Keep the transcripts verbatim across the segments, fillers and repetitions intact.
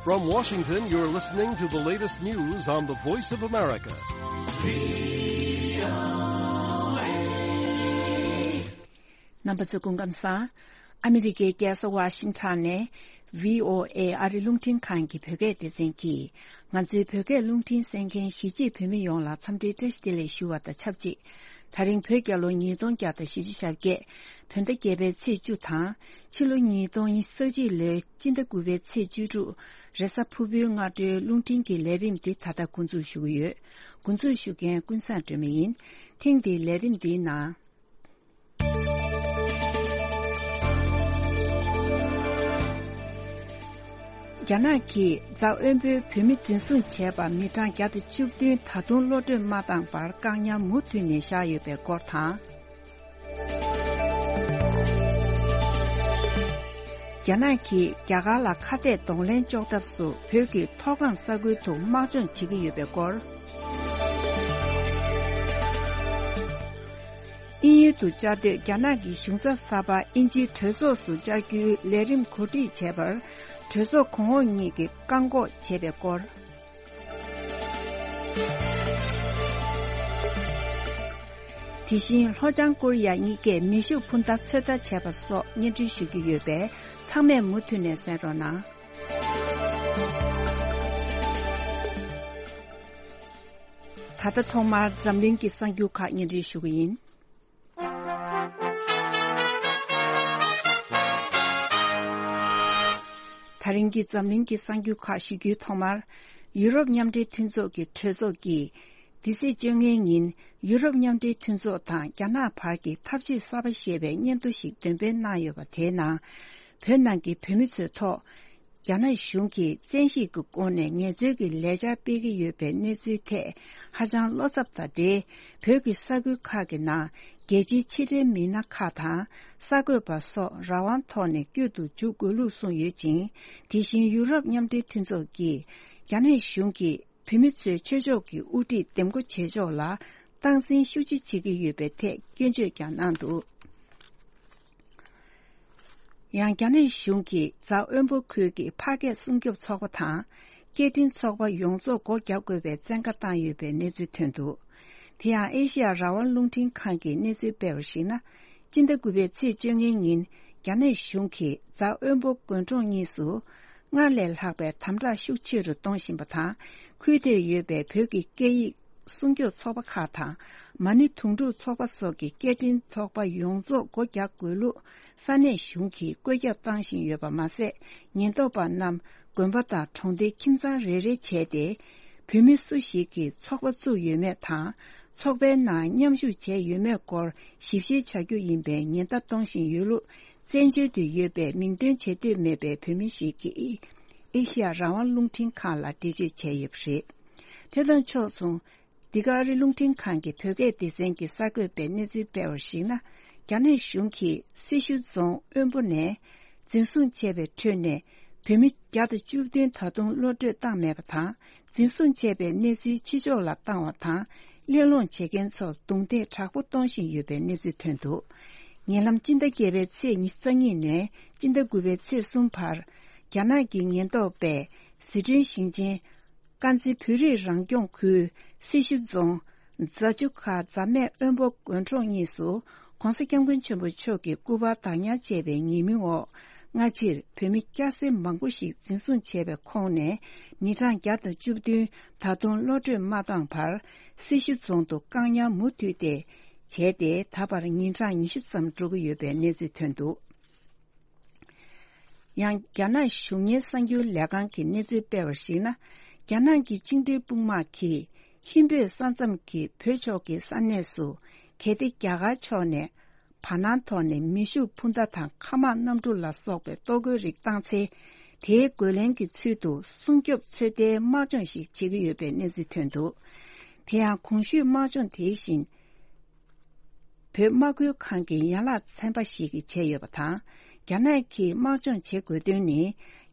From Washington, you're listening to the latest news on the Voice of America. རྣམ་པ་ཚོ་སྐུ་ཁམས་བཟང་། ཨ་མི་རི་ཀའི་རྒྱལ་ས་ཝ་ཤིང་ཊོན་ནས་བྷི་ཨོ་ཨེ་ཨ་རི་རླུང་འཕྲིན་ཁང་གི་བོད་སྐད་སྡེ་ཚན་གྱིས། ང་ཚོའི་བོད་སྐད་རླུང་འཕྲིན་གསན་མཁན་གཞིས་བྱེས་བོད་མི་ཡོངས་ལ་འཚམས་འདྲིའི་བཀྲ་ཤིས་བདེ་ལེགས་ཞུ་བ་དང་ཆབས་ཅིག་དེ་རིང་བོད་རྒྱལ་ལོ་ཉིས་སྟོང་བརྒྱ་དང་བཞི་བཅུ་ཞེ་བརྒྱད། བོད་ཟླ་བརྒྱད་པའི་ཚེས་བཅུ་དང་། ཕྱི་ལོ་ཉིས་སྟོང་ཉི་ཤུ་རྩ་གཅིག་ལོའི་སྤྱི་ཟླ་དགུ་པའི་ཚེས་བཅུ་དྲུག་རེས་གཟའ་ཕུར་བུའི་སྔ་དྲོའི་རླུང་འཕྲིན་གྱི་ལས་རིམ་འདི་ད་ལྟ་འགོ་འཛུགས་ཞུ་གི་ཡོད། འགོ་འཛུགས་ཞུ་མཁན་ཀུན་བཟང་སྒྲོལ་མ་ཡིན། ཐེངས་འདིའི་ལས་རིམ་འདིའི་ནང་། རྒྱ་ནག་གིས་རྫ་དབོན་པོའི་བོད་མི་འཛིན་བཟུང་བྱས་པ་མི་གྲངས་བརྒྱ་དང་བཅུ་བདུན་ད་དུང་གློད་གྲོལ་མ་བཏང་བར་བཀག་ཉར་མུ་མཐུད་ནས་བཞག་ཡོད་པའི་སྐོར་དང་། རྒྱ་ནག་གིས་རྒྱ་གར་ལ་ཁ་གཏད་གདོང་ལེན་གཅོག་ཐབས་སུ་བོད་ཀྱི་མཐོ་སྒང་ས་ཁུལ་དུ་དམག་སྦྱོང་བྱེད་ཀྱི་ཡོད་པའི་སྐོར། དབྱིན་ཡུལ་དུ་བཅའ་སྡོད་རྒྱ་ནག་གི་གཞུང་ཚབ་གསར་པ་དབྱིན་ཇིའི་གྲོས་ཚོགས་སུ་བཅར་རྒྱུའི་ལས་རིམ་གོ་སྒྲིག་བྱས་པར་གྲོས་ཚོགས་གོང་འོག་གཉིས་ཀྱིས་བཀག་འགོག་བྱས་པའི་སྐོར། དེ་བཞིན་ལྷོ་བྱང་ཀོ་རི་ཡ་གཉིས་ཀས་མེ་ཤུགས་འཕུར་མདའ་ཚོད་ལྟ་བྱས་པ་སོགས་སྙན་སྒྲོན་ཞུ་རྒྱུ་ཡོད་པས་ཚང་མས་མུ་མཐུད་ནས་གསན་རོགས་གནང་། ད་ལྟ་ཐོག་མར་འཛམ་གླིང་གི་གསར་འགྱུར་ཁག་སྙན་སྒྲོན་ཞུ་གི་ཡིན། ད་རིང་གི་འཛམ་གླིང་གི་གསར་འགྱུར་ཁག་ཞུ་རྒྱུའི་ཐོག་མར། ཡུ་རོབ་མཉམ་འབྲེལ་མཐུན་ཚོགས་ཀྱི་གྲོས་ཚོགས་ཀྱིས། འདི་ཚེས་བཅོ་ལྔའི་ཉིན་ཡུ་རོབ་མཉམ་འབྲེལ་མཐུན་ཚོགས་དང་རྒྱ་ནག་བར་གྱི་འཐབ་ཇུས་གསར་པ་ཞེས་པའི་སྙན་ཐོ་ཞིག་འདོན་སྤེལ་གནང་ཡོད་པ་དེའི་ནང་། བོད་ནང་གི་བོད་མི་ཚོའི་ཐོག་རྒྱ་ནག་གཞུང་གིས་བཙན་ཤེད་ཀྱི་སྒོ་ནས་ངལ་རྩོལ་གྱི་ལས་འཆར་སྤེལ་གྱི་ཡོད་པའི་གནས་ཚུལ་ཐད་ཧ་ཅང་བློ་འཚབ་དང་འབྲེལ། བོད་ཀྱི་ས་ཁུལ་ཁག་གི་ནང་རྒྱལ་སྤྱིའི་ཕྱི་འབྲེལ་མི་སྣ་ཁག་དང་གསར་འགོད་པ་སོགས་རང་དབང་ཐོག་ནས་བསྐྱོད་དུ་འཇུག་དགོས་ལུགས་གསུངས་ཡོད་ཅིང་། དེ་བཞིན་ཡུ་རོབ་མཉམ་འབྲེལ་མཐུན་ཚོགས་ཀྱིས་རྒྱ་ནག་གཞུང་གིས་བོད་མི་ཚོའི་ཆོས་ཕྱོགས་ཀྱི་དབུ་ཁྲིད་འདེམས་བསྐོ་བྱེད་ཕྱོགས་ལ་སྟངས་འཛིན་ཤུགས་ཆེ་བྱེད་ཀྱི་ཡོད་པའི་ཐད་སྐྱོན་བརྗོད་ཀྱང་གནང་འདུག་ཡང་རྒྱ་ནག་གཞུང་གིས་རྫ་དབོན་པོ་ཁུལ་གྱི་ཕ་སྐད་སྲུང་སྐྱོབ་ཚོགས་པ་དང་། སྐད་འཕྲིན་ཚོགས་པ་ཡོངས་རྫོགས་སྒོ་རྒྱག་དགོས་པའི་བཙན་བཀའ་བཏང་ཡོད་པའི་གནས་ཚུལ་ཐོན་འདུག་དེ་ཡང་ཨེ་ཤེ་ཡ་རང་དབང་རླུང་འཕྲིན་ཁང་གིས་གནས་ཚུལ་སྤེལ་བར་གཞིགས་ན། སྤྱི་ཟླ་དགུ་པའི་ཚེས་བཅོ་ལྔའི་ཉིན་རྒྱ་ནག་གཞུང་གིས་རྫ་དབོན་པོ་དགོན་གྲོང་གཉིས་སུ། སྔར་ལས་ལྷག་པའི་དམ་དྲག་ཤུགས་ཆེ་རུ་གཏོང་བཞིན་པ་དང་། ཁུལ་དེར་ཡོད་པའི་བོད་ཀྱི་སྐད་ཡིག་སྲུང་སྐྱོབ་ཚོགས་པ་ཁག་དང་། མ་ཎི་དུང་སྒྲུག་ཚོགས་པ་སོགས་ཀྱི་སྐད་འཕྲིན་ཚོགས་པ་ཡོངས་རྫོགས་སྒོ་རྒྱག་དགོས་ལུགས་ས་གནས་གཞུང་གིས་བཀོད་ཁྱབ་བཏང་བཞིན་ཡོད་པ་མ་ཟད། ཉེན་རྟོག་པ་རྣམས་དགོན་པ་དང་གྲོང་སྡེ་ཁྱིམ་ཚང་རེ་རེ་བྱས་ཏེ། བོད་མི་སུ་ཞིག་གིས་ཚོགས་པ་བཙུགས་ཡོད་མེད་དང་། ཚོགས་པའི་ནང་མཉམ་ཞུགས་བྱས་ཡོད་མེད་སྐོར་ཞིབ་བཤེར་བྱ་རྒྱུ་ཡིན་པའི་ཉེན་བརྡ་གཏོང་བཞིན་ཡོད་ལུགས། བཙན་བྱོལ་དུ་ཡོད་པའི་མིང་འདོན་བྱེད་འདོད་མེད་པའི་བོད་མི་ཞིག་གིས་ཨེ་ཤི་ཡ་རང་དབང་རླུང་འཕྲིན་ཁང་ལ་འགྲེལ་བརྗོད་བྱས་ཡོད་པ་རེད། དེ་དང་ཕྱོགས་མཚུངས། འདི་ག་ཨ་རི་རླུང་འཕྲིན་ཁང་གི་བོད་སྐད་སྡེ་ཚན་གྱིས་གསར་འགོད་པའི་གནས་ཚུལ་སྤེལ་བར་གཞིགས་ན། རྒྱ་ནག་གཞུང་གིས་སེར་ཤུལ་རྫོང་དབོན་པོ་ནས་འཛིན་བཟུང་བྱས་པའི་ཁྲོད་ནས་བོད་མི་བརྒྱ་དང་བཅུ་བདུན་ད་དུང་གློད་གྲོལ་བཏང་མེད་པ་དང་། འཛིན་བཟུང་བྱས་པའི་གནས་ཚུལ་ཕྱི་ཕྱོགས་ལ་བཏང་བ་དང་། གླེང་སློང་བྱེད་མཁན་ཚོར་རྡུང་རྡེག་དྲག་པོ་གཏོང་བཞིན་ཡོད་པའི་གནས་ཚུལ་ཐོན་འདུག་ཉེ་ལམ་སྤྱི་ཟླ་བརྒྱད་པའི་ཚེས་ཉི་ཤུ་རྩ་གཉིས་ནས་སྤྱི་ཟླ་དགུ་པའི་ཚེས་གསུམ་བར། རྒྱ་ནག་གི་ཉེན་རྟོག་པས་ཟི་ཁྲོན་ཞིང་ཆེན། དཀར་མཛེས་བོད་རིགས་རང་སྐྱོང་ཁུལ་སེར་ཤུལ་རྫོང་རྫ་ཆུ་ཁ་རྫ་སྨད་དབོན་པོ་དགོན་གྲོང་གཉིས་སུ་༸གོང་ས་༸སྐྱབས་མགོན་ཆེན་པོ་མཆོག་གི་སྐུ་པར་བདག་ཉར་བྱས་པའི་ཉེས་མིང་འོག་སྔ་ཕྱིར་བོད་མི་སྐྱ་སེར་མང་པོ་ཞིག་འཛིན་བཟུང་བྱས་པའི་ཁོངས་ནས་མི་གྲངས་བརྒྱ་དང་བཅུ་བདུན་ད་དུང་གློད་གྲོལ་མ་བཏང་བར་སེར་ཤུལ་རྫོང་དུ་བཀག་ཉར་མུ་མཐུད་དེ་བྱས་ཏེ་ད་བར་ཉིན་གྲངས་ཉི་ཤུ་ཙམ་འགྲོ་གི་ཡོད་པའི་གནས་ཚུལ་ཐོན་འདུག་ཡང་རྒྱ་ནག་གཞུང་གཉེར་གསར་འགྱུར་ལས་ཁང་གིས་གནས་ཚུལ་སྤེལ་བར་གཞིགས་ན། རྒྱ་ནག་གི་བཅིངས་འགྲོལ་དཔུང་དམག་གིས་ཧིན་བོད་ས་མཚམས་ཀྱི་བོད་ཕྱོགས་ཀྱི་ས་གནས་སུ་གལ་ཏེ་རྒྱ་གར་ཕྱོགས་ནས་བར་སྣང་ཐོག་ནས་མེ་ཤུགས་འཕུར་མདའ་དང་མཁའ་དམག་གནམ་གྲུ་ལ་སོགས་པའི་གཏོར་རྒོལ་རིགས་བཏང་ཚེ། དེའི་རྒོལ་ལན་གྱི་ཚུལ་དུ་སྲུང་སྐྱོབ་ཚོད་ལྟའི་དམག་སྦྱོང་ཞིག་བྱེད་ཀྱི་ཡོད་པའི་གནས་ཚུལ་ཐོན་འདུག་དེ་ཡང་གོང་ཞུས་དམག་སྦྱོང་དེ་བཞིན། བོད་དམག་ཁུལ་ཁང་གི་ཡན་ལག་ཚན་པ་ཞིག་གིས་བྱས་ཡོད་པ་དང་། རྒྱ་ནག་གིས་དམག་སྦྱོང་བྱེད་དགོས་དོན་ནི།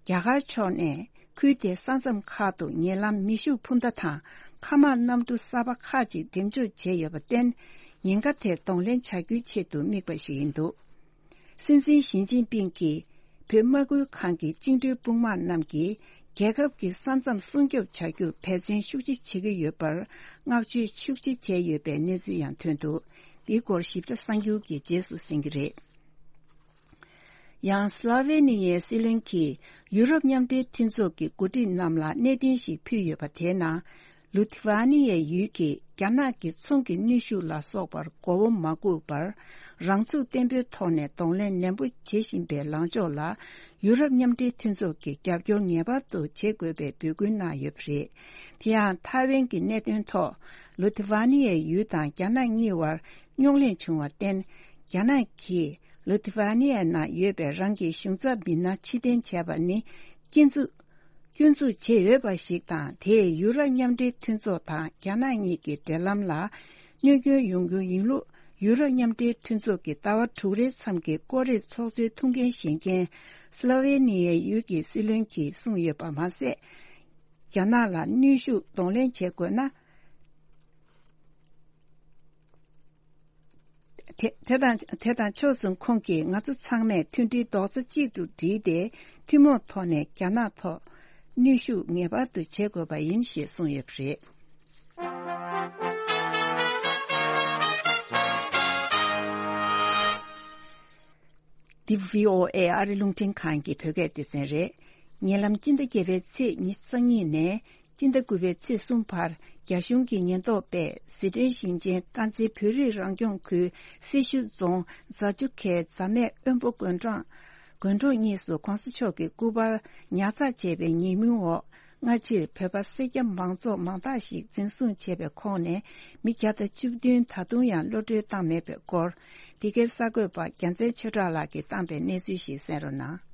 རྒྱ་གར་ཕྱོགས་ནས་ཁུལ་དེའི་ས་མཚམས་ཁག་ཏུ་ཉེ་ལམ་མེ་ཤུགས་འཕུར་མདའ་དང་མཁའ་དམག་གནམ་གྲུ་གསར་པ་ཁག་ཅིག་འགྲེམས་འཇོག་བྱས་ཡོད་པར་བརྟེན། ཉེན་ཁ་དེ་གདོང་ལེན་བྱ་རྒྱུའི་ཆེད་དུ་དམིགས་པ་ཞིག་ཡིན་འདུག་སྲིད་འཛིན་ཞི་ཅིན་ཕིང་གིས་བོད་དམག་ཁུལ་ཁང་གི་བཅིངས་འགྲོལ་དཔུང་དམག་རྣམས་ཀྱིས་ རྒྱལ་ཁབ་ཀྱི་ས་མཚམས་སྲུང་སྐྱོབ་བྱ་རྒྱུར་འབད་བརྩོན་ཤུགས་ཆེ་བྱེད་ཀྱི་ཡོད་པར་བསྔགས་བརྗོད་ཤུགས་ཆེ་བྱས་ཡོད་པའི་གནས་ཚུལ་ཡང་ཐོན་འདུག་འདིའི་སྐོར་ཞིབ་ཕྲ་གསར་འགྱུར་གྱི་རྗེས་སུ་གསན་གྱི་རེད། ཡང་སློ་ཝེ་ནི་ཡའི་སྲིད་བློན་གྱིས་ཡུ་རོབ་མཉམ་འབྲེལ་མཐུན་ཚོགས་ཀྱི་འགོ་ཁྲིད་རྣམས་ལ་གནས་འཕྲིན་ཞིག་ཕུལ་ཡོད་པ་དེའི་ནང་། ལུ་ཐི་ཝ་ནི་ཡའི་ཡུལ་གྱིས་རྒྱ་ནག་གི་ཚོང་གི་གནོན་ཤུགས་ལ་སོགས་པར་མགོ་བོ་མ་སྒུར་བར། རང་ཚུགས་བརྟན་པོའི་ཐོག་ནས་གདོང་ལེན་ནན་པོ་བྱེད་བཞིན་པའི་ལངས་ཕྱོགས་ལ། ཡུ་རོབ་མཉམ་འབྲེལ་མཐུན་ཚོགས་ཀྱིས་རྒྱབ་སྐྱོར་ངེས་པར་དུ་བྱེད་དགོས་པའི་འབོད་སྐུལ་གནང་ཡོད་པ་རེད། དེ་ཡང་ཐའེ་ཝན་གྱི་གནད་དོན་ཐོག་ལུ་ཐི་ཝ་ནི་ཡའི་ཡུལ་དང་རྒྱ་ནག་གཉིས་བར་རྙོག་གླེང་བྱུང་བར་བརྟེན། རྒྱ་ནག་གིས་ལུ་ཐི་ཝ་ནི་ཡའི་ནང་ཡོད་པའི་རང་གི་གཞུང་ཚབ་མི་སྣ་ཕྱིར་འཐེན་བྱས་པ་ནི། སྐྱོན་འཛུགས། སྐྱོན་འཛུགས་བྱས་ཡོད་པ་ཞིག་དང་། དེས་ཡུ་རོབ་མཉམ་འབྲེལ་མཐུན་ཚོགས་དང་རྒྱ་ནག་གཉིས་ཀྱི་འབྲེལ་ལམ་ལ་གནོད་སྐྱོན་ཡོང་རྒྱུ་ཡིན་ལུགས། ཡུ་རོབ་མཉམ་འབྲེལ་མཐུན་ཚོགས་ཀྱི་ཟླ་བ་དྲུག་རེའི་མཚམས་ཀྱི་སྐོར་རའི་ཚོགས་གཙོའི་ཐུགས་འགན་བཞེས་མཁན་སློ་ཝེ་ནི་ཡའི་ཡུལ་གྱི་སྲིད་བློན་གྱིས་གསུངས་ཡོད་པ་མ་ཟད། རྒྱ་ནག་ལ་གནོན་ཤུགས་གདོང་ལེན་བྱེད་དགོས་ན། དེ་དེ་དང་དེ་དང་ཕྱོགས་མཚུངས། ཁོང་གིས་ང་ཚོ་ཚང་མས་མཐུན་སྒྲིལ་རྡོག་རྩ་གཅིག་ཏུ་བསྒྲིལ་ཏེ། ཐུན་མོང་ཐོག་ནས་རྒྱ་ནག་ཐོག་གནོན་ཤུགས་ངེས་པར་དུ་བྱེད་དགོས་པ་ཡིན་ཞེས་གསུངས་ཡོད་པ་རེད། འདི་བྷི་ཨོ་ཨེ་ཨ་རི་རླུང་འཕྲིན་ཁང་གི་བོད་སྐད་སྡེ་ཚན་རེད། ཉེ་ལམ་སྤྱི་ཟླ་བརྒྱད་པའི་ཚེས་ཉི་ཤུ་རྩ་གཉིས་ནས། སྤྱི་ཟླ་དགུ་པའི་ཚེས་གསུམ་བར། རྒྱ་གཞུང་གི་ཉེན་རྟོག་པས་ཟི་ཁྲོན་ཞིང་ཆེན་དཀར་མཛེས་བོད་རིགས་རང་སྐྱོང་ཁུལ་སེར་ཤུལ་རྫོང་རྫ་ཆུ་ཁའི་རྫ་སྨད་དབོན་པོ་དགོན་གྲོང་དགོན་གྲོང་གཉིས་སུ་གོང་ས་མཆོག་གི་སྐུ་པར་ཉར་ཚགས་བྱས་པའི་ཉེས་མིང་འོག་སྔ་ཕྱིར་བོད་པ་སེར་སྐྱ་མང་ཚོགས་མང་དག་ཞིག་འཛིན་བཟུང་བྱས་པའི་ཁོངས་ནས་མི་བརྒྱ་དང་བཅུ་བདུན་ད་དུང་ཡང་གློད་གྲོལ་བཏང་མེད་པའི་སྐོར། འདི་གའི་གསར་འགོད་པ་རྒྱལ་མཚན་ཆོས་གྲགས་ལགས་ཀྱིས་བཏང་པའི་གནས་ཚུལ་ཞིག་གསན་རོགས་གནང་།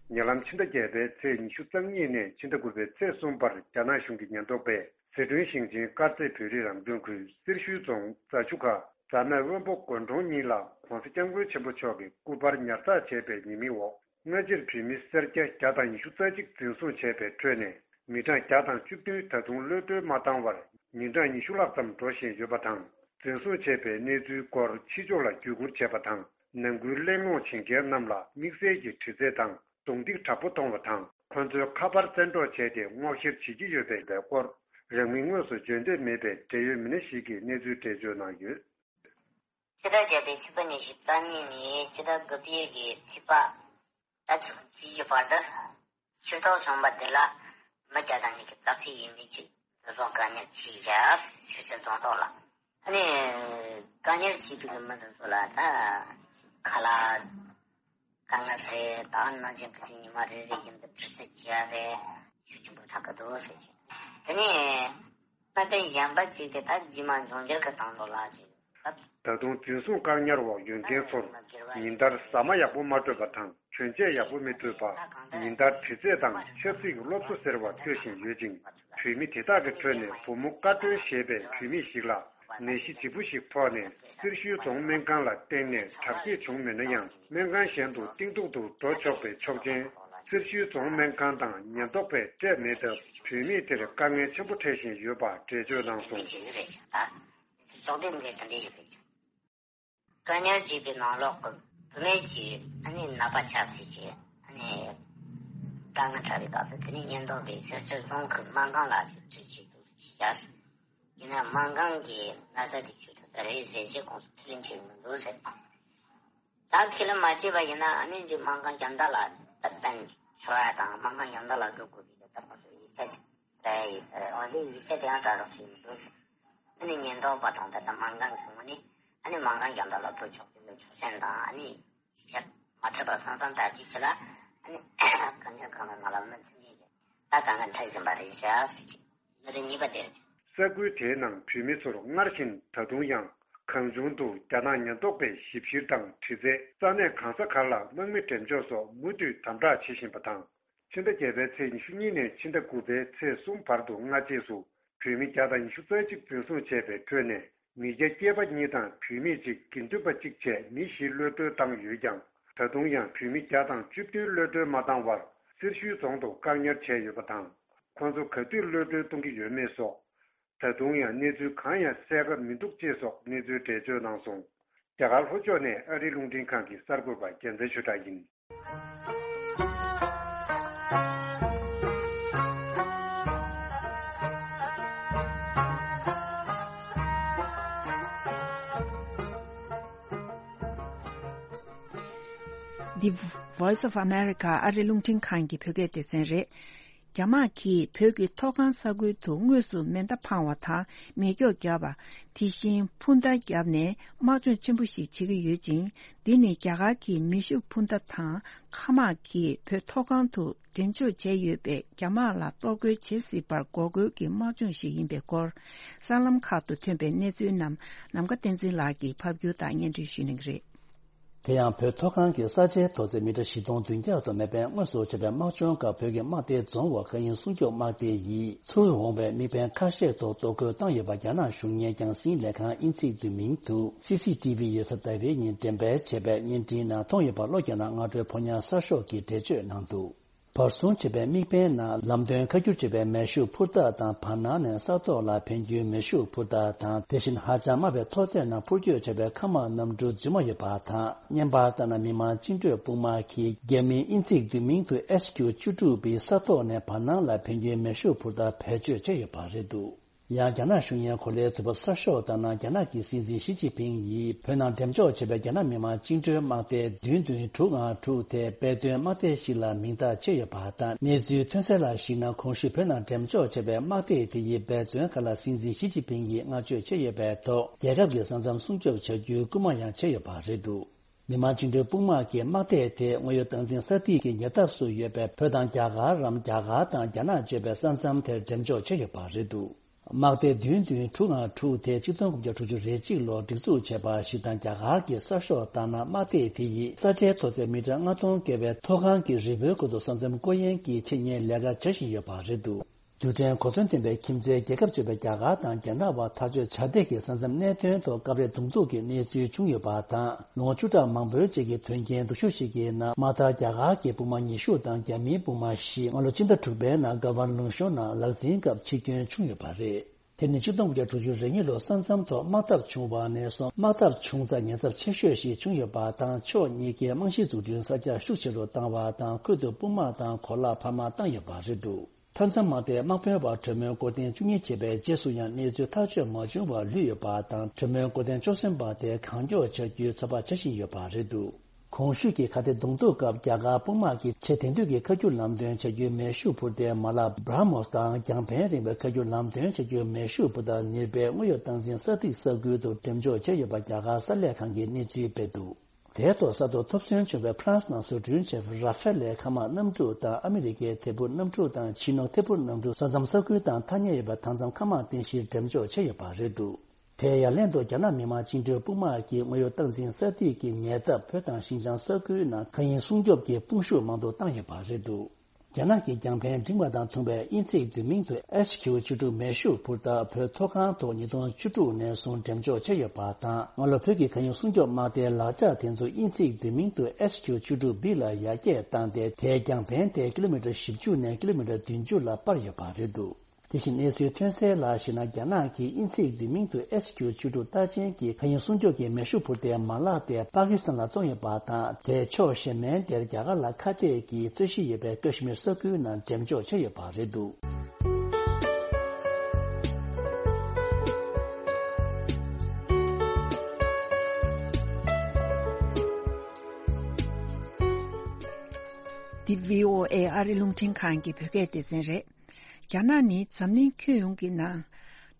ཉེ་ལམ་ཕྱི་ཟླ་བརྒྱད་པའི་ཚེས་ཉི་ཤུ་རྩ་གཉིས་ནས་ཕྱི་ཟླ་དགུ་པའི་ཚེས་གསུམ་བར། རྒྱ་ནག་གཞུང་གི་ཉེན་རྟོག་པས་ཟི་ཁྲོན་ཞིང་ཆེན་དཀར་མཛེས་བོད་རིགས་རང་སྐྱོང་ཁུལ་སེར་ཤུལ་རྫོང་རྫ་ཆུ་ཁ་རྫ་སྨད་དབོན་པོ་དགོན་གྲོང་གཉིས་ལ་༸གོང་ས་༸སྐྱབས་མགོན་ཆེན་པོ་མཆོག་གི་སྐུ་པར་ཉར་ཚགས་བྱས་པའི་ཉེས་མིང་འོག་སྔ་ཕྱིར་བོད་མི་སེར་སྐྱ་བརྒྱ་དང་ཉི་ཤུ་རྩ་གཅིག་འཛིན་བཟུང་བྱས་པའི་ཁྲོད་ནས། མི་གྲངས་བརྒྱ་དང་བཅུ་བདུན་ད་དུང་གློད་གྲོལ་མ་བཏང་བར། ཉིན་གྲངས་ཉི་ཤུ་ལྷག་ཙམ་འགྲོ་བཞིན་ཡོད་པ་དང་། འཛིན་བཟུང་བྱས་པའི་གནས་ཚུལ་སྐོར་ཕྱི་ཕྱོགས་ལ་བརྒྱུད་སྐུར་བྱས་པ་དང་། ནང་ཁུལ་གླེང་སློང་བྱེད་མཁན་རྣམས་ལ་དམིགས་བསལ་གྱི་དྲི་རྩད་དང་རྡུང་རྡེག་དྲག་པོ་གཏོང་བ་དང་། ཁོ་ཚོའི་ཁ་པར་བཙན་འཕྲོག་བྱས་ཏེ་སྔོག་བཤེར་བྱེད་ཀྱི་ཡོད་པའི་སྐོར། རང་མིང་དངོས་སུ་བརྗོད་འདོད་མེད་པའི་འབྲེལ་ཡོད་མི་སྣ་ཞིག་གིས་གནས་ཚུལ་འགྲེལ་བརྗོད་གནང་ཡོད། ཕྱི་ཟླ་བརྒྱད་པའི་ཚེས་པ་ཉི་ཤུ་རྩ་གཉིས་ནས་ཕྱི་ཟླ་དགུ་པའི་གི་ཚེས་པ་ད་ཚེས་གཅིག་གི་བར་དུ། ཆུ་ཐོག་ཚོང་པ་འདི་ལ་མི་བརྒྱ་དང་ཉི་ཤུ་རྩ་གཅིག་ཡས་མས་ཅིག་འཛིན་བཟུང་བཀག་ཉར་བྱས་བཞག་སེར་ཤུལ་རྫོང་ཐོག་ལ། ཨ་ནི་བཀག་ཉར་བྱས་པའི་གི་མི་འདི་ཚོ་ལ་ད་ཁ་ལག་དཀའ་ངལ་རེད། ད་ནང་བཞིན་ཕལ་ཆེར་ཉི་མ་རེ་རེ་བཞིན་དུ་དྲི་རྩད་བྱས་རེད། ཤུགས་ཆེན་པོ་ཆགས་ཀྱི་འདུག་ཟེར་གྱི། དེ་ནས་གནད་དོན་གཞན་པ་ཅིག་དེ་ད་རྗེས་མ་འབྱུང་འགྱུར་གྱི་དང་ལོ་ལ་ཅིག་ད་དུང་འཛིན་བཟུང་བཀག་ཉར་འོག་ཡོད་མཁན་ཚོར་ཉིན་ལྟར་ཟ་མ་ཡག་པོ་མ་སྤྲོད་པ་དང་། གྱོན་ཆས་ཡག་པོ་མི་སྤྲོད་པ། ཉིན་ལྟར་དྲི་རྩད་དང་ཆབ་སྲིད་སློབ་གསོ་ཟེར་བ་སྤྲོད་བཞིན་ཡོད་ཅིང་། བུད་མེད་དེ་དག་གི་ཁྲོད་ནས་བུ་མོ་ཀ་སྒྲོན་ཞེས་པའི་བུད་མེད་ཞིག་ལ། ནད་གཞི་ལྗིད་པོ་ཞིག་ཕོག་ནས་སེར་ཤུལ་རྫོང་སྨན་ཁང་ལ་བསྟེན་ནས་དྲག་སྐྱེད་བྱུང་མེད་ན་ཡང་། སྨན་ཁང་གཞན་དུ་གཏིང་ཐུག་ཏུ་འགྲོ་ཆོག་པའི་ཆོག་མཆན་སེར་ཤུལ་རྫོང་སྨན་ཁང་དང་ཉེན་རྟོག་པས་སྤྲད་མེད་སྟབས། བུད་མེད་དེར་དཀའ་ངལ་ཆེན་པོ་འཕྲད་བཞིན་ཡོད་པ་འགྲེལ་བརྗོད་གནང་སོང་། བཀག་ཉར་བྱས་པའི་ནང་ལོགས་ཀྱི་བུད་མེད་ཀྱིས་ཨ་ནི་ནད་པ་ཆགས་ཚུལ་གྱི་ཨ་ནི་དཀའ་ངལ་འཕྲད་པའི་སྐབས་སུ། དེ་ནི་ཉེན་རྟོག་པས་སེར་ཤུལ་རྫོང་གི་སྨན་ཁང་ལ་ཞིབ་དཔྱད་བྱེད་དུ་བཅུག་བཞག་ཡིན་ན་སྨན་ཁང་གིས་ན་ཚ་དེ་བཅོས་ཐུབ་ཀྱི་རེད་ཟེར་རྗེས་ཁོང་ཚོས་ཁས་ལེན་བྱེད་ཀྱི་མི་འདུག་ཟེར། ད་ཁས་ལེན་མ་བྱས་པ་ཡིན་ན་ཨ་ནི་ཅིག་སྨན་ཁང་རྒྱལ་ཐང་ལ་ད་གཏན་འཁྱོལ་ཡ་དང་། སྨན་ཁང་རྒྱལ་ཐང་ལ་འགྲོ་དགོས་པའི་གི་ད་ང་ཚོ་ཡིག་ཆ་ཅིག་སྤྲད་ཡོད་ཟེར། འོན་ཏེ་ཡིག་ཆ་དེ་ཡང་གྲ་སྒྲིག་བྱས་མི་འདུག་ཟེར། ཨ་ནི་ཉེན་རྟོག་པ་དང་ད་ལྟ་སྨན་ཁང་གི་ངོས་ནས་ཨ་ནི་སྨན་ཁང་རྒྱལ་ཐང་ལ་འགྲོ་ཆོག་གི་མེད་ཆོག་མཆན་དང་། ཨ་ནི་ཡིག་ཆ་མ་སྤྲད་པ་སོང་ཙང་ད་དེ་ཕྱི་ལ་ཨ་ནི་བཀག་ཉར་ཁང་ནང་ལ་མི་ཚུད་ནས་ད་དཀའ་ངལ་འཕྲད་བཞིན་པ་རེད་ཤག་ཟེར་གྱི། ས་ཁུལ་དེའི་ནང་བུད་མེད་ཚོར་སྔར་བཞིན་ད་དུང་ཡང་གང་བྱུང་དུ་རྒྱ་ནག་ཉེན་རྟོག་པས་ཞིབ་བཤེར་དང་དྲི་རྩད། ས་གནས་གང་ས་གར་ལ་དམག་མི་འགྲེམས་འཇོག་སོགས་མུ་མཐུད་དམ་དྲག་བྱེད་བཞིན་པ་དང་། ཕྱི་ཟླ་བརྒྱད་པའི་ཚེས་ཉི་ཤུ་གཉིས་ནས་ཕྱི་ཟླ་དགུ་པའི་ཚེས་གསུམ་བར་དུ་སྔ་རྗེས་སུ་བུད་མེད་བརྒྱ་དང་ཉི་ཤུ་རྩ་གཅིག་འཛིན་བཟུང་བྱས་པའི་ཁྲོད་ནས། མི་སྐྱ་སྐྱེས་པ་གཉིས་དང་བུད་མེད་གཅིག་དགེ་འདུན་པ་གཅིག་བཅས་མི་བཞི་གློད་གྲོལ་བཏང་ཡོད་ཀྱང་། ད་དུང་ཡང་བུད་མེད་བརྒྱ་དང་བཅུ་བདུན་གློད་གྲོལ་མ་བཏང་བར་སེར་ཤུལ་རྫོང་དུ་བཀག་ཉར་བྱས་ཡོད་པ་དང་། ཁོང་ཚོ་ག་དུས་གློད་གྲོལ་གཏོང་གི་ཡོད་མེད་སོགས། ད་དུང་ཡང་གནས་ཚུལ་གང་ཡང་གསལ་ཁ་མི་འདུག་ཅེས་སོགས་གནས་ཚུལ་འགྲེལ་བརྗོད་གནང་སོང་། རྒྱ་གར་ལྷོ་ཕྱོགས་ནས་ཨ་རིའི་རླུང་འཕྲིན་ཁང་གི་གསར་འགོད་པ་རྒྱལ་མཚན་ཆོས་གྲགས་ཡིན། The Voice of America ཨ་རི་རླུང་འཕྲིན་ཁང་གི་བོད་སྐད་སྡེ་ཚན་རེད། རྒྱ་དམག་གིས་བོད་ཀྱི་མཐོ་སྒང་ས་ཁུལ་དུ་དངོས་སུ་མེ་མདའ་འཕང་བ་དང་མེ་སྒྱོགས་བརྒྱབ་པ། དེ་བཞིན་འཕུར་མདའ་བརྒྱབ་ནས་དམག་སྦྱོང་ཆེན་པོ་ཞིག་བྱེད་ཀྱི་ཡོད་ཅིང་། འདི་ནི་རྒྱ་གར་གྱི་མེ་ཤུགས་འཕུར་མདའ་དང་། མཁའ་དམག་གིས་བོད་མཐོ་སྒང་དུ་འགྲེམས་འཇོག་བྱས་ཡོད་པས། རྒྱ་དམག་ལ་གཏོར་རྒོལ་བྱེད་སྲིད་པར་འགོག་རྒོལ་གྱི་དམག་སྦྱོང་ཞིག་ཡིན་པའི་སྐོར། གསར་ལམ་ཁག་ཏུ་ཐོན་པའི་གནས་ཚུལ་རྣམས་ནམ་མཁའ་བསྟན་འཛིན་ལགས་ཀྱིས་ཕབ་སྒྱུར་དང་སྙན་སྒྲོན་ཞུ་གནང་གི་རེད། དེ་ཡང་བོད་མཐོ་སྒང་གི་ས་ཆའི་མཐོ་ཚད་མི་ཊར་བཞི་སྟོང་བདུན་བརྒྱ་དང་མེད་པའི་དངོས་སུ་བྱས་པའི་དམག་སྦྱོང་སྐབས། བོད་ཀྱི་དམག་སྡེ་རྫོང་དབར་མཁའ་དབྱིངས་སྲུང་སྐྱོབ་དམག་སྡེ་ཡིས་ཚུར་འོང་བའི་དམིགས་འབེན་ཁ་ཤས་ཐོག་གཏོར་རྒོལ་བཏང་ཡོད་པ། རྒྱ་ནག་གཞུང་གཉེར་རྒྱང་སྲིང་ལས་ཁང་དབྱིན་ཚིག་བསྡུས་མིང་དུ་སི་སི་ཊི་ཝི་ཡོད་ས་ཟླ་བའི་ཉིན་འགྲེམས་སྤེལ་བྱས་པའི་བརྙན་འཕྲིན་ནང་མཐོང་ཡོད་པ། བློ་རྒྱ་ནག་སྔ་དྲོའི་ཕོ་ཉ་གསར་ཤོག་གིས་འགྲེལ་བརྗོད་གནང་འདུག་བར་སྲུང་བྱས་པའི་དམིགས་འབེན་ནང་ལམ་སྟོན་ཁ་སྒྱུར་བྱས་པའི་མེ་ཤུགས་འཕུར་མདའ་དང་། བར་སྣང་ནས་ས་ཐོག་ལ་འཕེན་རྒྱུའི་མེ་ཤུགས་འཕུར་མདའ་དང་། དེ་བཞིན་ཧ་ཅང་དམའ་བའི་མཐོ་ཚད་ནང་འཕུར་སྐྱོད་བྱས་པའི་མཁའ་དམག་གནམ་གྲུ་རྫུན་མ་ཡོད་པ་དང་། བརྙན་པར་ལྟར་ན། མི་དམངས་བཅིངས་འགྲོལ་དཔུང་དམག་གིས་རྒྱ་མིའི་དབྱིན་ཚིག་བསྡུས་མིང་དུ་ཨེཆ་ཁྱུ་བཅུ་དྲུག་པའི་ས་ཐོག་ནས་བར་སྣང་ལ་འཕེན་རྒྱུའི་མེ་ཤུགས་འཕུར་མདའ་བེད་སྤྱོད་བྱས་ཡོད་པ་རེད་འདུག་ཡང་རྒྱ་ནག་གཞུང་གཉེར་གོ་ལའི་དུས་བབ་གསར་ཤོག་ལྟར་ན། རྒྱ་ནག་གི་སྲིད་འཛིན་ཞི་ཅིན་ཕིང་ཡིས་བོད་ནང་འགྲེམས་འཇོག་བྱས་པའི་རྒྱ་ནག་མི་དམངས་བཅིངས་འགྲོལ་དམག་སྡེ་བདུན་བདུན་དྲུག་ལྔ་དྲུག་དེ་དཔེ་སྟོན་དམག་སྡེ་ཞིག་ལ་མིང་བཏགས་བྱས་ཡོད་པ་དང་། གནས་ཚུལ་ཐོན་གསལ་ལ་གཞིགས་ན། གོང་ཞུས་བོད་ནང་འགྲེམས་འཇོག་བྱས་པའི་དམག་སྡེ་དེ་ཡི་འབད་བརྩོན་ཁག་ལ་སྲིད་འཛིན་ཞི་ཅིན་ཕིང་ཡིས་བསྔགས་བརྗོད་བྱས་ཡོད་པའི་ཐོག་རྒྱལ་ཁབ་ཀྱི་ས་མཚམས་སྲུང་སྐྱོབ་བྱ་རྒྱུའི་སྐུལ་མ་ཡང་བྱས་ཡོད་པ་རེད་འདུག་མི་དམངས་བཅིངས་འགྲོལ་དཔུང་དམག་གི་དམག་སྡེ་དེ་དངོས་ཡོད་སྟངས་འཛིན་ས་ཐིག་གི་ཉེ་འདབས་སུ་ཡོད་པའི་བོད་དང་རྒྱ་གར་རམ། རྒྱ་གར་དང་རྒྱ་ནག་གཅོད་པའི་ས་མཚམས་དེར་འགྲེམས་འཇོག་བྱས་ཡོད་པ་རེད་འདུག་དམག་སྡེ་བདུན་བདུན་དྲུག་ལྔ་དྲུག་དེ་ཆིག་སྟོང་དགུ་བརྒྱ་དྲུག་ཅུ་རེ་གཅིག་ལོར་སྒྲིག་འཛུགས་བྱས་པ་ཞིག་དང་། རྒྱ་གར་གྱི་གསར་ཤོག་ལྟར་ན། དམག་སྡེ་དེ་ཡིས་ས་ཆའི་མཐོ་ཚད་མི་ཊར་ལྔ་སྟོང་བརྒལ་བའི་མཐོ་སྒང་གི་རི་བོའི་ཁུལ་དུ་ས་མཚམས་བསྐོར་ཡན་གྱི་ཆེད་གཉེར་ལས་ཀ་བྱ་བཞིན་ཡོད་པ་རེད་འདུག་རྡུལ་ཕྲན་གོ་མཚོན་ལྡན་པའི་ཁྱིམ་མཚེས་རྒྱལ་ཁབ་ཅིག་ཡིན་པའི་རྒྱ་གར་དང་རྒྱ་ནག་བར་ཐག་གཅོད་བྱ་འདོད་ཀྱི་ས་མཚམས་གནད་དོན་ཐོག་སྐབས་རེ་གདོང་ཐུག་གི་གནས་ཚུལ་བྱུང་ཡོད་པ་དང་། ལོ་ངོ་བཅུ་ཕྲག་མང་པོའི་རྗེས་ཀྱི་དོན་རྐྱེན་སྡུག་ཤོས་ཤིག་གི་ནང་། དམག་དར་རྒྱ་གར་གྱི་དཔུང་དམག་ཉི་ཤུ་དང་རྒྱ་མིའི་དཔུང་དམག་བཞི་སྔ་ལོ་སྤྱི་ཟླ་དྲུག་པའི་ནང་ག་བན་ལུང་གཤོང་ནང་ལག་འཛིང་སྐབས་འཆི་སྐྱོན་བྱུང་ཡོད་པ་རེད། དེ་ནི་ཆིག་སྟོང་དགུ་བརྒྱ་དྲུག་ཅུ་རེ་གཉིས་ལོར་ས་མཚམས་ཐོག་དམག་འཐབ་བྱུང་བ་ནས་བཟུང་། དམག་འཐབ་བྱུང་ས་ཉེན་ཚབས་ཆེ་ཤོས་ཤིག་བྱུང་ཡོད་པ་དང་། ཕྱོགས་གཉིས་ཀའི་རྨང་གཞི་འཛུགས་སྐྲུན་ས་རྒྱ་ཤུགས་ཆེ་རུ་བཏང་བ་དང་། ཁུལ་དུ་དཔུང་དམག་དང་གོ་ལག་འཕར་མ་བཏང་ཡོད་པ་རེད་འདུག་མཐའ་མཚམས་དམག་སྡེའི་དམག་དཔོན་པ་གྲོས་མོལ་འགོ་འདེང་བཅུ་གཉིས་བྱས་པའི་རྗེས་སུ་ཡང་གནས་ཚུལ་ཐག་གཅོད་མ་བྱུང་བར་ལུས་ཡོད་པ་དང་། གྲོས་མོལ་འགོ་འདེང་བཅུ་གསུམ་པ་དེ་གང་མགྱོགས་བྱ་རྒྱུའི་ཚོད་དཔག་བྱ་བཞིན་ཡོད་པ་རེད་འདུག་གོང་ཞུས་ཀྱི་ཁ་གཏད་གདོང་ཐུག་སྐབས། རྒྱ་གར་དཔུང་དམག་གིས་ཆེས་དེང་དུས་ཀྱི་མཁའ་སྒྱུར་ལམ་སྟོན་བྱ་རྒྱུའི་མེ་ཤུགས་འཕུར་མདའི་མ་ལག་བྷྲ་མོས་དང་། རྒྱང་ཕན་རིང་བའི་མཁའ་སྒྱུར་ལམ་སྟོན་བྱ་རྒྱུའི་མེ་ཤུགས་འཕུར་མདའ་ནིར་བྷའི་དངོས་ཡོད་སྟངས་འཛིན་ས་ཐིག་ས་ཁུལ་དུ་འགྲེམས་འཇོག་བྱས་ཡོད་པ་རྒྱ་གར་གསར་ལས་ཁང་གིས་གནས་ཚུལ་སྤེལ་འདུག་དེའི་ཐོག་གསར་དུ་ཐོབ་ཟིན་བྱུང་བའི་ཕ་རན་སི་ནང་བཟོ་སྐྲུན་བྱས་པའི་ར་ཧྥེ་ལའི་མཁའ་དམག་གནམ་གྲུ་དང་། ཨ་མི་རི་ཀའི་ཐད་འཕུར་གནམ་གྲུ་དང་། ཆི་ནུག་ཐད་འཕུར་གནམ་གྲུ། ས་མཚམས་ས་ཁུལ་དང་ཐག་ཉེ་ཡོད་པའི་མཐའ་མཚམས་མཁའ་དམག་རྟེན་གཞིར་འགྲེམས་འཇོག་བྱས་ཡོད་པ་རེད་འདུག་དེ་ཡང་ལན་དུ་རྒྱ་ནག་མི་དམངས་བཅིངས་འགྲོལ་དཔུང་དམག་གིས་དངོས་ཡོད་སྟངས་འཛིན་ས་ཐིག་གི་ཉེ་འདབས་བོད་དང་ཤིན་ཅང་ས་ཁུལ་ནང་མཁའ་དབྱིངས་སྲུང་སྐྱོབ་ཀྱི་དཔུང་ཤུགས་མང་དུ་བཏང་ཡོད་པ་རེད་འདུག་རྒྱ་ནག་གི་རྒྱང་ཕན་འབྲིང་བ་དང་ཐུང་བའི་དབྱིན་ཚིག་བསྡུས་མིང་དུ་ཨེཆ་ཁྱུ་བཅུ་དྲུག་མེ་ཤུགས་འཕུར་མདའ་བོད་མཐོ་སྒང་ཐོག་ཉིས་སྟོང་བཅུ་དྲུག་ནས་བཟུང་འགྲེམས་འཇོག་བྱས་ཡོད་པ་དང་། སྔ་ལོ་བོད་ཀྱི་མཁའ་དབྱིངས་སྲུང་སྐྱོབ་དམག་སྡེའི་ལག་ཆ་དེ་ཚོ་དབྱིན་ཚིག་བསྡུས་མིང་དུ་ཨེཆ་ཁྱུ་བཅུ་དྲུག་བི་ལ་ཡར་རྒྱས་བཏང་སྟེ། དེའི་རྒྱང་ཕན་དེ་ཀི་ལོ་མི་ཊར་བཞི་བཅུ་ནས་ཀི་ལོ་མི་ཊར་བདུན་ཅུ་ལ་སྤར་ཡོད་པ་རེད་འདུག་དེ་བཞིན་གནས་ཚུལ་ཐོན་གསལ་ལ་གཞིགས་ན། རྒྱ་ནག་གིས་དབྱིན་ཚིག་བསྡུས་མིང་དུ་ཨེཆ་ཁྱུ་བཅུ་དྲུག་རྟགས་ཅན་གྱི་མཁའ་དབྱིངས་སྲུང་སྐྱོབ་ཀྱི་མེ་ཤུགས་འཕུར་མདའི་མ་ལག་དེ་པ་ཀི་སི་ཐན་ལ་བཙོང་ཡོད་པ་དང་། དེ་ཕྱོགས་གཞན་མའི་དེར་རྒྱ་གར་ལ་ཁ་གཏད་ཀྱིས་རྩོད་གཞི་ཡོད་པའི་ཀ་ཤི་མིར་ས་ཁུལ་ནང་འགྲེམས་འཇོག་བྱས་ཡོད་པ་རེད་འདུག་འདི་བྷི་ཨོ་ཨེ་ཨ་རི་རླུང་འཕྲིན་ཁང་གི་བོད་སྐད་སྡེ་ཚན་རེད། རྒྱ་ནག་ནི་འཛམ་གླིང་ཁྱོན་ཡོངས་ཀྱི་ནང་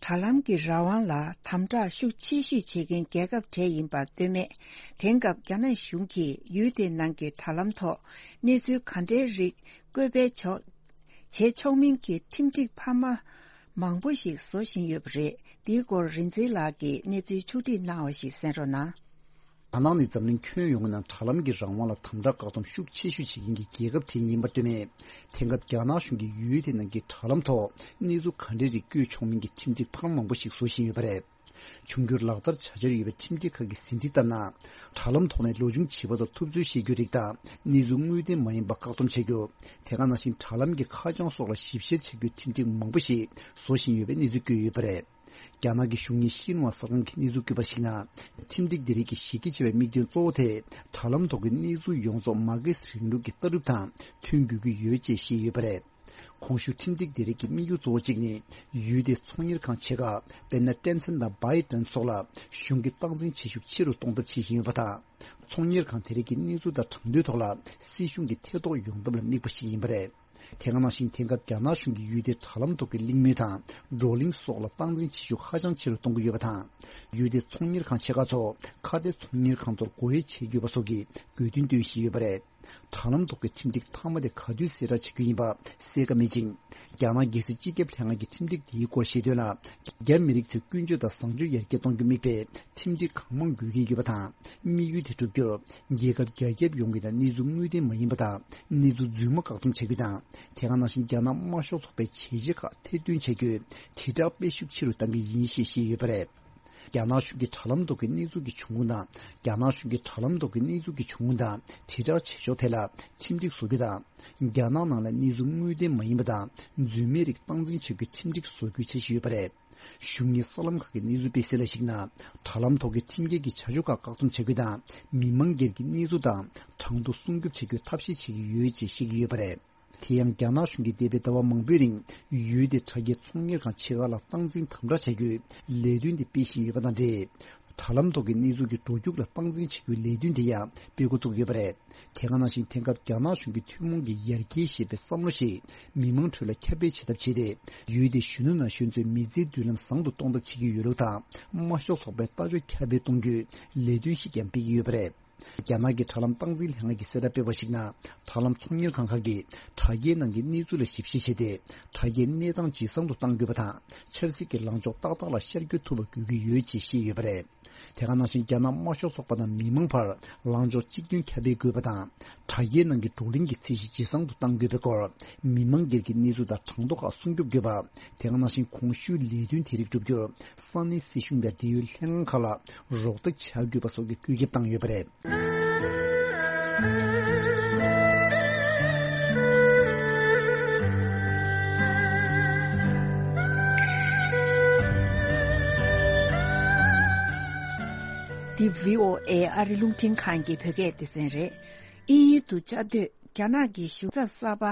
དྲ་ལམ་གྱི་རང་དབང་ལ་དམ་དྲག་ཤུགས་ཆེ་ཤོས་བྱེད་མཁན་རྒྱལ་ཁབ་གྲས་ཡིན་པར་ལྟོས་མེད། དེང་སྐབས་རྒྱ་ནག་གཞུང་གིས་ཡུལ་དེའི་ནང་གི་དྲ་ལམ་ཐོག་གནས་ཚུལ་ག་འདྲའི་རིགས་བཀོད་སྤེལ་ཆོག་བྱེད་ཆོག་མིན་གྱི་ཁྲིམས་སྒྲིག་འཕར་མ་མང་པོ་ཞིག་བཟོ་བཞིན་ཡོད་པ་རེད། འདིའི་སྐོར་རིག་འཛིན་ལགས་ཀྱིས་གནས་ཚུལ་ཕྱོགས་སྒྲིག་གནང་བ་ཞིག་གསན་རོགས་གནང་། རྒྱ་ནག་ནི་འཛམ་གླིང་ཁྱོན་ཡོངས་ཀྱི་ནང་དྲ་ལམ་གྱི་རང་དབང་ལ་དམ་དྲག་བཀག་སྡོམ་ཤུགས་ཆེ་ཤོས་བྱེད་མཁན་གྱི་རྒྱལ་ཁབ་གྲས་ཡིན་པར་ལྟོས་མེད། དེང་སྐབས་རྒྱ་ནག་གཞུང་གིས་ཡུལ་དེ་ནང་གི་དྲ་ལམ་ཐོག་གནས་ཚུལ་ག་འདྲའི་རིགས་བཀོད་ཆོག་མིན་གྱི་ཁྲིམས་སྒྲིག་འཕར་མ་མང་པོ་ཞིག་བཟོ་བཞིན་ཡོད་པ་རེད། འབྱུང་འགྱུར་ལག་བསྟར་བྱ་འཆར་ཡོད་པའི་ཁྲིམས་སྒྲིག་ཁག་གི་ཟིན་བྲིས་ལྟར་ན། དྲ་ལམ་ཐོག་ནས་ལོ་ཆུང་བྱིས་པ་ཚོར་ཐུབ་ཚོད་བཤད་རྒྱུའི་རིགས་དང་། གནས་ཚུལ་དངོས་བདེན་མ་ཡིན་པ་བཀག་སྡོམ་བྱ་རྒྱུ། དེ་ག་ནང་བཞིན་དྲ་ལམ་གྱི་ཁ་བྱང་སོགས་ལ་ཞིབ་བཤེར་བྱ་རྒྱུའི་ཁྲིམས་སྒྲིག་མང་པོ་ཞིག་བཟོ་བཞིན་ཡོད་པའི་གནས་ཚུལ་བཀོད་ཡོད་པ་རེད། རྒྱ་ནག་གི་གཞུང་གཉེར་ཤིན་ཧྭ་གསར་ཁང་གིས་གནས་ཚུལ་བཀོད་པར་གཞིགས་ན། ཁྲིམས་སྒྲིག་འདི་རིགས་ཀྱི་གཞི་རྒྱ་ཆེ་བའི་དམིགས་དོན་གཙོ་བོ་དེ། དྲ་ལམ་ཐོག་གི་གནས་ཚུལ་ཡོངས་རྫོགས་མར་ཁེ་སི་རིང་ལུགས་ཀྱི་ལྟ་གྲུབ་དང་མཐུན་དགོས་ཀྱི་ཡོད་ཅེས་བཤད་ཡོད་པ་རེད། གོང་ཞུས་ཁྲིམས་སྒྲིག་དེ་རིགས་ཀྱི་དམིགས་ཡུལ་གཙོ་བོ་གཅིག་ནི། ཡུལ་དེའི་ཚོང་གཉེར་ཁང་ཆེ་ཁག་དཔེར་ན་ཀྲན་སན་དང་བྷའི་ཀྲན་སོགས་ལ་གཞུང་གི་སྟངས་འཛིན་བྱེད་ཤུགས་ཆེ་རུ་གཏོང་ཐབས་བྱེད་བཞིན་ཡོད་པ་དང་། ཚོང་གཉེར་ཁང་དེ་རིགས་ཀྱི་གནས་ཚུལ་དང་གྲངས་ཐོའི་ཐོག་ལ་སྲིད་གཞུང་གི་ཐེ་གཏོགས་ཡོང་ཐབས་ལ་དམིགས་པ་ཞིག་ཡིན་པ་རེད། དེ་ག་ནང་བཞིན་དེང་སྐབས་རྒྱ་ནག་གཞུང་གིས་ཡུལ་དེའི་དྲ་ལམ་ཐོག་གི་གླེང་མོལ་དང་བགྲོ་གླེང་སོགས་ལ་སྟངས་འཛིན་བྱེད་ཤུགས་ཧ་ཅང་ཆེ་རུ་གཏོང་གི་ཡོད་པ་དང་། ཡུལ་དེའི་ཚོང་གཉེར་ཁང་ཆེ་ཁག་ཚོ་ཁ་གཏད་ཚོང་གཉེར་ཁང་ཚོར་སྒོ་དབྱེ་བྱེད་དགོས་པ་སོགས་ཀྱི་དགོས་འདུན་བཏོན་བཞིན་ཡོད་པ་རེད། དྲ་ལམ་ཐོག་གི་ཁྲིམས་སྒྲིག་མཐའ་མ་དེ་ག་དུས་གསལ་བསྒྲགས་བྱེད་རྒྱུ་ཡིན་པ་གསལ་ཁ་མེད་ཅིང་། རྒྱ་ནག་རྒྱལ་སྲིད་སྤྱི་ཁྱབ་ལྷན་ཁང་གི་ཁྲིམས་སྒྲིག་དེའི་སྐོར་ཤེས་དོན་ལ། རྒྱ་མི་རིགས་ཚོའི་ཀུན་སྤྱོད་དང་བཟང་སྤྱོད་ཡར་རྒྱས་གཏོང་རྒྱུར་དམིགས་པའི་ཁྲིམས་སྒྲིག་གང་མང་དགོས་ཀྱི་ཡོད་པ་དང་། དམིགས་ཡུལ་དེ་བསྒྲུབ་རྒྱུར། རྒྱལ་ཁབ་རྒྱ་ཁྱབ་ཡོངས་ཀྱི་ནང་གནས་ཚུལ་དངོས་བདེན་མ་ཡིན་པ་དང་། གནས་ཚུལ་རྫུན་མ་བཀག་སྡོམ་བྱ་རྒྱུ་དང་། དེ་ག་ནང་བཞིན་རྒྱ་ནག་དམར་ཤོག་ཚོགས་པའི་བྱས་རྗེས་ཁག་ཐེར་འདོན་བྱ་རྒྱུའི་དྲིལ་བསྒྲགས་སྤེལ་ཤུགས་ཆེ་རུ་གཏང་གི་ཡིན་ཞེས་བཤད་ཡོད་པ་རེད། རྒྱ་ནག་གཞུང་གི་དྲ་ལམ་ཐོག་གི་གནས་ཚུལ་གྱི་འབྱུང་ཁུངས་དང་། རྒྱ་ནག་གཞུང་གི་དྲ་ལམ་ཐོག་གི་གནས་ཚུལ་གྱི་འབྱུང་ཁུངས་དང་དྲིལ་བསྒྲགས་བྱེད་ཕྱོགས་ཐད་ལ་ཁྲིམས་སྒྲིག་བཟོ་རྒྱུ་དང་། རྒྱ་ནག་ནང་ལ་གནས་ཚུལ་དངོས་བདེན་མ་ཡིན་པ་དང་རྫུན་མའི་རིགས་སྟངས་འཛིན་བྱ་རྒྱུའི་ཁྲིམས་སྒྲིག་བཟོ་རྒྱུའི་འཆར་གཞི་ཡོད་པ་རེད། གཞུང་གཉེར་གསར་ལམ་ཁག་གི་གནས་ཚུལ་སྤེལ་གསལ་ལ་གཞིགས་ན། དྲ་ལམ་ཐོག་གི་ཁྲིམས་འགལ་གྱི་བྱ་སྤྱོད་ཁག་བཀག་སྡོམ་བྱ་རྒྱུ་དང་། མི་མང་སྒེར་གྱི་གནས་ཚུལ་དང་གྲངས་ཐོ་སྲུང་སྐྱོབ་བྱ་རྒྱུའི་ཐབས་ཤེས་བྱེད་ཀྱི་ཡོད་ཅེས་བཤད་ཀྱི་ཡོད་པ་རེད། དེ་ཡང་རྒྱ་ནག་གཞུང་གིས་འདས་པའི་ཟླ་བ་མང་པོའི་རིང་ཡུལ་དེའི་དྲ་རྒྱའི་ཚོང་གཉེར་ཁང་ཆེ་ཁག་ལ་སྟངས་འཛིན་དམ་དྲག་བྱ་རྒྱུའི་ལས་དོན་དེ་སྤེལ་བཞིན་ཡོད་པ་དང་འབྲེལ། དྲ་ལམ་ཐོག་གི་གནས་ཚུལ་གྱི་འགྲོ་རྒྱུག་ལ་སྟངས་འཛིན་བྱེད་རྒྱུའི་ལས་དོན་དེ་ཡང་སྤེལ་འགོ་བཙུགས་ཡོད་པ་རེད། དེ་ག་ནང་བཞིན་དེང་སྐབས་རྒྱ་ནག་གཞུང་གི་ཐུན་མོང་གི་ཡར་རྒྱས་ཞེས་པའི་བསམ་བློ་ཞིག་མི་མང་ཁྲོད་ལ་ཁྱབ་སྤེལ་བྱེད་ཐབས་བྱས་ཏེ། ཡུལ་དེའི་གཞོན་ནུ་ན་གཞོན་ཚོའི་མི་ཚེའི་མདུན་ལམ་བཟང་དུ་གཏོང་ཐབས་བྱེད་ཀྱི་ཡོད་ལུགས་དང་། དམར་ཤོག་ཚོགས་པའི་ལྟ་ཕྱོགས་ཁྱབ་སྤེལ་གཏོང་རྒྱུའི་ལས་དོན་ཞིག་ཀྱང་སྤེལ་གྱི་ཡོད་པ་རེད། རྒྱ་ནག་གི་དྲ་ལམ་སྟངས་འཛིན་ལྷན་ཁང་གིས་གསལ་བསྒྲགས་སྤེལ་བར་གཞིགས་ན། དྲ་ལམ་ཚོང་གཉེར་ཁང་ཁག་གིས་དྲ་རྒྱའི་ནང་གི་གནས་ཚུལ་ལ་ཞིབ་བཤེར་བྱས་ཏེ། དྲ་རྒྱའི་གནས་སྟངས་ཇེ་བཟང་དུ་གཏང་དགོས་པ་དང་། ཆབ་སྲིད་ཀྱི་ལངས་ཕྱོགས་ཏག་ཏག་ལ་ཤར་བསྐྱོད་ཐུབ་པ་དགོས་ཀྱི་ཡོད་ཅེས་བཤད་ཡོད་པ་རེད། དེ་ག་ནང་བཞིན་རྒྱ་ནག་དམར་ཤོག་ཚོགས་པ་དང་མི་མང་བར་ལངས་ཕྱོགས་གཅིག་མཐུན་ཁྱབ་སྤེལ་དགོས་པ་དང་། དྲ་རྒྱའི་ནང་གི་བགྲོ་གླེང་གི་ཚད་གཞི་ཇེ་བཟང་དུ་གཏང་དགོས་པའི་སྐོར། མི་མང་སྒེར་གྱི་གནས་ཚུལ་དང་གྲངས་ཐོ་ཁག་སྲུང་སྐྱོབ་དགོས་པ། དེ་ག་ནང་བཞིན་གོང་ཞུས་ལས་དོན་དེ་རིགས་བསྒྲུབ་རྒྱུར་ས་གནས་སྲིད་གཞུང་དང་འབྲེལ་ཡོད་ལྷན་ཁང་ཁག་ལ་རོགས་འདེགས་བྱ་དགོས་པ་སོགས་ཀྱི་བཀོད་ཁྱབ་བཏང་ཡོད་པ་རེད། འདི་བྷི་ཨོ་ཨེ་ཨ་རི་རླུང་འཕྲིན་ཁང་གི་བོད་སྐད་སྡེ་ཚན་རེད། དབྱིན་ཡུལ་དུ་བཅའ་སྡོད་རྒྱ་ནག་གི་གཞུང་ཚབ་གསར་པ་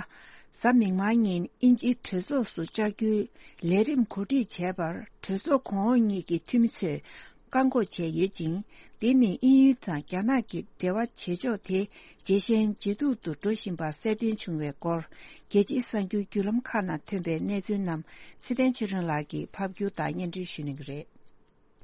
གཟའ་མིག་དམར་ཉིན་དབྱིན་ཇིའི་གྲོས་ཚོགས་སུ་བཅར་རྒྱུའི་ལས་རིམ་གོ་སྒྲིག་བྱས་པར་གྲོས་ཚོགས་གོང་འོག་གཉིས་ཀྱི་འཐུས་མི་ཚོས་བཀག་འགོག་བྱས་ཡོད་ཅིང་། འདི་ནི་དབྱིན་ཡུལ་དང་རྒྱ་ནག་གི་འབྲེལ་བ་བྱེད་ཕྱོགས་དེ་ཇེ་ཞན་ཇེ་སྡུག་ཏུ་འགྲོ་བཞིན་པ་གསལ་སྟོན་བྱུང་བའི་སྐོར། རྒྱལ་སྤྱིའི་གསར་འགྱུར་བརྒྱུད་ལམ་ཁག་ནང་ཐོན་པའི་གནས་ཚུལ་རྣམས་ཚེ་བརྟན་ཆོས་སྒྲོན་ལགས་ཀྱིས་ཕབ་སྒྱུར་དང་སྙན་སྒྲོན་ཞུ་གནང་གི་རེད།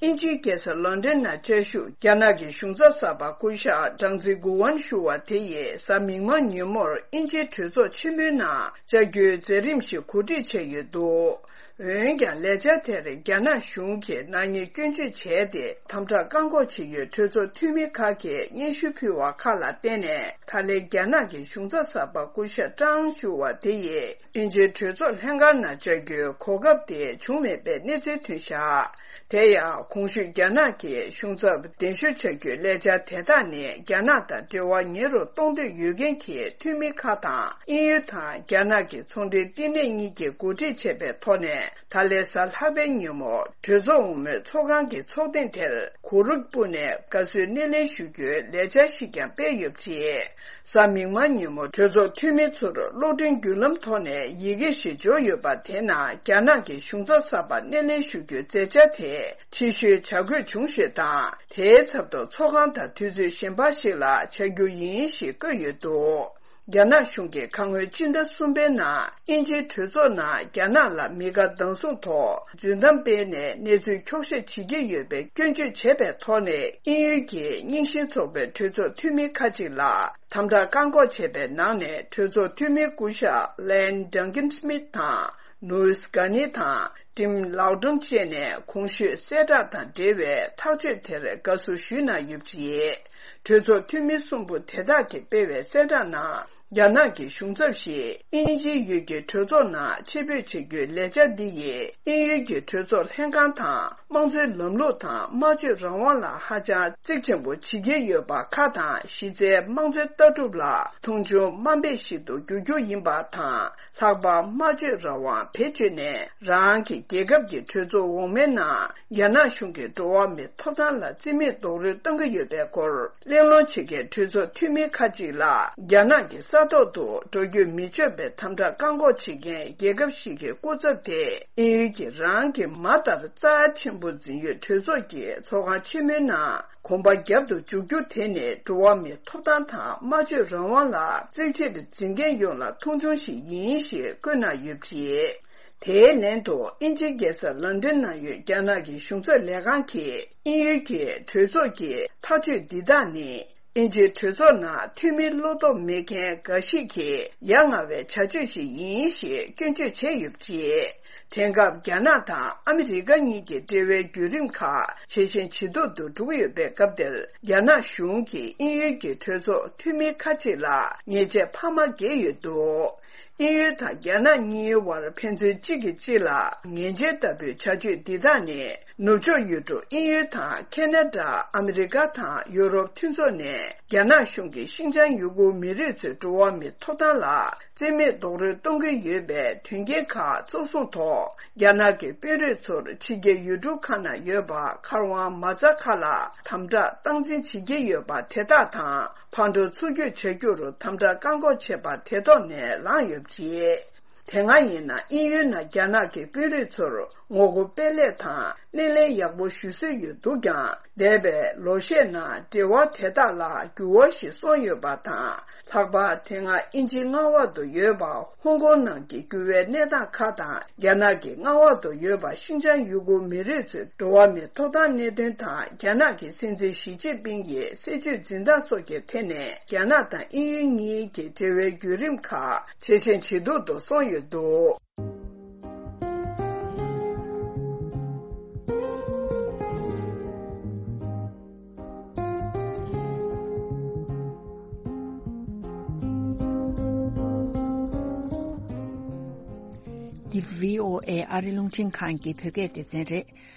དབྱིན་ཇིའི་རྒྱལ་ས་ལོན་ཌོན་ནང་བཅའ་བཞུགས་རྒྱ་ནག་གི་གཞུང་ཚབ་གསར་པ་སྐུ་ཞབས་ཀྲང་ཙི་གུ་ཝན་ཞུ་བ་དེ་ཡིས་གཟའ་མིག་དམར་ཉིན་མོར་དབྱིན་ཇིའི་གྲོས་ཚོགས་ཆེན་མོའི་ནང་བཅར་རྒྱུའི་མཛད་རིམ་ཞིག་གོ་སྒྲིག་བྱས་ཡོད་འདུག་འོན་ཀྱང་ལས་འཆར་དེར་རྒྱ་ནག་གཞུང་གིས་ནག་ཉེས་སྐྱོན་བརྗོད་བྱས་ཏེ་དམ་དྲག་བཀག་འགོག་བྱེད་ཡུལ་གྲོས་ཚོགས་འཐུས་མི་ཁག་གིས་སྙན་ཞུ་ཕུལ་བ་ཁག་ལ་བརྟེན་ནས་ད་ལན་རྒྱ་ནག་གི་གཞུང་ཚབ་གསར་པ་སྐུ་ཞབས་ཀྲང་ཞུ་བ་དེ་ཡིས་དབྱིན་ཇིའི་གྲོས་ཚོགས་ལྷན་ཁང་ནང་བཅར་རྒྱུའི་གོ་སྐབས་དེ་བྱུང་མེད་པའི་གནས་ཚུལ་ཐོན་བཞག་དེ་ཡང་གོང་ཞུས་རྒྱ་ནག་གི་གཞུང་ཚབ་གདན་ཞུ་བྱ་རྒྱུའི་ལས་འཆར་དེ་དག་ནི་རྒྱ་ནག་དང་འབྲེལ་བ་ཉེ་རུ་གཏོང་འདོད་ཡོད་མཁན་གྱི་འཐུས་མི་ཁག་དང་དབྱིན་ཡུལ་དང་རྒྱ་ནག་གི་ཚོང་འབྲེལ་བསྟི་གནས་གཉིས་ཀྱིས་གོ་སྒྲིག་བྱས་པའི་ཐོག་ནས། ད་ལན་གཟའ་ལྷག་པའི་ཉིན་མོ་གྲོས་ཚོགས་འོག་མའི་ཚོགས་ཁང་གི་ཚོགས་ཐེངས་དེར་གུ་རུབ་པུ་ནས་དགའ་བསུའི་སྣེ་ལེན་ཞུ་རྒྱུའི་ལས་འཆར་ཞིག་ཀྱང་སྤེལ་ཡོད་པ་རེད། གཟའ་མིག་དམར་ཉིན་མོ་གྲོས་ཚོགས་འཐུས་མི་ཚོར་གློག་འཕྲིན་བརྒྱུད་ལམ་ཐོག་ནས་ཡི་གེ་ཞིག་འབྱོར་ཡོད་པ་དེ་ནང་རྒྱ་ནག་གི་གཞུང་ཚབ་གསར་པ་སྣེ་ལེན་ཞུ་རྒྱུའི་མཛད་འཆར་དེ་ཕྱི་བཤོལ་བྱ་དགོས་བྱུང་ཞེས་དང་། དེའི་ཚབ་ཏུ་ཚོགས་ཁང་དང་དུས་ཚོད་གཞན་པ་ཞིག་ལ་བྱ་རྒྱུ་ཡིན་ཞེས་བཀོད་ཡོད་འདུག་རྒྱ་ནག་གཞུང་གིས་ཁ་སྔོན་སྤྱི་ཟླ་གསུམ་པའི་ནང་དབྱིན་ཇིའི་གྲོས་ཚོགས་ནང་རྒྱ་ནག་ལ་མི་དགའ་སྡང་ཟུག་ཐོག་རྫུན་གཏམ་སྤེལ་ནས་གནས་ཚུལ་འཁྱོག་བཤད་བྱེད་ཀྱི་ཡོད་པའི་སྐྱོན་བརྗོད་བྱས་པའི་ཐོག་ནས། དབྱིན་ཡུལ་གྱི་རྙིང་ཞེན་ཚོགས་པའི་གྲོས་ཚོགས་འཐུས་མི་ཁ་ཅིག་ལ་དམ་དྲག་བཀག་འགོག་བྱས་པའི་ནང་ནས། གྲོས་ཚོགས་འཐུས་མི་སྐུ་ཞབས་ལན་ཌང་ཀིན་སྨིད་དང་། ནུའུ་སི་གྷ་ནི་དང་ཏིམ་ལའོ་ཏུང་བཅས་ནས་གོང་ཞུས་གསལ་བསྒྲགས་དང་འབྲེལ་བའི་ཐག་གཅོད་དེར་དགའ་བསུ་ཞུས་གནང་ཡོད་པ་རེད། གྲོས་ཚོགས་འཐུས་མི་གསུམ་པོ་དེ་དག་གིས་སྤེལ་བའི་གསལ་བསྒྲགས་ནང་། རྒྱ་ནག་གི་གཞུང་ཚབ་ཞིག་དབྱིན་ཇིའི་ཡུལ་གྱི་གྲོས་ཚོགས་ནང་ཆེད་ཕེབས་བྱེད་རྒྱུའི་ལས་འཆར་འདི་ཡིས་དབྱིན་ཡུལ་གྱི་གྲོས་ཚོགས་ལྷན་ཁང་དང་། དམངས་གཙོའི་ལམ་ལུགས་དང་སྨྲ་བརྗོད་རང་དབང་ལ་ཧ་ཅང་གཙིགས་ཆེན་པོ་བྱེད་ཀྱི་ཡོད་པ་ཁག་དང་། གཞི་རྩའི་དམངས་གཙོའི་ལྟ་གྲུབ་ལ་མཐོང་ཆུང་དམའ་འབེབས་ཤིག་ཏུ་འགྱུར་རྒྱུ་ཡིན་པ་དང་། ལྷག་པར་སྨྲ་བརྗོད་རང་དབང་བེད་སྤྱོད་ནས་རང་གི་རྒྱལ་ཁབ་ཀྱི་གྲོས་ཚོགས་འོག་མའི་ནང་རྒྱ་ནག་གཞུང་གིས་འགྲོ་བ་མིའི་ཐོབ་ཐང་ལ་བརྩི་མེད་རྡོག་རོལ་གཏོང་གི་ཡོད་པའི་སྐོར་གླེང་སློང་བྱེད་མཁན་གྲོས་ཚོགས་འཐུས་མི་ཁག་ཅིག་ལ་རྒྱ་ནག་གི་ ས་ཐོག་ཏུ་འགྲོ་རྒྱུ་མི་ཆོག་པའི་དམ་དྲག་བཀག་འགོག་བྱེད་མཁན་རྒྱལ་ཁབ་ཞིག་གི་སྐུ་ཚབ་དེ་དབྱིན་ཡུལ་གྱི་རང་གི་མ་ལྟར་རྩ་ཆེན་པོ་འཛིན་ཡུལ་གྲོས་ཚོགས་ཀྱི་ཚོགས་ཁང་ཆེན་མོའི་ནང་གོམ་པ་རྒྱབ་ཏུ་འཇུག་རྒྱུ་དེ་ནི་འགྲོ་བ་མིའི་ཐོབ་ཐང་དང་སྨྲ་བརྗོད་རང་དབང་ལ་བརྩི་བྱར་འཛིན་མཁན་ཡོངས་ལ་མཐོང་ཆུང་ཞིག་ཡིན་ཞེས་བཀོད་གནང་ཡོད་པ་རེད། དེའི་ལན་དུ་དབྱིན་ཇིའི་རྒྱལ་ས་ལོན་ཌོན་ནང་ཡོད་རྒྱ་ནག་གི་གཞུང་ཚབ་ལས་ཁང་གིས་དབྱིན་ཡུལ་གྱི་གྲོས་ཚོགས་ཀྱི་ཐག་གཅོད་འདི་དག་ནི། དབྱིན་ཇིའི་གྲོས་ཚོགས་ནང་འཐུས་མི་བློ་སྟོབས་མེད་མཁན་འགའ་ཞིག་གིས་ཡ་ང་བའི་བྱ་སྤྱོད་ཞིག་ཡིན་ཞེས་སྐྱོན་བརྗོད་བྱས་ཡོད་པ་རེད། དེང་སྐབས་རྒྱ་ནག་དང་ཨ་མི་རི་ཀ་གཉིས་ཀྱི་འབྲེལ་བའི་བརྒྱུད་རིམ་ཁག་ཇེ་ཞན་ཇེ་སྡུག་ཏུ་འགྲོ་གི་ཡོད་པའི་སྐབས་འདིར། རྒྱ་ནག་གཞུང་གིས་དབྱིན་ཡུལ་གྱི་གྲོས་ཚོགས་འཐུས་མི་ཁག་ཅིག་ལ་ཉེས་ཆད་འཕར་མ་འགེལ་ཡོད་འདུག་དབྱིན་ཡུལ་དང་རྒྱ་ནག་གཉིས་བར་ཕན་ཚུན་གཅིག་གིས་གཅིག་ལ་ངན་བྱུས་ལྟ་བུའི་བྱ་སྤྱོད་འདི་དག་ནི། ནུབ་ཕྱོགས་ཡུལ་གྲུ་དབྱིན་ཡུལ་དང་ཁེ་ན་ཌ། ཨ་མི་རི་ཀ་དང་ཡུ་རོབ་མཐུན་ཚོགས་ནས་རྒྱ་ནག་གཞུང་གིས་ཤིན་ཅང་ཡུ་གུར་མི་རིགས་ཚོའི་འགྲོ་བ་མིའི་ཐོབ་ཐང་ལ་རྩིས་མེད་རྡོག་རོལ་གཏོང་གི་ཡོད་པའི་དོན་རྐྱེན་ཁག་གཙོ་བཟུང་ཐོག་རྒྱ་ནག་གི་དཔོན་རིགས་ཚོར་ཕྱི་རྒྱལ་ཡུལ་གྲུ་ཁག་ནང་ཡོད་པ་མཁར་དབང་མ་རྩ་ཁག་ལ་དམ་དྲག་སྟངས་འཛིན་བྱེད་ཀྱི་ཡོད་པ་དེ་དག་དང་། ཕར་འགྲོ་ཚུར་སྐྱོད་བྱ་རྒྱུར་དམ་དྲག་བཀག་འགོག་བྱས་པ་དེ་ཐོག་ནས་ལངས་ཡོད་པ་རེད། དེ་སྔ་ཡིན་ན་དབྱིན་ཡུལ་ནང་རྒྱ་ནག་གི་དཔོན་རིགས་ཚོར་ངོ་རྒོལ་སྤེལ་ལས་དང་སྣེ་ལེན་ཡག་པོ་ཞུ་སྲོལ་ཡོད་འདུག་ཀྱང་། འདས་པའི་ལོ་ཤས་ནང་འབྲེལ་བ་དེ་དག་ལ་འགྱུར་བ་ཞིག་སོང་ཡོད་པ་དང་། ལྷག་པར་དེ་སྔ་དབྱིན་ཇིའི་མངའ་འོག་ཏུ་ཡོད་པ་ཧོང་ཀོང་ནང་གི་འགྱུར་བའི་གནས་སྟངས་ཁག་དང་། རྒྱ་ནག་གི་མངའ་འོག་ཏུ་ཡོད་པ་ཤིན་ཅང་ཡུ་གུར་མི་རིགས་ཚོའི་འགྲོ་བ་མིའི་ཐོབ་ཐང་གནད་དོན་དང་། རྒྱ་ནག་གི་སྲིད་འཛིན་ཞི་ཅིན་ཕིང་གི་སྲིད་བྱུས་འཛིན་སྟངས་སོགས་ཀྱི་ཐད་ནས་རྒྱ་ནག་དང་དབྱིན་ཡུལ་གཉིས་ཀྱི་འབྲེལ་བའི་བརྒྱུད་རིམ་ཁག་ཇེ་ཞན་ཇེ་སྡུག་ཏུ་སོང་ཡོད་འདུག་འདི་བྷི་ཨོ་ཨེ་ཨ་རི་རླུང་འཕྲིན་ཁང་གི་བོད་སྐད་སྡེ་ཚན་རེད།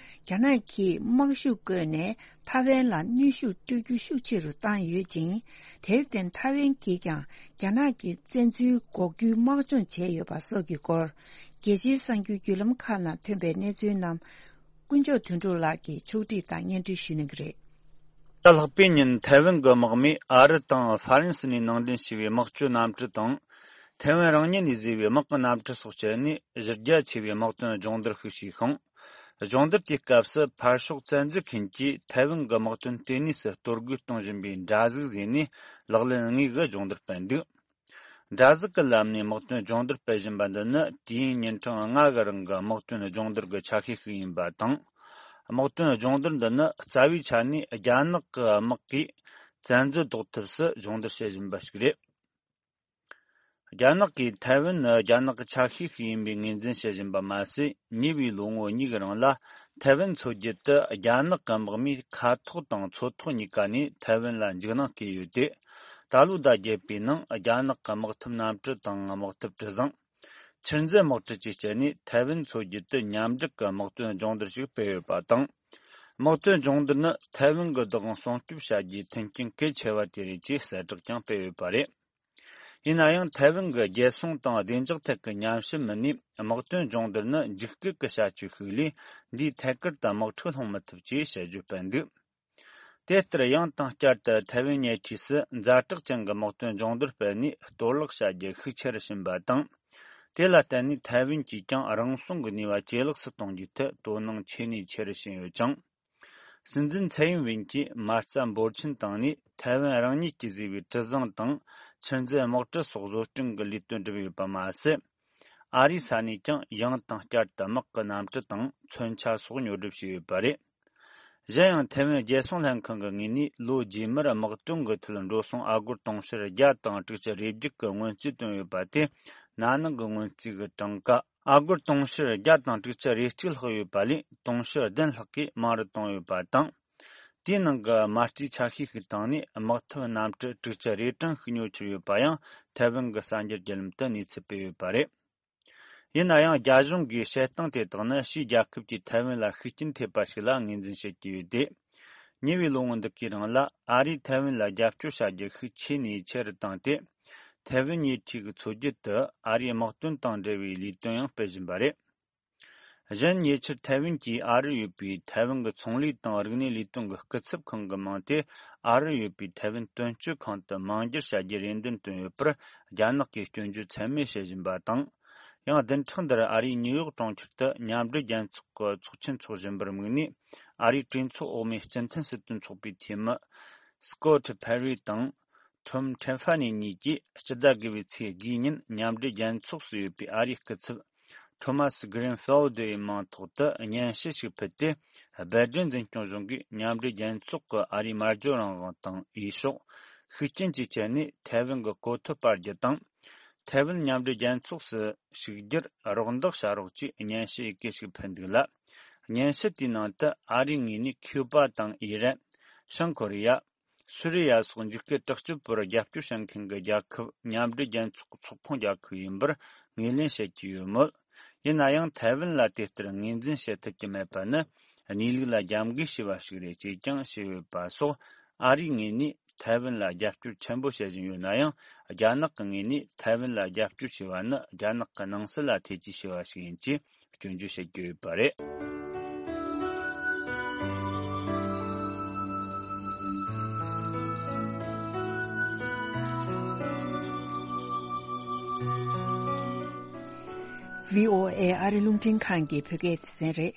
རྒྱ་ནག་གིས་དམག་ཤུགས་བཀོལ་ནས་ཐའེ་ཝན་ལ་གནོན་ཤུགས་སྤྲོད་རྒྱུ་ཤུགས་ཆེ་རུ་བཏང་ཡོད་ཅིང་། དེར་བརྟེན་ཐའེ་ཝན་གྱིས་ཀྱང་རྒྱ་ནག་གི་བཙན་འཛུལ་འགོག་རྒྱུའི་དམག་སྦྱོང་བྱས་ཡོད་པ་སོགས་ཀྱི་སྐོར། རྒྱལ་སྤྱིའི་གསར་འགྱུར་བརྒྱུད་ལམ་ཁག་ནང་ཐོན་པའི་གནས་ཚུལ་རྣམས། དཀོན་མཆོག་དོན་གྲུབ་ལགས་ཀྱིས་ཕྱོགས་སྒྲིག་དང་སྙན་སྒྲོན་ཞུ་གནང་གི་རེད། ད་ལྷག་པའི་ཉིན་ཐའེ་ཝན་གྱི་དམག་མིས་ཨ་རི་དང་ཧྥ་རན་སི་ནས་ནང་འདྲེན་བྱས་པའི་དམག་སྤྱོད་གནམ་གྲུ་དང་། ཐའེ་ཝན་རང་ཉིད་ནས་བཟོས་པའི་དམག་གི་གནམ་གྲུ་སོགས་སྤྱད་ནས་གཞི་རྒྱ་ཆེ་བའི་དམག་དོན་སྦྱོང་བརྡར་ཤིག་བྱས་ཤིང་། སྦྱོང་བརྡར་དེའི་སྐབས་སུ་ཕར་ཕྱོགས་བཙན་འཛུལ་མཁན་གྱིས་ཐའེ་ཝན་གྱི་དམག་དོན་ལྟེ་གནས་སུ་གཏོར་རྒོལ་གཏོང་བཞིན་པའི་འདྲ་གཟུགས་བཟོས་ནས་ལག་ལེན་དངོས་ཀྱི་སྦྱོང་བརྡར་སྤེལ་འདུག་འདྲ་གཟུགས་ཀྱི་ལམ་ནས་དམག་དོན་སྦྱོང་བརྡར་སྤེལ་བཞིན་པ་འདི་ནི་དུས་ཡུན་ཉིན་གྲངས་ལྔ་གི་རིང་གི་དམག་དོན་སྦྱོང་བརྡར་གྱི་ཆ་ཤས་ཤིག་ཡིན་པ་དང་། དམག་དོན་སྦྱོང་བརྡར་འདི་ནི་རྩ་བའི་ཆ་ནས་རྒྱ་ནག་གི་དམག་གིས་བཙན་འཛུལ་ཟློག་ཐབས་སུ་སྦྱོང་བརྡར་བྱེད་བཞིན་པ་ཞིག་རེད། རྒྱ་ནག་གིས་ཐའེ་ཝན་ནི་རྒྱ་ནག་གི་ཆ་ཤས་ཤིག་ཡིན་པའི་ངོས་འཛིན་བྱེད་བཞིན་པ་མ་ཟད། ཉེ་བའི་ལོ་ངོ་གཉིས་ཀྱི་རིང་ལ་ཐའེ་ཝན་མཚོ་རྒྱུད་དུ་རྒྱ་ནག་གི་དམག་མིས་མཁའ་ཐོག་དང་མཚོ་ཐོག་གཉིས་ཀ་ནས་ཐའེ་ཝན་ལ་འཇིགས་སྣང་སྐྱེས་ཡོད་དེ། ད་ལོའི་ཟླ་བརྒྱད་པའི་ནང་རྒྱ་ནག་གི་དམག་འཐབ་གནམ་གྲུ་དང་དམག་འཐབ་གྲུ་གཟིངས། ཆུ་མཛོད་དམག་གྲུ་བཅས་སྤྱད་ནས་ཐའེ་ཝན་མཚོ་རྒྱུད་དུ་མཉམ་འབྲེལ་གྱི་དམག་དོན་སྦྱོང་བརྡར་ཞིག་སྤེལ་ཡོད་པ་དང་། དམག་དོན་སྦྱོང་བརྡར་ནི་ཐའེ་ཝན་གྱི་བདག་དབང་སྲུང་སྐྱོབ་བྱ་རྒྱུའི་མཐུན་རྐྱེན་གལ་ཆེ་བ་དེ་རེད་ཅེས་གསལ་བསྒྲགས་ཀྱང་སྤེལ་ཡོད་པ་རེད། ཡིན་ན་ཡང་ཐའེ་ཝན་གྱི་རྒྱལ་སྲུང་དང་བདེ་འཇགས་ཐད་ཀྱི་ཉམས་ཞིབ་མི་སྣས་དམག་དོན་སྦྱོང་བརྡར་ནི་འཇིགས་སྐུལ་གྱི་བྱ་སྤྱོད་ཤིག་ལས། འདིས་ཐད་ཀར་དུ་དམག་འཁྲུག་སློང་མི་ཐུབ་ཅེས་དཔྱད་བརྗོད་སྤེལ་འདུག་དེ་ལྟར་ཡང་དང་བསྐྱར་དུ་ཐའེ་ཝན་ཉེ་འཁྲིས་སུ་ཛ་དྲག་ཅན་གྱི་དམག་དོན་སྦྱོང་བརྡར་སྤེལ་ནས་གཏོར་བརླག་བྱ་རྒྱུ་ཤུགས་ཆེ་རུ་ཕྱིན་པ་དང་། དེ་ལ་བརྟེན་ནས་ཐའེ་ཝན་གྱིས་ཀྱང་རང་སྲུང་གི་ནུས་པ་ཇེ་ལེགས་སུ་གཏོང་རྒྱུའི་ཐད་དོ་སྣང་ཆེ་ནས་ཆེ་རུ་ཕྱིན་ཡོད་ཅིང་། སྲིད་འཛིན་ཚའེ་ཡིན་ཝིན་གྱིས་མ་རྩ་འབོར་ཆེན་བཏང་ནས་ཐའེ་ཝན་རང་ཉིད་ཀྱིས་བཟོས་པའི་གྲུ་གཟིངས་དང་ཆུ་མཛོད་དམག་གྲུ་སོགས་བཟོ་སྐྲུན་གྱི་ལས་དོན་བསྒྲུབས་ཡོད་པ་མ་ཟད། ཨ་རིའི་ས་ནས་ཀྱང་ཡང་དང་བསྐྱར་དུ་དམག་གི་གནམ་གྲུ་དང་མཚོན་ཆ་སོགས་ཉོ་སྒྲུབ་བྱས་ཡོད་པ་རེད། གཞན་ཡང་ཐའེ་ཝན་རྒྱལ་སྲུང་ལྷན་ཁང་གི་ངོས་ནས་ལོ་རྗེས་མར་དམག་དོན་གྱི་ཐད་འགྲོ་སོང་ཨ་སྒོར་དུང་ཕྱུར་བརྒྱ་དང་དྲུག་ཅུ་རེ་བརྒྱད་ཀྱི་སྔོན་རྩིས་བཏོན་ཡོད་པ་དེ་ན་ནིང་གི་སྔོན་རྩིས་ཀྱི་གྲངས་ཀ་ཨ་སྒོར་དུང་ཕྱུར་བརྒྱ་དང་དྲུག་ཅུ་རེ་གཅིག་ལྷག་ཡོད་པ་ལས་དུང་ཕྱུར་བདུན་ལྷག་གིས་མང་རུ་བཏང་ཡོད་པ་དང་། དེའི་ནང་གི་མ་རྩའི་ཆ་ཤས་ཤིག་བཏང་ནས་དམག་འཐབ་གནམ་གྲུ་དྲུག་ཅུ་རེ་གྲངས་ཤིག་ཉོ་ཆོག་ཡོད་པ་ཡང་ཐའེ་ཝན་གྱི་གསར་འགྱུར་བརྒྱུད་ལམ་དུ་གནས་ཚུལ་སྤེལ་ཡོད་པ་རེད། ཡིན་ན་ཡང་རྒྱ་གཞུང་གིས་བཤད་སྟངས་དེ་དག་ནི་ཕྱིའི་རྒྱལ་ཁབ་ཀྱིས་ཐའེ་ཝན་ལ་ཤུགས་རྐྱེན་ཐེབས་པ་ཞིག་ལ་ངོས་འཛིན་བྱེད་ཀྱི་ཡོད་དེ། ཉེ་བའི་ལོ་ངོ་འདི་གའི་རིང་ལ་ཨ་རིས་ཐའེ་ཝན་ལ་རྒྱབ་སྐྱོར་བྱ་རྒྱུ་ཤུགས་ཆེ་ནས་ཆེ་རུ་བཏང་སྟེ། ཐའེ་ཝན་ཉེ་འཁྲིས་ཀྱི་མཚོ་རྒྱུད་དུ་ཨ་རིའི་དམག་དོན་དང་འབྲེལ་བའི་ལས་དོན་ཡང་སྤེལ་བཞིན་པ་རེད། གཞན་ཉེ་ཆར་ཐའེ་ཝན་གྱིས་ཨ་རིར་ཡོད་པའི་ཐའེ་ཝན་གྱི་ཚོང་ལས་དང་རིག་གནས་ལས་དོན་གྱི་སྐུ་ཚབ་ཁང་གི་མིང་དེ་ཨ་རིར་ཡོད་པའི་ཐའེ་ཝན་དོན་གཅོད་ཁང་དུ་མིང་བསྒྱུར་བྱ་རྒྱུའི་རེ་འདུན་བཏོན་ཡོད་པར། རྒྱ་ནག་གིས་སྐྱོན་བརྗོད་ཚད་མེད་བྱེད་བཞིན་པ་དང་། ཡང་བདུན་ཕྲག་འདིར་ཨ་རིའི་ཉིའུ་ཡོག་གྲོང་ཁྱེར་དུ་མཉམ་འབྲེལ་རྒྱལ་ཚོགས་ཀྱི་ཚོགས་ཆེན་འཚོགས་བཞིན་པར་དམིགས་ནས། ཨ་རིའི་གྲོས་ཚོགས་འོག་མའི་སྤྱི་མཐུན་སྲིད་དོན་ཚོགས་པའི་འཐུས་མི་སྐོ་ཐི་ཕེ་རི་དང་ཁྲོམ་ཁྲེན་ཧྥ་ནི་གཉིས་ཀྱིས་སྤྱི་ཟླ་དགུ་པའི་ཚེས་དགུའི་ཉིན་མཉམ་འབྲེལ་རྒྱལ་ཚོགས་སུ་ཡོད་པའི་ཨ་རིའི་སྐུ་ཚབ་ཐོ་མ་སི་གྷི་རིན་ཕེལ་ཌི་ཡི་མིང་ཐོག་ཏུ་སྙན་ཞུ་ཞིག་ཕུལ་ཏེ། སྦེལ་ཀྲེན་འཛིན་སྐྱོང་གཞུང་གིས་མཉམ་འབྲེལ་རྒྱལ་ཚོགས་ཀྱི་ཨ་རིའི་སྨྲ་བརྗོད་རང་དབང་དང་འོས་ཤོག་ཤུགས་རྐྱེན་གྱི་ཆེད་ནས་ཐའེ་ཝན་གྱི་གོ་ཐོབ་སྤར་རྒྱུ་དང་། ཐའེ་ཝན་མཉམ་འབྲེལ་རྒྱལ་ཚོགས་སུ་ཞུགས་རྒྱུར་རོགས་འདེགས་བྱ་རོགས་ཅེས་སྙན་ཞུ་ཡི་གེ་ཞིག་ཕུལ་འདུག་ལ། སྙན་ཞུ་དེའི་ནང་དུ་ཨ་རིའི་ངོས་ནས་ཁིའུ་པ་དང་ཨི་རན། བྱང་ཀོ་རི་ཡ། སུ་རི་ཡ་སོགས་འཇིགས་སྐུལ་དྲག་སྤྱོད་པར་རྒྱབ་སྐྱོར་བྱེད་མཁན་གྱི་རྒྱལ་ཁབ་མཉམ་འབྲེལ་རྒྱལ་ཚོགས་ཚོགས་ཁོངས་རྒྱལ་ཁབ་ཡིན་པར་ངོས་ལེན་བྱེད་ཀྱི་ཡོད་མོད། ཡིན་ན་ཡང་ཐའེ་ཝན་ལ་དེ་ལྟར་ངོས་འཛིན་བྱེད་ཐུབ་ཀྱི་མེད་པ་ནི་གནས་ལུགས་ལ་རྒྱབ་འགལ་བྱས་པ་ཞིག་རེད་ཅེས་ཀྱང་བཤད་ཡོད་པ་སོགས། ཨ་རིའི་ངོས་ནས་ཐའེ་ཝན་ལ་རྒྱབ་སྐྱོར་ཆེན་པོ་བྱེད་བཞིན་ཡོད་ན་ཡང་། རྒྱ་ནག་གི་ངོས་ནས་ཐའེ་ཝན་ལ་རྒྱབ་སྐྱོར་བྱས་པ་ནི་རྒྱ་ནག་གི་ནང་སྲིད་ལ་ཐེ་ཇུས་བྱས་པ་ཞིག་ཡིན་ཅེས་སྐྱོན་བརྗོད་བྱེད་ཀྱི་ཡོད་པ་རེད། ཝི་ཨོ་ཨེ་ཨ་རི་རླུང་འཕྲིན་ཁང་གི་བོད་སྐད་སྡེ་ཚན་རེད།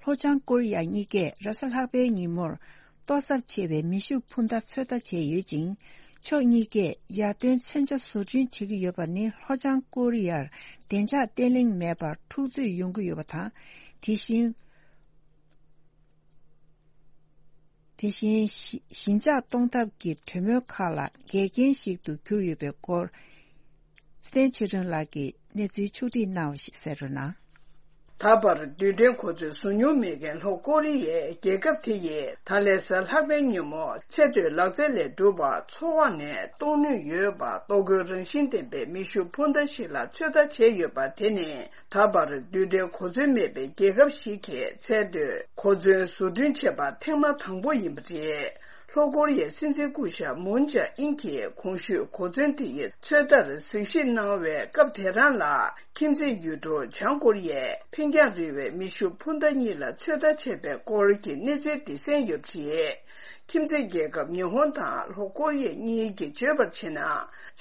ལྷོ་བྱང་ཀོ་རི་ཡ་གཉིས་ཀས་རེས་གཟའ་ལྷག་པའི་ཉིན་མོར་ལྟོ་ཚབས་ཆེ་བའི་མེ་ཤུགས་འཕུར་མདའ་ཚོད་ལྟ་བྱས་ཡོད་ཅིང་། ཕྱོགས་གཉིས་ཀས་ཡར་ཐོན་མཚོན་ཆ་བཟོ་སྐྲུན་བྱེད་ཀྱི་ཡོད་པ་ནི་ལྷོ་བྱང་ཀོ་རི་ཡར་བདེ་འཇགས་བརྟན་ལྷིང་མེད་པར་འཁྲུག་རྩོད་ཡོང་གི་ཡོད་པ་དང་། དེ་བཞིན། དེ་བཞིན་ཞི་ཞི་འཇགས་གཏོང་ཐབས་ཀྱི་གྲོས་མོལ་ཁག་ལ་འགལ་རྐྱེན་ཞིག་ཏུ་གྱུར་ཡོད་པའི་སྐོར། ཚེ་བརྟན་ཆོས་སྒྲོན་ལགས་ཀྱིས་གནས་ཚུལ་ཕྱོགས་སྒྲིག་གནང་བ་ཞིག་གསན་རོགས་གནང་། ད་བར་རྡུལ་ཕྲན་གོ་མཚོན་བཟོ་མྱོང་མེད་མཁན་ལྷོ་ཀོ་རི་ཡའི་རྒྱལ་ཁབ་དེ་ཡིས་ད་ལན་གཟའ་ལྷག་པའི་ཉིན་མོ་ཚེ་སྟོད་ལག་རྩལ་ལས་གྲུབ་པ་མཚོ་འོག་ནས་གཏོང་ནུས་ཡོད་པ་གཏོར་རྒོལ་རང་བཞིན་ལྡན་པའི་མེ་ཤུགས་འཕུར་མདའ་ཞིག་ལ་ཚོད་ལྟ་བྱས་ཡོད་པ་དེ་ནི། ད་བར་རྡུལ་ཕྲན་གོ་མཚོན་མེད་པའི་རྒྱལ་ཁབ་ཞིག་གིས་ཚད་མཐོའི་གོ་མཚོན་བཟོ་སྐྲུན་བྱས་པ་ཐེངས་མ་དང་པོ་ཡིན་པ་རེད། ལྷོ་ཀོ་རི་ཡའི་སྲིད་འཛིན་སྐུ་ཞབས་མུན་ཇ་ཨིན་གྱིས་གོང་ཞུས་གོ་མཚོན་དེ་ཡི་ཚོད་ལྟར་གཟིགས་ཞིབ་གནང་བའི་སྐབས་དེ་རང་ལ། ཁྱིམ་མཚེས་ཡུལ་གྲུ་བྱང་ཀོ་རི་ཡས་འཕེན་རྒྱང་རིང་བའི་མེ་ཤུགས་འཕུར་མདའ་གཉིས་ལ་ཚོད་ལྟ་བྱས་པའི་སྐོར་གྱི་གནས་ཚུལ་དེ་གསན་ཡོད་པ་རེད། ཁྱིམ་མཚེས་རྒྱལ་ཁབ་ཉི་ཧོང་དང་ལྷོ་ཀོ་རི་ཡ་གཉིས་ཀྱིས་བརྗོད་པར་བྱས་ན།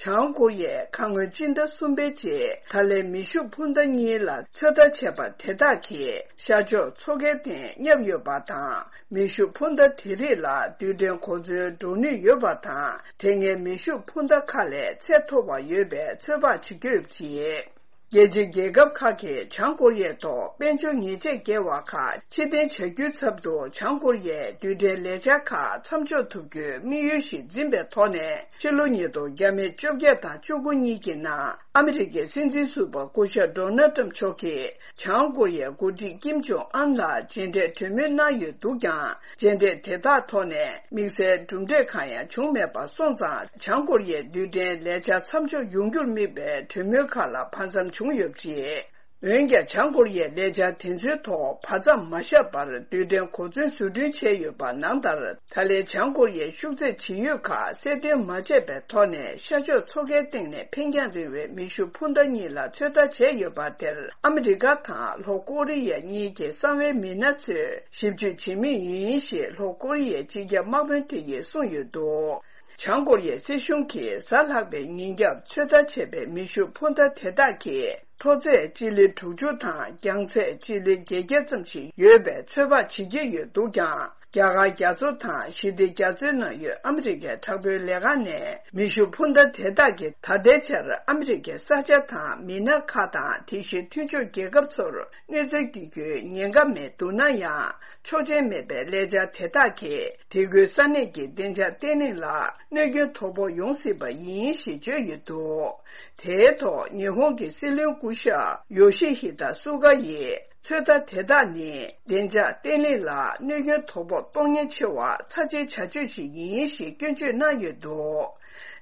བྱང་ཀོ་རི་ཡས་ཁ་སྔོན་སྤྱི་ཟླ་གསུམ་པའི་རྗེས་ད་ལན་མེ་ཤུགས་འཕུར་མདའ་གཉིས་ལ་ཚོད་ལྟ་བྱས་པ་དེ་དག་གིས་ཤར་ཕྱོགས་མཚོ་ཁའི་སྟེང་བསྙབས་ཡོད་པ་དང་། མེ་ཤུགས་འཕུར་མདའ་དེ་རིགས་ལ་རྡུལ་ཕྲན་གོ་མཚོན་འགྲོ་ནུས་ཡོད་པ་དང་། དེ་སྔའི་མེ་ཤུགས་འཕུར་མདའ་ཁག་ལས་ཚད་མཐོ་བ་ཡོད་པའི་ཚོད་དཔག་བྱེད་ཀྱི་ཡོད་པ་རེད། རྒྱལ་སྤྱིའི་རྒྱལ་ཁབ་ཁག་གིས་བྱང་ཀོ་རི་ཡའི་ཐོག་དཔལ་འབྱོར་ཉེས་ཆད་འགེལ་བ་ཁག་ཕྱིར་འཐེན་བྱ་རྒྱུའི་ཚབ་ཏུ། བྱང་ཀོ་རི་ཡའི་རྡུལ་ཕྲན་ལས་འཆར་ཁག་མཚམས་འཇོག་ཐུབ་རྒྱུའི་དམིགས་ཡུལ་ཞིག་འཛིན་པའི་ཐོག་ནས། ཕྱི་ལོ་ཉིས་སྟོང་བརྒྱ་མེད་བཅོ་བརྒྱད་དང་བཅུ་དགུ་གཉིས་ཀྱི་ནང་། ཨ་མི་རི་ཀའི་སྲིད་འཛིན་ཟུར་པ་སྐུ་ཞབས་ཌོ་ནལ་ཏྲམ་མཆོག་གིས། བྱང་ཀོ་རི་ཡའི་འགོ་ཁྲིད་ཀིམ་ཇོང་ཨན་ལ་མཇལ་འཕྲད་གྲོས་མོལ་གནང་ཡོད་འདུག་ཀྱང་། མཇལ་འཕྲད་དེ་དག་ཐོག་ནས་དམིགས་བསལ་གྲུབ་འབྲས་གང་ཡང་བྱུང་མེད་པ་སོང་ཙང་། བྱང་ཀོ་རི་ཡའི་རྡུལ་ཕྲན་ལས་འཆར་མཚམས་འཇོག་ཡོང་རྒྱུར་དམིགས་པའི་གྲོས་མོལ་ཁག་ལ་ཕར་མཚམས་བྱུང་ཡོད་པ་རེད། འོན་ཀྱང་། བྱང་ཀོ་རི་ཡའི་ལས་འཆར་དེ་ཚོའི་ཐོག་བར་མཚམས་མ་བཞག་པར་རྡུལ་ཕྲན་གོ་མཚོན་བཟོ་སྐྲུན་བྱས་ཡོད་པ་ནང་ལྟར། ད་ལན་བྱང་ཀོ་རི་ཡའི་ཤུགས་ཚད་ཇི་ཡོད་ཁག་གསལ་སྟོན་མ་བྱས་པའི་ཐོག་ནས། ཤར་ཕྱོགས་མཚོ་ཁའི་སྟེང་ནས་འཕེན་རྒྱང་རིང་བའི་མེ་ཤུགས་འཕུར་མདའ་གཉིས་ལ་ཚོད་ལྟ་བྱས་ཡོད་པ་དེར། ཨ་མི་རི་ཀ་དང་ལྷོ་ཀོ་རི་ཡ་གཉིས་ཀྱི་གསང་བའི་མི་སྣ་ཚོས་ཞིབ་དཔྱོད་བྱེད་མུས་ཡིན་ཞེས་ལྷོ་ཀོ་རི་ཡའི་སྤྱི་ཁྱབ་དམག་དཔོན་དེ་ཡིས་གསུངས་ཡོད་འདུག། བྱང་ཀོ་རི་ཡའི་སྲིད་གཞུང་གིས་གཟའ་ལྷག་པའི་ཉིན་རྒྱབ་ཚོད་ལྟ་བྱས་པའི་མེ་ཤུགས་འཕུར་མདའ་དེ་དག་གིས། མཐོ་ཚད་སྤྱི་ལེ་དྲུག་ཅུ་དང་རྒྱང་ཚད་སྤྱི་ལེ་བརྒྱད་བརྒྱ་ཙམ་ཞིག་ཡོད་པའི་ཚོད་དཔག་བྱེད་ཀྱི་ཡོད་འདུག་ཀྱང་། རྒྱ་གར་རྒྱ་མཚོ་དང་ཞི་བདེ་རྒྱ་མཚོའི་ནང་ཡོད་ཨ་མི་རི་ཀའི་དྲག་པོའི་ལས་ཁང་ནས། མེ་ཤུགས་འཕུར་མདའ་དེ་དག་གིས་ད་ལྟའི་ཆར་ཨ་མི་རི་ཀའི་ས་ཆ་དང་མི་སྣ་ཁག་དང་། དེ་བཞིན་མཐུན་ཕྱོགས་རྒྱལ་ཁབ་ཚོར་གནོད་འཚེ་བཀྱག་རྒྱུའི་ཉེན་ཁ་མེད་འདུག་ན་ཡང་། ཆོག་མཆན་མེད་པའི་ལས་འཆར་དེ་དག་གིས། དེ་ཁུལ་ས་གནས་ཀྱི་བདེ་འཇགས་བརྟན་ལྷིང་ལ་གནོད་སྐྱོན་དོ་ཕོག་ཡོང་སྲིད་པ་ཡིན་ཞེས་བརྗོད་ཡོད་འདུག། དེའི་ཐོག་ཉི་ཧོང་གི་སྲིད་བློན་སྐུ་ཞབས་ཡོ་ཤི་ཧི་ད་སུ་ག་ཡིས། ཚོད་ལྟ་དེ་དག་ནི། བདེ་འཇགས་བརྟན་ལྷིང་ལ་གནོད་སྐྱོན་དོ་ཕོག་གཏོང་ཉེན་ཆེ་བ་ཚབས་ཆེའི་བྱ་སྤྱོད་ཞིག་ཡིན་ཞེས་སྐྱོན་བརྗོད་གནང་ཡོད་འདུག།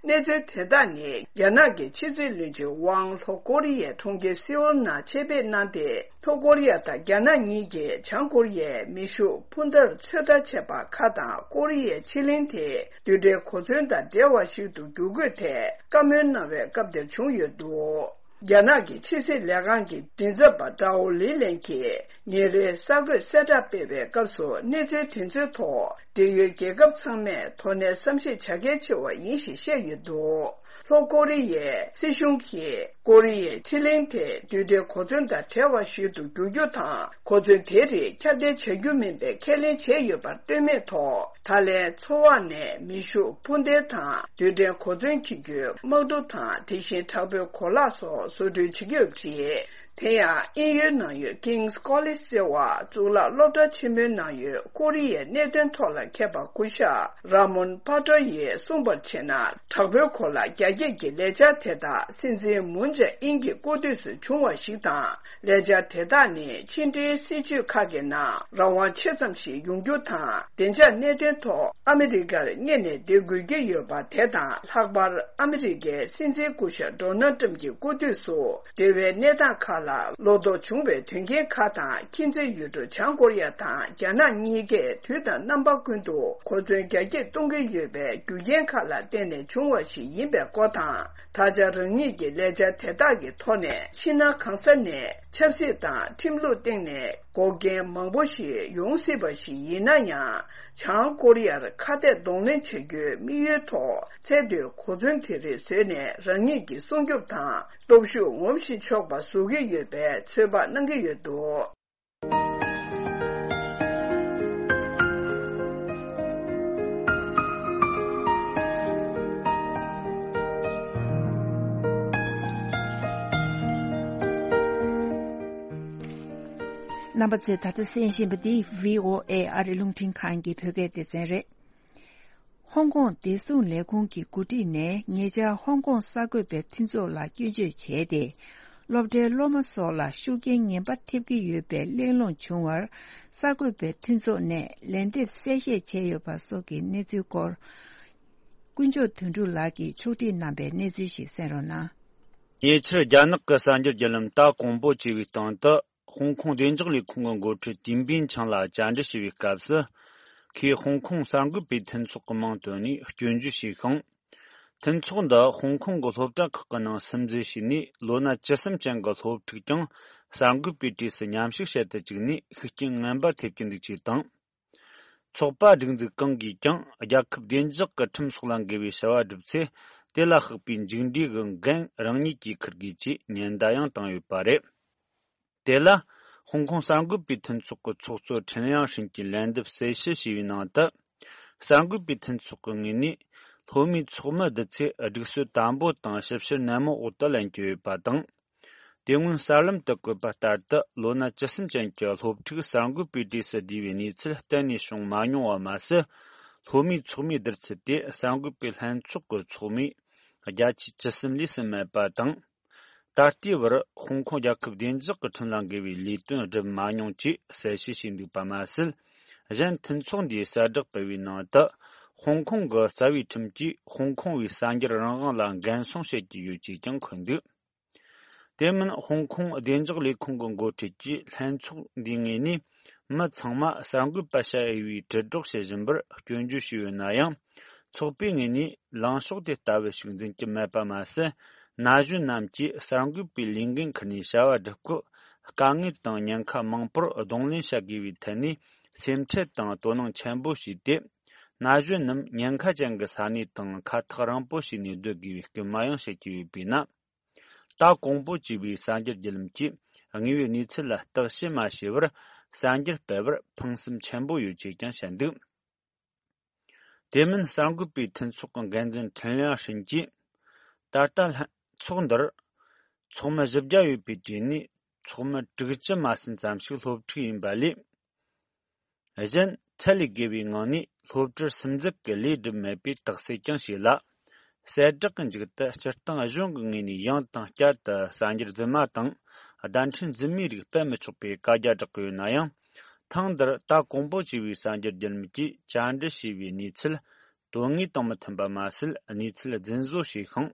གནས་ཚུལ་དེ་དག་ནི། རྒྱ་ནག་གི་ཕྱི་སྲིད་བློན་ཆེན་ཝང་ལྷོ་ཀོ་རི་ཡའི་གྲོང་ཁྱེར་སེའུལ་ནང་ཆེད་ཕེབས་གནང་སྟེ། ལྷོ་ཀོ་རི་ཡ་དང་རྒྱ་ནག་གཉིས་ཀྱིས་བྱང་ཀོ་རི་ཡའི་མེ་ཤུགས་འཕུར་མདའ་ཚོད་ལྟ་བྱས་པ་ཁག་དང་། ཀོ་རི་ཡའི་ཕྱེད་གླིང་དེ་རྡུལ་ཕྲན་གོ་མཚོན་དང་འབྲེལ་བ་ཞིག་ཏུ་འགྱུར་དགོས་ཐད་བཀའ་མོལ་གནང་བའི་སྐབས་དེར་བྱུང་ཡོད་འདུག། རྒྱ་ནག་གི་ཕྱི་སྲིད་ལས་ཁང་གི་མགྲིན་ཚབ་པ་ཀྲའོ་ལི་ལན་གྱིས་ཉིན་རེའི་གསར་འགོད་གསལ་བསྒྲགས་སྤེལ་བའི་སྐབས་སུ། གནས་ཚུལ་དེ་ཚོའི་ཐོག་འབྲེལ་ཡོད་རྒྱལ་ཁབ་ཚང་མས་དོ་ནན་བསམ་ཤེས་བྱ་གལ་ཆེ་བ་ཡིན་ཞེས་བཤད་ཡོད་འདུག་ལྷོ་ཀོ་རི་ཡའི་སྲིད་གཞུང་གིས་ཀོ་རི་ཡའི་ཕྱེད་གླིང་དེ་རྡུལ་ཕྲན་གོ་མཚོན་དང་བྲལ་བ་ཞིག་ཏུ་འགྱུར་རྒྱུ་དང་། གོ་མཚོན་དེ་རིགས་ཁྱབ་གདལ་བྱ་རྒྱུ་མིན་པའི་ཁས་ལེན་བྱས་ཡོད་པར་ལྟོས་མེད་ཐོག་ད་ལན་མཚོ་འོག་ནས་མེ་ཤུགས་འཕུར་མདེལ་དང་རྡུལ་ཕྲན་གོ་མཚོན་འཁྱེར་རྒྱུའི་དམག་གྲུ་དང་། དེ་བཞིན་དྲག་པོའི་གོ་ལག་སོགས་བཟོ་སྐྲུན་བྱེད་ཀྱི་ཡོད་པ་རེད། དེ་ཡང་དབྱིན་ཡུལ་ནང་ཡོད་King's College ཟེར་བ་གཙུག་ལག་སློབ་གྲྭ་ཆེན་མོའི་ནང་ཡོད་ཀོ་རི་ཡའི་གནད་དོན་ཐོག་ལ་མཁས་པ་སྐུ་ཞབས་Ramon Pato ཡིས་གསུངས་པར་བྱས་ན། དྲག་པོའི་གོ་ལག་རྒྱ་སྐྱེད་ཀྱི་ལས་འཆར་དེ་དག་སྲིད་འཛིན་Moon Jae-in གྱི་སྐུ་དུས་སུ་བྱུང་བ་ཞིག་དང་། ལས་འཆར་དེ་དག་ནི་ཕྱི་འབྲེལ་སྲིད་ཇུས་ཁག་གི་ནང་རང་དབང་ཆེ་ཙམ་ཞིག་ཡོང་རྒྱུ་དང་། བདེ་འཇགས་གནད་དོན་ཐོག་ཨ་མི་རི་ཀར་གཉེར་ནས་བསྡད་དགོས་ཀྱི་ཡོད་པ་དེ་དང་། ལྷག་པར་ཨ་མི་རི་ཀའི་སྲིད་འཛིན་སྐུ་ཞབས་Donald Trump གྱི་སྐུ་དུས་སུ། འབྲེལ་བའི་གནས་སྟངས་ཁག་ལ་བློ་དོགས་བྱུང་བའི་དོན་རྐྱེན་ཁག་དང་། མཁྱེན་བརྩེ་ཡུལ་གྲུ་བྱང་ཀོ་རི་ཡ་དང་རྒྱ་ནག་གཉིས་ཀས་དུས་དང་རྣམ་པ་ཀུན་ཏུ་གོ་མཚོན་རྒྱ་སྐྱེད་གཏོང་གི་ཡོད་པའི་རྒྱུ་རྐྱེན་ཁག་ལ་བརྟེན་ནས་བྱུང་བ་ཞིག་ཡིན་པའི་སྐོར་དང་། ད་ཆ་རང་ཉིད་ཀྱི་ལས་འཆར་དེ་དག་གི་ཐོག་ནས་ཕྱི་ནང་གང་ས་ནས་ཆབ་སྲིད་དང་ཁྲིམས་ལུགས་སྟེང་ནས་འགོག་རྐྱེན་མང་པོ་ཞིག་ཡོང་སྲིད་པ་ཞིག་ཡིན་ན་ཡང་། བྱང་ཀོ་རི་ཡར་ཁ་གཏད་གདོང་ལེན་བྱ་རྒྱུའི་དམིགས་ཡུལ་ཐོག་ཚད་མཐོའི་གོ་མཚོན་དེ་རིགས་བཟོས་ནས་རང་ཉིད་ཀྱི་སྲུང་སྐྱོབ་དང་སྟོབས་ཤུགས་ངོམ་ཞིག་ཆོག་པ་བཟོ་གི་ཡོད་པའི་ཚོད་དཔག་གནང་གི་ཡོད་འདུག་རྣམ་པ་ཚོས་ད་ལྟ་གསན་བཞིན་པ་འདི་བྷི་ཨོ་ཨེ་ཨ་རིའི་རླུང་འཕྲིན་ཁང་གི་བོད་སྐད་སྡེ་ཚན་རེད། ཧོང་ཀོང་བདེ་སྲུང་ལས་ཁུངས་ཀྱི་འགོ་ཁྲིད་ནས་ཉེ་ཆར་ཧོང་ཀོང་གསར་འགོད་པའི་མཐུན་ཚོགས་ལ་སྐྱོན་བརྗོད་བྱས་ཏེ། སློབ་གྲྭའི་སློབ་མ་སོགས་ལ་ཤུགས་རྐྱེན་ངན་པ་ཐེབས་ཀྱི་ཡོད་པའི་གླེང་སློང་བྱུང་བར། གསར་འགོད་པའི་མཐུན་ཚོགས་ནས་ལན་འདེབས་གསལ་བཤད་བྱས་ཡོད་པ་སོགས་ཀྱི་གནས་ཚུལ་སྐོར། དཀོན་མཆོག་དོན་གྲུབ་ལགས་ཀྱིས་ཕྱོགས་སྒྲིག་གནང་པའི་གནས་ཚུལ་ཞིག་གསན་རོགས་གནང་། ཉེ་ཆར་རྒྱ་ནག་གི་གསར་འགྱུར་བརྒྱུད་ལམ་ཏཱ་ཀོང་པོ་ཅེས་པའི་སྟེང་དུ། ཧོང་ཀོང་བདེ་འཇགས་ལས་ཁུངས་ཀྱི་འགོ་ཁྲིད་ཏིན་པིན་ཆང་ལ་བཅར་འདྲི་བྱས་པའི་སྐབས་སུ། ཁོས་ཧོང་ཀོང་གསར་འགོད་པའི་མཐུན་ཚོགས་ཀྱི་མིང་བཏོན་ནས་སྐྱོན་བརྗོད་བྱས་ཤིང་། མཐུན་ཚོགས་འདི་ཧོང་ཀོང་གི་སློབ་གྲྭ་ཁག་གི་ནང་སིམ་འཛུལ་བྱས་ནས་ལོ་ན་བཅུ་གསུམ་ཅན་གྱི་སློབ་ཕྲུག་ཀྱང་གསར་འགོད་པའི་གྲས་སུ་མཉམ་ཞུགས་བྱེད་དུ་བཅུག་ནས་ཤུགས་རྐྱེན་ངན་པ་ཐེབས་ཀྱི་འདུག་ཅེས་དང་། ཚོགས་པ་སྒྲིག་འཛུགས་གང་གིས་ཀྱང་རྒྱལ་ཁབ་བདེ་འཇགས་ཀྱི་ཁྲིམས་སོགས་ལ་འགལ་བའི་བྱ་བ་བསྒྲུབས་ཚེ། དེ་ལ་ལྷག་པའི་མཇུག་འབྲས་ཀྱི་འགན་རང་ཉིད་ཀྱིས་འཁུར་དགོས་ཅེས་ཉེན་བརྡ་ཡང་བཏང་ཡོད་པ་རེད། དེ་ལ། ཧོང་ཀོང་གསར་འགོད་པའི་མཐུན་ཚོགས་ཀྱི་ཚོགས་གཙོ་ཁྲེན་ཡང་ཧྲིན་གྱིས་ལན་འདེབས་གསལ་བཤད་བྱས་པའི་ནང་དུ། གསར་འགོད་པའི་མཐུན་ཚོགས་ཀྱི་ངོས་ནས། སློབ་མའི་ཚོགས་མི་བསྡུ་ཚེ་སྒྲིག་སྲོལ་དམ་པོ་དང་ཞིབ་བཤེར་ནན་མོ་འོག་ཏུ་ལེན་གྱི་ཡོད་པ་དང་། དེ་སྔོན་གསར་ལམ་དུ་བཀོད་པ་ལྟར་དུ། ལོ་ན་བཅུ་གསུམ་ཅན་གྱི་སློབ་ཕྲུག་གསར་འགོད་པའི་གྲས་སུ་བསྡུས་པའི་གནས་ཚུལ་གཏན་ནས་བྱུང་མ་མྱོང་བ་མ་ཟད། སློབ་མའི་ཚོགས་མིའི་བསྡུར་ཚད་དེ་གསར་འགོད་པའི་ལྷན་ཚོགས་ཀྱི་ཚོགས་མིའི་བརྒྱ་ཆ་བཅུ་གསུམ་ལས་ཟིན་མེད་པ་དང་། ད་ལྟའི་བར་ཧོང་ཀོང་རྒྱལ་ཁབ་བདེ་འཇགས་ཀྱི་ཁྲིམས་ལ་འགལ་བའི་ལས་དོན་བསྒྲུབས་མ་མྱོང་ཅེས་གསལ་བཤད་བྱས་འདུག་པ་མ་ཟད། གཞན་མཐུན་ཚོགས་འདིས་གསལ་བསྒྲགས་སྤེལ་བའི་ནང་དུ། ཧོང་ཀོང་གི་རྩ་བའི་ཁྲིམས་ཀྱིས་ཧོང་ཀོང་བའི་གསར་འགྱུར་རང་དབང་ལ་འགན་སྲུང་བྱེད་ཀྱི་ཡོད་ཅེས་ཀྱང་འཁོད་འདུག་དེ་མིན་ཧོང་ཀོང་བདེ་འཇགས་ལས་ཁུངས་ཀྱི་འགོ་ཁྲིད་ཀྱིས་ལྷན་ཚོགས་འདིའི་ངོས་ནས། མི་ཚང་མ་གསར་འགོད་པ་བྱ་འོས་པའི་དྲིལ་སྒྲོག་བྱེད་བཞིན་པར་སྐྱོན་བརྗོད་བྱས་ཡོད་ན་ཡང་། ཚོགས་པའི་ངོས་ནས་ལངས་ཕྱོགས་དེ་ལྟ་བུ་ཞིག་འཛིན་གྱི་མེད་པ་མ་ཟད། ན་གཞོན་རྣམས་ཀྱིས་གསར་འགོད་པའི་ལས་འགན་ཁུར་ནས་བྱ་བ་སྒྲུབ་སྐབས། དཀའ་ངལ་དང་ཉེན་ཁ་མང་པོར་གདོང་ལེན་བྱ་དགོས་པའི་ཐད་ནས་སེམས་ཁྲལ་དང་དོ་སྣང་ཆེན་པོ་བྱས་ཏེ། ན་གཞོན་རྣམས་ཉེན་ཁ་ཅན་གྱི་ས་གནས་དང་ཁ་ཐག་རིང་པོ་ཞིག་ནས་སྡོད་དགོས་པའི་སྐུལ་མ་ཡང་བྱེད་ཀྱི་ཡོད་པས་ན། ཏཱ་ཀོང་པོ་ཅེས་པའི་གསར་འགྱུར་བརྒྱུད་ལམ་གྱིས་དངོས་ཡོད་གནས་ཚུལ་ལ་བརྟག་དཔྱད་མ་བྱས་པར་གསར་འགྱུར་སྤེལ་བར་ཕངས་སེམས་ཆེན་པོ་ཡོད་ཅེས་ཀྱང་བཤད་འདུག་དེ་མིན་གསར་འགོད་པའི་མཐུན་ཚོགས་ཀྱི་འགན་འཛིན་ཁྲེན་ལིང་ཧྲིན་གྱིས། ད་ལྟ་ལྷན་ཚོགས་འདིར་ཚོགས་མི་བཞི་བརྒྱ་ཡོད་པའི་གྲས་ནས་ཚོགས་མི་དྲུག་ཅུ་མ་ཟིན་ཙམ་ཞིག་སློབ་ཕྲུག་ཡིན་པ་ལས། གཞན་ཚད་ལས་བརྒལ་བའི་ངང་ནས་སློབ་གྲྭར་སིམ་འཛུལ་གྱི་ལས་སྒྲུབ་མེད་པའི་རྟགས་གསལ་ཀྱང་བྱས་ལ། གསལ་བསྒྲགས་ཀྱི་མཇུག་ཏུ་སྤྱིར་བཏང་གཞུང་གི་ངོས་ནས་ཡང་དང་བསྐྱར་དུ་གསར་འགྱུར་རྫུན་མ་དང་བརྡ་འཕྲིན་རྫུན་མའི་རིགས་སྤེལ་མི་ཆོག་པའི་བཀའ་རྒྱ་བསྒྲགས་ཀྱི་ཡོད་ན་ཡང་། ཐེངས་འདིར་ཏཱ་ཀོང་པོ་ཅེས་པའི་གསར་འགྱུར་བརྒྱུད་ལམ་གྱིས་བཅར་འདྲི་བྱས་པའི་གནས་ཚུལ་དོན་དངོས་དང་མི་མཐུན་པ་མ་ཟད། གནས་ཚུལ་རྫུན་བཟོ་བྱས་ཤིང་།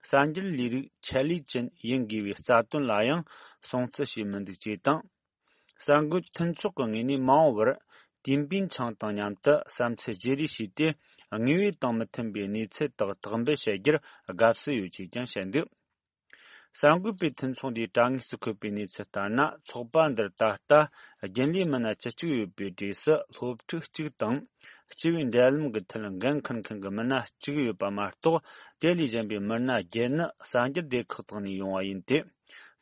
གསར་འགྱུར་ལས་རིགས་ཆེད་ལས་ཅན་ཡིན་དགོས་པའི་རྩ་དོན་ལ་ཡང་སྲུང་བརྩི་བྱས་མི་འདུག་ཅེས་དང་། གསར་འགོད་མཐུན་ཚོགས་ཀྱི་ངོས་ནས་མ་འོངས་པར་ཏིན་པིན་ཆང་དང་མཉམ་དུ་བསམ་ཚུལ་བརྗེ་རེས་བྱས་ཏེ། དངོས་ཡོད་དང་མི་མཐུན་པའི་གནས་ཚུལ་དག་དག་འབུད་བྱ་རྒྱུར་དགའ་བསུ་ཡོད་ཅེས་ཀྱང་བཤད་འདུག་གསར་འགོད་པས་ཐོན་ཚོགས་འདིའི་དྲ་ངོས་སུ་འཁོད་པའི་གནས་ཚུལ་ལྟར་ན། ཚོགས་པ་འདིར་ད་ལྟ་རྒྱུན་ལས་མི་སྣ་བཅུ་གཅིག་ཡོད་པའི་གྲས་སུ་སློབ་ཕྲུག་གཅིག་དང་། སྤྱི་པའི་འབྲེལ་ལམ་གྱི་ཐད་འགན་འཁུར་མཁན་གྱི་མི་སྣ་གཅིག་ཡོད་པ་མ་གཏོགས། དེ་ལས་གཞན་པའི་མི་སྣ་བརྒྱད་ནི་གསར་འགྱུར་སྡེ་ཁག་དག་ནས་ཡོང་བ་ཡིན་ཏེ།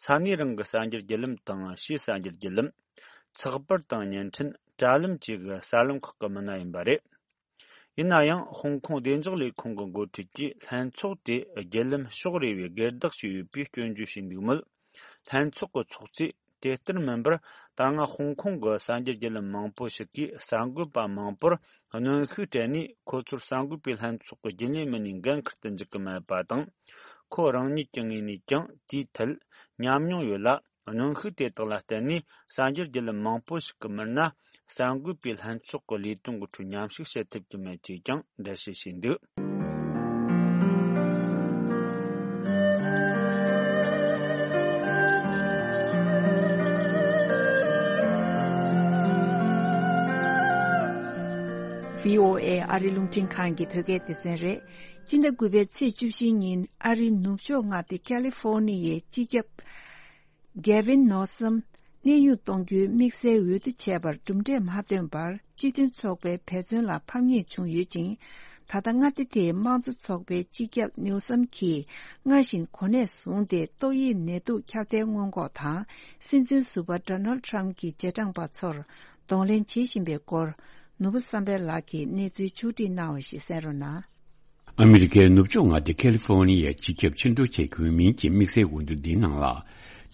ས་གནས་རང་གི་གསར་འགྱུར་བརྒྱུད་ལམ་དང་ཕྱིའི་གསར་འགྱུར་བརྒྱུད་ལམ། ཚགས་པར་དང་བརྙན་འཕྲིན། དྲ་ལམ་བཅས་ཀྱི་གསར་ལམ་ཁག་གི་མི་སྣ་ཡིན་པ་རེད། ཡིན་ན་ཡང་། ཧོང་ཀོང་བདེ་འཇགས་ལས་ཁུངས་ཀྱི་འགོ་ཁྲིད་ཀྱིས་ལྷན་ཚོགས་དེ་བརྒྱུད་ལམ་ཕྱོགས་རེ་བའི་སྒེར་བདག་ཅིག་ཡོད་པའི་སྐྱོན་བརྗོད་བྱས་འདུག་མོད། ལྷན་ཚོགས་ཀྱི་ཚོགས་གཙོས་དེ་ལྟར་མིན་པར། ད་སྔ་ཧོང་ཀོང་གི་གསར་འགྱུར་བརྒྱུད་ལམ་མང་པོ་ཞིག་གིས་གསར་འགོད་པ་མང་པོར་གནོན་ཤུགས་སྤྲད་ནས། ཁོ་ཚོར་གསར་འགོད་པའི་ལྷན་ཚོགས་ཀྱི་རྒྱུན་ལས་མི་སྣའི་འགན་འཁུར་དུ་འཇུག་གི་མེད་པ་དང་། ཁོ་རང་ཉིད་ཀྱི་ངོས་ནས་ཀྱང་དེའི་ཐད་ཉམས་མྱོང་ཡོད་ལ། གནོན་ཤུགས་དེ་དག་ལ་བརྟེན་ནས། གསར་འགྱུར་བརྒྱུད་ལམ་མང་པོ་ཞིག་གི་མི་སྣ་གསར་འགོད་པའི་ལྷན་ཚོགས་ཀྱི་ལས་དོན་གྱི་ཁྲོད་མཉམ་ཞུགས་བྱེད་ཐུབ་ཀྱི་མེད་ཅེས་ཀྱང་འགྲེལ་བཤད་བྱས་འདུག། བྷི་ཨོ་ཨེ་ཨ་རི་རླུང་འཕྲིན་ཁང་གི་བོད་སྐད་སྡེ་ཚན་རེད། སྤྱི་ཟླ་དགུ་པའི་ཚེས་བཅུ་བཞི་ཉིན། ཨ་རིའི་ནུབ་ཕྱོགས་མངའ་སྡེ་ཁ་ལི་ཧྥོ་ནི་ཡའི་སྤྱི་ཁྱབ་གེ་ཝིན་ནོ་སམ་གནས་དབྱུང་གཏོང་རྒྱུའི་དམིགས་བསལ་འོས་བསྡུ་བྱས་པར་གྲུབ་འབྲས་མ་ཐོན་པར། སྤྱི་མཐུན་ཚོགས་པའི་འབད་བརྩོན་ལ་ཕམ་ཉེས་བྱུང་ཡོད་ཅིང་། ད་ལྟ་མངའ་སྡེ་དེའི་དམངས་གཙོ་ཚོགས་པའི་སྤྱི་ཁྱབ་ནིའུ་སམ་གྱིས་སྔར་བཞིན་གོ་གནས་བཟུང་སྟེ། ཏོག་དབྱིབས་ནད་དུག་ཁྱབ་གདལ་སྔོན་འགོག་དང་། སྲིད་འཛིན་ཟུར་པ་ཌོ་ནལ་ཌི་ཊརམ་ཕི་གྱི་རྗེས་འབྲང་པ་ཚོར་གདོང་ལེན་བྱེད་བཞིན་པའི་སྐོར། ནོར་བུ་བསམ་འཕེལ་ལགས་ཀྱིས་གནས་ཚུལ་ཕྱོགས་སྒྲིག་གནང་བ་ཞིག་གསན་རོགས་གནང་། ཨ་མི་རི་ཀའི་ནུབ་ཕྱོགས་མངའ་སྡེ་ཁ་ལི་ཧྥོ་ནི་ཡའི་སྤྱི་ཁྱབ་ཕྱིར་འབུད་བྱེད་དགོས་མིན་གྱི་དམིགས་བསལ་འོས་བསྡུ་འདིའི་ནང་ལ།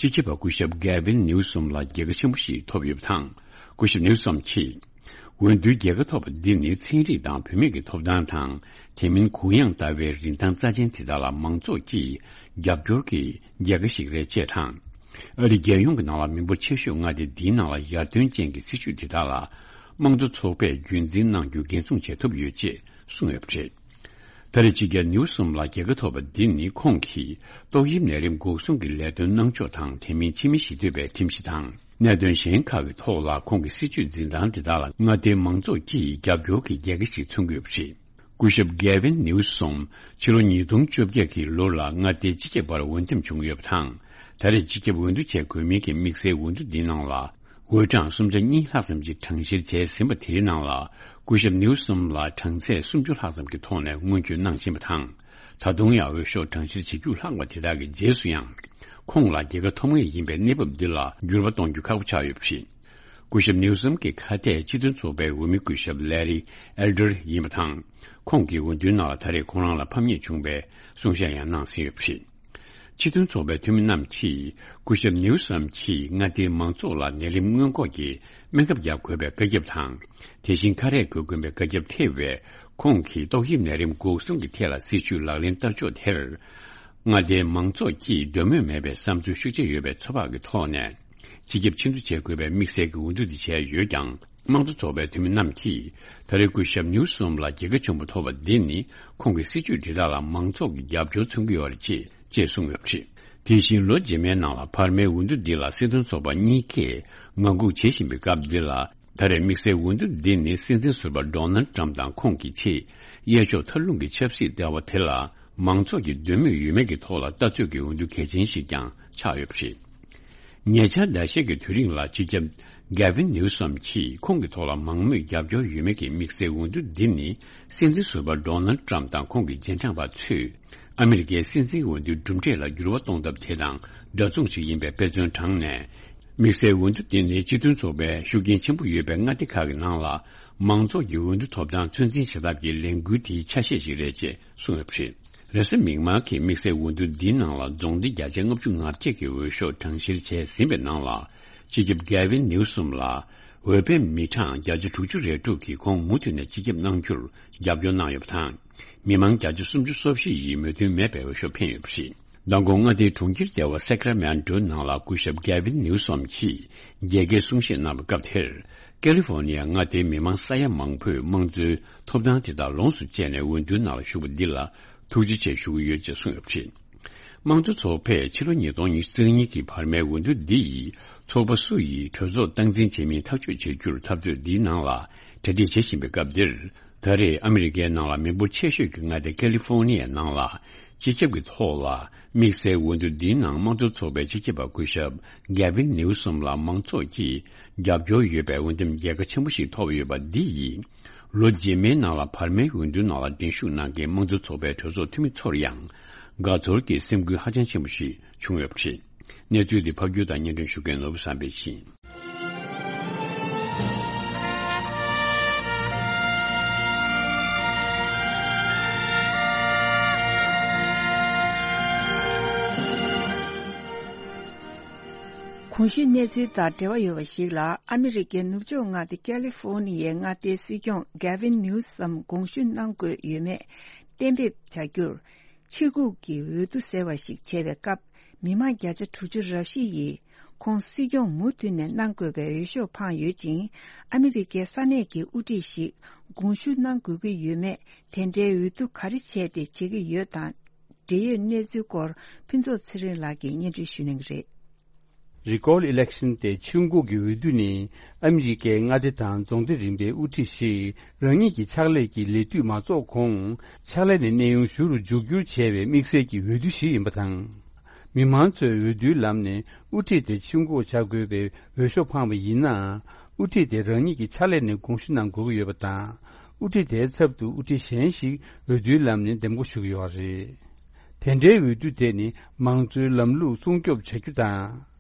སྤྱི་ཁྱབ་པ་སྐུ་ཞབས་གེ་ཝིན་ནིའུ་སོམ་ལ་རྒྱལ་ཁ་ཆེན་པོ་ཞིག་ཐོབ་ཡོད་པ་དང་། སྐུ་ཞབས་ནིའུ་སོམ་གྱིས། འོས་བསྡུའི་རྒྱལ་ཁ་ཐོབ་པ་འདི་ནི་ཚན་རིག་དང་བུད་མེད་ཀྱི་ཐོབ་ཐང་དང་། དེ་མིན་གུ་ཡངས་ལྟ་བའི་རིན་ཐང་རྩ་ཆེན་དེ་དག་ལ་མང་ཚོགས་ཀྱིས་རྒྱབ་སྐྱོར་གྱི་རྒྱལ་ཁ་ཞིག་རེད་ཅེས་དང་། ཨ་རི་རྒྱལ་ཡོངས་ཀྱི་ནང་ལ་མི་འབོར་ཆེ་ཤོས་མངའ་སྡེ་འདིའི་ནང་ལ་ཡར་ཐོན་ཅན་གྱི་སྲིད་བྱུས་དེ་དག་ལ་དམངས་གཙོ་ཚོགས་པས་རྒྱུན་འཛིན་གནང་རྒྱུ་འགན་སྲུང་བྱེད་ཐུབ་ཡོད་ཅེས་གསུངས་ཡོད་པ་རེད། ད་རེས་སྤྱི་ཁྱབ་ནིའུ་སོམ་ལ་རྒྱལ་ཁ་ཐོབ་པ་འདི་ནི་ཁོང་གིས་ཏོག་དབྱིབས་ནད་རིམས་འགོག་སྲུང་གི་ལས་དོན་གནང་ཕྱོགས་དང་། དེ་མིན་ཕྱི་མི་ཞི་གཏོད་པའི་ཁྲིམས་གཞི་དང་གནད་དོན་གཞན་ཁག་གི་ཐོག་ལ་ཁོང་གི་སྲིད་བྱུས་འཛིན་སྟངས་དེ་དག་ལ་མངའ་སྡེའི་མང་ཚོགས་ཀྱིས་རྒྱབ་སྐྱོར་གྱི་རྒྱལ་ཁ་ཞིག་མཚོན་གྱི་ཡོད་པ་རེད། སྐུ་ཞབས་གེ་ཝིན་ནིའུ་སོམ་ཕྱི་ལོ་ཉིས་སྟོང་བཅོ་བརྒྱད་ཀྱི་ལོ་ལ་མངའ་སྡེའི་སྤྱི་ཁྱབ་པར་འོས་འདེམས་བྱུང་ཡོད་པ་དང་། ད་རེས་སྤྱི་ཁྱབ་འོས་བསྡུ་བྱེད་དགོས་མིན་གྱི་དམིགས་བསལ་འོས་བསྡུ་འདིའི་ནང་ལ། འོས་གྲངས་སུམ་ཆ་གཉིས་ལྷག་ཙམ་ཞིག་གྲངས་བཤེར་བྱས་ཟིན་པ་དེའི་ནང་ལ། སྐུ་ཞབས་ནིའུ་སོམ་ལ་གྲངས་ཚད་སུམ་ཅུ་ལྷག་ཙམ་གྱི་ཐོག་ནས་སྔོན་སྐྱོད་གནང་བཞིན་པ་དང་། ད་དུང་ཡང་འོས་ཤོག་གྲངས་བཤེར་བྱེད་རྒྱུ་ལྷག་པ་དེ་དག་གི་རྗེས་སུ་ཡང་། ཁོང་ལ་རྒྱལ་ཁ་ཐོབ་ངེས་ཡིན་པའི་གནས་བབ་འདི་ལ་འགྱུར་བ་གཏོང་རྒྱུ་ཁག་པོ་ཆགས་ཡོད་པ་རེད། སྐུ་ཞབས་ནིའུ་སོམ་གྱི་ཁ་གཏད་སྤྱི་མཐུན་ཚོགས་པའི་འོས་མི་སྐུ་ཞབས་ལེ་རི་ཨེལ་ཌར་ཡིན་པ་དང་། ཁོང་གིས་འོས་བསྡུའི་ནང་ལ་ད་རེས་ཁོང་རང་ལ་ཕམ་ཉེས་བྱུང་བའི་གསུང་བཤད་ཡང་གནང་ཟིན་ཡོད་པ་རེད། སྤྱི་མཐུན་ཚོགས་པའི་འཐུས་མི་རྣམས་ཀྱིས་སྐུ་ཞབས་ནིའུ་སམ་གྱིས་མངའ་སྡེའི་མང་ཚོགས་ལ་ནད་རིམས་སྔོན་འགོག་གི་སྨན་ཁབ་རྒྱག་དགོས་པའི་བཀའ་ཁྱབ་དང་། དེ་བཞིན་ཁ་རས་གོན་དགོས་པའི་བཀའ་ཁྱབ་ཐེ་བའི་ཁོང་གིས་ཏོག་དབྱིབས་ནད་རིམས་འགོག་སྲུང་གི་ཐད་ལ་སྲིད་བྱུས་ལག་ལེན་བསྟར་ཕྱོགས་དེར། མངའ་སྡེའི་མང་ཚོགས་ཀྱིས་འདོད་མོས་མེད་པའི་བསམ་ཚུལ་ཤུགས་ཆེ་ཡོད་པའི་ཚོད་དཔག་གི་ཐོག་ནས། སྤྱི་ཁྱབ་ཕྱིར་འབུད་བྱེད་དགོས་པའི་དམིགས་བསལ་གྱི་འོས་བསྡུ་འདི་བྱས་ཡོད་ཀྱང་། དམངས་གཙོ་ཚོགས་པའི་འཐུས་མི་རྣམས་ཀྱིས། ད་རེས་སྐུ་ཞབས་ནིའུ་སོམ་ལ་རྒྱལ་ཁ་ཆེན་པོ་ཐོབ་པ་འདི་ནི། ཁོང་གི་སྲིད་བྱུས་དེ་དག་ལ་མང་ཚོགས་ཀྱི་རྒྱབ་སྐྱོར་མཚོན་གྱི་ཡོད་རེད་ཅེས་ཅེས་གསུངས་ཡོད་པ་རེད། དེ་བཞིན་ལོ་རྗེས་མའི་ནང་ལ་བར་མའི་འོས་བསྡུ་འདི་ལ་སྲིད་དོན་ཚོགས་པ་གཉིས་ཀས་ངང་སྒུག་བྱེད་བཞིན་པའི་སྐབས་འདི་ལ། ད་རེས་དམིགས་བསལ་འོས་བསྡུ་འདི་ནི་སྲིད་འཛིན་ཟུར་པ་ཌོ་ནལ་ཊམ་དང་ཁོང་གི་ཆེད་གཡས་ཕྱོགས་མཐར་ལྷུང་གི་ཆབ་སྲིད་ལྟེ་བ་དེ་ལ་མང་ཚོགས་ཀྱི་འདོད་མོས་ཡོད་མེད་ཀྱི་ཐོག་ལ་ལྟ་ཚོད་ཀྱི་འོས་བསྡུ་གལ་ཆེན་ཞིག་ཀྱང་ཆགས་ཡོད་པ་རེད། ཉེ་ཆར་ཟླ་ཤས་ཀྱི་དུས་རིང་ལ་སྤྱི་ཁྱབ་གེ་ཝིན་ནིའུ་སོམ་གྱིས་ཁོང་གི་ཐོག་ལ་མང་མོས་རྒྱབ་སྐྱོར་ཡོད་མེད་ཀྱི་དམིགས་བསལ་འོས་བསྡུ་འདི་ནི་སྲིད་འཛིན་ཟུར་པ་ཌོ་ནལ་ཊམ་དང་ཁོང་གི་རྗེས་འབྲང་པ་ཚོས་ཨ་མི་རི་ཀའི་སྲིད་འཛིན་འོས་བསྡུའི་གྲུབ་འབྲས་ལ་འགྱུར་བ་གཏོང་ཐབས་དེ་དང་འདྲ་མཚུངས་ཤིག་ཡིན་པའི་དཔེ་མཚོན་དྲངས་ནས། དམིགས་བསལ་འོས་བསྡུ་དེ་ནི་སྤྱི་མཐུན་ཚོགས་པའི་ཤུགས་རྐྱེན་ཆེན་པོ་ཡོད་པའི་མངའ་སྡེ་ཁག་གི་ནང་ལ་མང་ཚོགས་ཀྱི་འོས་བསྡུ་ཐོབ་ཐང་ཚོད་འཛིན་བྱེད་ཐབས་ཀྱི་ལས་འགུལ་དེའི་ཆ་ཤས་ཤིག་རེད་ཅེས་གསུངས་ཡོད་པ་རེད། རེས་གཟའ་མིག་དམར་གྱི་དམིགས་བསལ་འོས་བསྡུ་འདིའི་ནང་ལ་རྫོང་སྡེ་བརྒྱ་ཆ་ལྔ་བཅུ་ང་བརྒྱད་ཀྱི་འོས་ཤོག་གྲངས་བཤེར་བྱས་ཟིན་པའི་ནང་ལ། སྤྱི་ཁྱབ་གེ་ཝིན་ནིའུ་སོམ་ལ་འོས་འཕེན་མི་གྲངས་བརྒྱ་ཆ་དྲུག་ཅུ་རེ་དྲུག་གིས་ཁོང་མུ་མཐུད་ནས་སྤྱི་ཁྱབ་གནང་རྒྱུར་རྒྱབ་སྐྱོར་གནང་ཡོད་པ་དང་། མི་མང་བརྒྱ་ཆ་སུམ་ཅུ་སོ་བཞི་ཡིས་མོས་མཐུན་མེད་པའི་འོས་ཤོག་འཕེན་ཡོད་པ་རེད། མདང་དགོང་མངའ་སྡེའི་གྲོང་ཁྱེར་ཟེར་བ་སེ་ཀ་ར་མེན་ཊོའི་ནང་ལ་སྐུ་ཞབས་གེ་ཝིན་ནིའུ་སོམ་གྱིས་རྒྱལ་ཁའི་གསུང་བཤད་གནང་བའི་སྐབས་དེར། ཀ་ལི་ཧྥོ་ནི་ཡ་མངའ་སྡེའི་མི་མང་ས་ཡ་མང་པོས་དམངས་གཙོའི་ཐོབ་ཐང་དེ་དག་ལོངས་སུ་སྤྱད་ནས་འོས་བསྡུའི་ནང་ལ་ཞུགས་པ་འདི་ལ་ཐུགས་རྗེ་ཆེ་ཞུ་གི་ཡོད་ཅེས་གསུངས་ཡོད་པ་རེད། དམངས་གཙོ་ཚོགས་པས་ཕྱི་ལོ་ཉིས་སྟོང་ཉི་ཤུ་རྩ་གཉིས་ཀྱི་བར་མའི་འོས་བསྡུ་འདི་ཡིས་ཚོགས་པ་སུ་ཡིས་གྲོས་ཚོགས་སྟངས་འཛིན་བྱེད་མིན་ཐག་གཅོད་བྱེད་རྒྱུར་འཐབ་རྩོད་འདིའི་ནང་ལ་གྲ་སྒྲིག་བྱེད་བཞིན་པའི་སྐབས་འདིར། ད་རེས་ཨ་མི་རི་ཀའི་ནང་ལ་མི་འབོར་ཆེ་ཤོས་ཀྱི་མངའ་སྡེ་ཀ་ལི་ཧྥོ་ནི་ཡའི་ནང་ལ། སྤྱི་ཁྱབ་ཀྱི་ཐོག་ལ་དམིགས་བསལ་འོས་བསྡུ་འདིའི་ནང་དམངས་གཙོའི་ཚོགས་པའི་སྤྱི་ཁྱབ་པ་སྐུ་ཞབས་Gavin Newsom ལ་མང་ཚོགས་ཀྱིས་རྒྱབ་སྐྱོར་ཡོད་པའི་འོས་འདེམས་རྒྱལ་ཁ་ཆེན་པོ་ཞིག་ཐོབ་ཡོད་པ་འདི་ཡིས། ལོ་རྗེས་མའི་ནང་ལ་བར་མའི་འོས་བསྡུའི་ནང་ལ་འགྲན་ཞུགས་གནང་མཁན་དམངས་གཙོའི་ཚོགས་པའི་གྲོས་ཚོགས་འཐུས་མི་ཚོར་ཡང་། དགའ་ཚོར་གྱི་སེམས་འགུལ་ཧ་ཅང་ཆེན་པོ་ཞིག་བྱུང་ཡོད་པ་རེད། གནས་ཚུལ་འདི་ཕབ་སྒྱུར་དང་སྙན་སྒྲོན་ཞུ་མཁན་ནོར་བུ་བསམ་འཕེལ་ཡིན། གོང་ཞུས་གནས་ཚུལ་དང་འབྲེལ་བ་ཡོད་པ་ཞིག་ལ། ཨ་མི་རི་ཀའི་ནུབ་ཕྱོགས་མངའ་སྡེ་ཀ་ལི་ཧྥོ་ནི་ཡའི་མངའ་སྡེའི་སྲིད་སྐྱོང་Gavin Newsom་དགོངས་ཞུ་གནང་དགོས་ཡོད་མེད་གཏན་འབེབས་བྱ་རྒྱུར། ཕྱིར་འགུག་གི་འོས་བསྡུ་ཟེར་བ་ཞིག་བྱས་པའི་སྐབས། མི་མང་བརྒྱ་ཆ་དྲུག་ཅུ་རེ་བཞི་ཡིས་ཁོང་སྲིད་སྐྱོང་མུ་མཐུད་ནས་གནང་དགོས་པའི་འོས་ཤོག་འཕངས་ཡོད་ཅིང་། ཨ་མི་རི་ཀའི་ས་གནས་ཀྱི་དབུ་ཁྲིད་ཞིག་དགོངས་ཞུ་གནང་དགོས་ཀྱི་ཡོད་མེད། དེ་འདྲའི་འོས་བསྡུ་ག་རེ་བྱས་ཏེ་བྱེད་ཀྱི་ཡོད་དང་། འབྲེལ་ཡོད་གནས་ཚུལ་སྐོར་ཕུན་ཚོགས་ཚེ་རིང་ལགས་ཀྱིས་སྙན་སྒྲོན་ཞུ་གནང་གི་རེད། Recall election་སྟེ་ཕྱིར་འགུག་གི་འོས་བསྡུ་ནི། ཨ་མི་རི་ཀའི་མངའ་སྡེ་དང་རྫོང་སྡེ་རིམ་པའི་དབུ་ཁྲིད་ཞིག་རང་ཉིད་ཀྱི་ཕྱག་ལས་ཀྱི་ལས་དུས་མ་རྫོགས་གོང་། ཕྱག་ལས་ནས་གནས་དབྱུང་ཞུ་རུ་འཇུག་རྒྱུར་བྱས་པའི་དམིགས་བསལ་གྱི་འོས་བསྡུ་ཞིག་ཡིན་པ་དང་། མི་མང་ཚོས་འོས་བསྡུའི་ལམ་ནས་དབུ་ཁྲིད་དེ་ཕྱིར་འགུག་བྱ་དགོས་པའི་འོས་ཤོག་འཕངས་པ་ཡིན་ན། དབུ་ཁྲིད་དེ་རང་ཉིད་ཀྱི་ཕྱག་ལས་ནས་དགོངས་ཞུ་གནང་དགོས་ཀྱི་ཡོད་པ་དང་། དབུ་ཁྲིད་དེའི་ཚབ་ཏུ་དབུ་ཁྲིད་གཞན་ཞིག་འོས་བསྡུའི་ལམ་ནས་འདེམས་བསྐོ་ཞུ་གི་ཡོད་རེད། དེ་འདྲའི་འོས་བསྡུ་དེ་ནི་མང་གཙོའི་ལམ་ལུགས་སྲུང་སྐྱོབ་བྱ་རྒྱུ་དང་།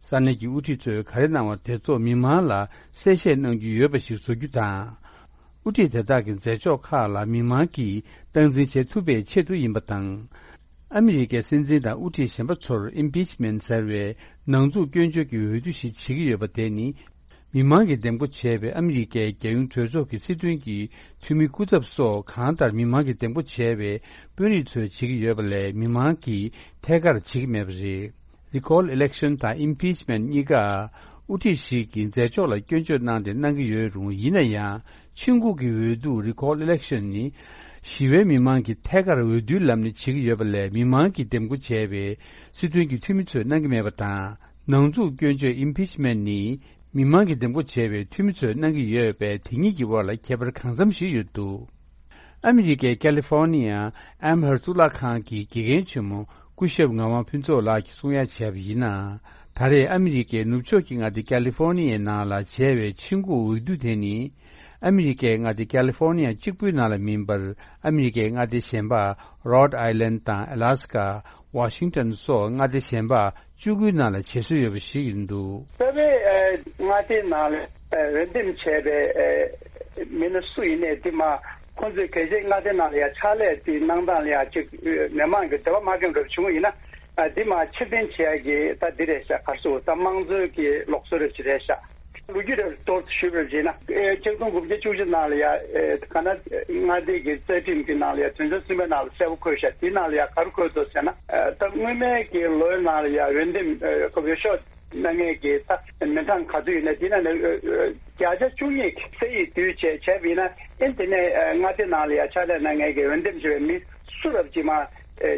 ས་གནས་ཀྱི་དབུ་ཁྲིད་ཚོས་ག་རེ་གནང་བ་དེ་ཚོ་མི་མང་ལ་གསལ་བཤད་གནང་རྒྱུ་ཡོད་པ་ཞིག་བཟོ་རྒྱུ་དང་། དབུ་ཁྲིད་དེ་དག་གི་མཛད་ཕྱོགས་ཁག་ལ་མི་མང་གིས་སྟངས་འཛིན་བྱེད་ཐུབ་པའི་ཆེད་དུ་ཡིན་པ་དང་། ཨ་མི་རི་ཀའི་སྲིད་འཛིན་དང་དབུ་ཁྲིད་གཞན་པ་ཚོར་ཨིམ་པིཆ་མེན་ཟེར་བའི་ནང་འཛུགས་སྐྱོན་བརྗོད་ཀྱི་འོས་བསྡུ་ཞིག་བྱེད་ཀྱི་ཡོད་པ་དེ་ནི། མི་མང་གིས་འདེམས་བསྐོ་བྱས་པའི་ཨ་མི་རི་ཀའི་རྒྱལ་ཡོངས་གྲོས་ཚོགས་ཀྱི་སྲིད་དོན་གྱི་འཐུས་མི་སྐུ་ཚབ་སོགས་གང་ལྟར་མི་མང་གིས་འདེམས་བསྐོ་བྱས་པའི་དཔོན་རིགས་ཚོས་བྱེད་ཀྱི་ཡོད་པ་ལས་མི་མང་གིས་ཐད་ཀར་བྱེད་ཀྱི་མེད་པ་རེད། Recall election་དང་impeachment་གཉིས་ཀ་དབུ་ཁྲིད་ཞིག་གི་མཛད་ཕྱོགས་ལ་སྐྱོན་བརྗོད་གནང་སྟེ་གནང་གི་ཡོད་རུང་། ཡིན་ན་ཡང་ཕྱིར་འགུག་གི་འོས་བསྡུ་recall election་ནི་ཞི་བའི་མི་མང་གིས་ཐད་ཀར་འོས་བསྡུའི་ལམ་ནས་བྱེད་ཀྱི་ཡོད་པ་ལས་མི་མང་གིས་འདེམས་བསྐོ་བྱས་པའི་སྲིད་དོན་གྱི་འཐུས་མི་ཚོས་གནང་གི་མེད་པ་དང་། ནང་འཛུགས་སྐྱོན་བརྗོད་impeachment་ནི་མི་མང་གིས་འདེམས་བསྐོ་བྱས་པའི་འཐུས་མི་ཚོས་གནང་གི་ཡོད་པས། དེ་གཉིས་ཀྱི་དབར་ལ་ཁྱད་པར་གང་འཚམ་ཞིག་ཡོད་འདུག་ཨ་མི་རི་ཀའི་ཀ་ལི་ཧྥོ་ནི་ཡ་ཨེམ་ཧར་གཙུག་ལག་ཁང་གི་དགེ་རྒན་ཆེན་མོ་སྐུ་ཞབས་ངག་དབང་ཕུན་ཚོགས་ལགས་ཀྱིས་གསུང་ཡ་བྱས་པ་ཡིན་ན། ད་རེས་ཨ་མི་རི་ཀའི་ནུབ་ཕྱོགས་ཀྱི་མངའ་སྡེ་ཀ་ལི་ཧྥོ་ནི་ཡའི་ནང་ལ་བྱས་པའི་ཆིངས་འགོག་འོས་བསྡུ་དེ་ནི། ཨ་མི་རི་ཀའི་མངའ་སྡེ་ཀ་ལི་ཧྥོ་ནི་ཡ་གཅིག་པུའི་ནང་ལ་མིན་པར། ཨ་མི་རི་ཀའི་མངའ་སྡེ་གཞན་པ་རོད་ཨའི་ལན་དང་ཨ་ལ་སི་ཀ། ཝ་ཤིང་ཊོན་སོགས་མངའ་སྡེ་གཞན་པ་བཅུ་དགུའི་ནང་ལ་བྱེད་སྲོལ་ཡོད་པ་ཞིག་ཡིན་འདུག་རྩ་བའི་ཨ་མངའ་སྡེའི་ནང་ལ་ཨ་འོས་འདེམས་བྱས་པའི་ཨ་མི་སྣ་སུ་ཡིན་ནའི་དེ་མ་ཁོང་ཚོས་གལ་སྲིད་མངའ་སྡེའི་ནང་ལ་ཡང་ཕྱག་ལས་དེ་གནང་སྟངས་ལ་ཡང་ཅིག་མི་མང་གི་འདོད་པ་མ་ཁེངས་འགྲོ་བྱུང་བ་ཡིན་ན། ཨ་འདི་མ་ཕྱིར་འཐེན་བྱེད་ཡ་གི་ད་འདི་རེད་ཤག་ག་རེ་ཟེར་ད་དམངས་གཙོའི་གི་ལུགས་སྲོལ་རེ་ཅིག་རེད་ཤག་ལོ་རྒྱུས་རེ་མདོར་ཞུས་པར་བྱས་ན། ཨེ་ཆིག་སྟོང་དགུ་བརྒྱ་བཅུ་གཅིག་ནང་ལ་ཡ་ཨེ་ཀ་ན་མངའ་སྡེ་གི་རྩ་ཁྲིམས་ཀྱི་ནང་ལ་ཡ་དོན་ཚན་གསུམ་པའི་ནང་ལ་གསལ་པོ་འཁོད་ཤག་དེའི་ནང་ལ་ཡ་ག་རེ་འཁོད་འདུག་ཟེར་ན། ཨེ་ད་སྔོན་མའི་གི་ལོའི་ནང་ལ་ཡ་འོས་འདེམས་ཨེ་འོས་ཤོག་གནང་མཁན་གྱི་ད་མི་གྲངས་ག་ཚོད་ཡོད་ན་དེ་ནང་ནས་ཨེ་ཨེ་བརྒྱ་ཆ་བཅུ་གཉིས་ཀྱི་ས་ཡིག་བསྡུས་བྱས་བྱས་པ་ཡིན་ན། ཨེ་དེ་ནས་ཨེ་མངའ་སྡེ་ནང་ལ་ཡ་ཕྱག་ལས་གནང་མཁན་གྱི་འོས་འདེམས་བྱས་པའི་མི་སུ་རབ་ཅིག་མ་ཨེ་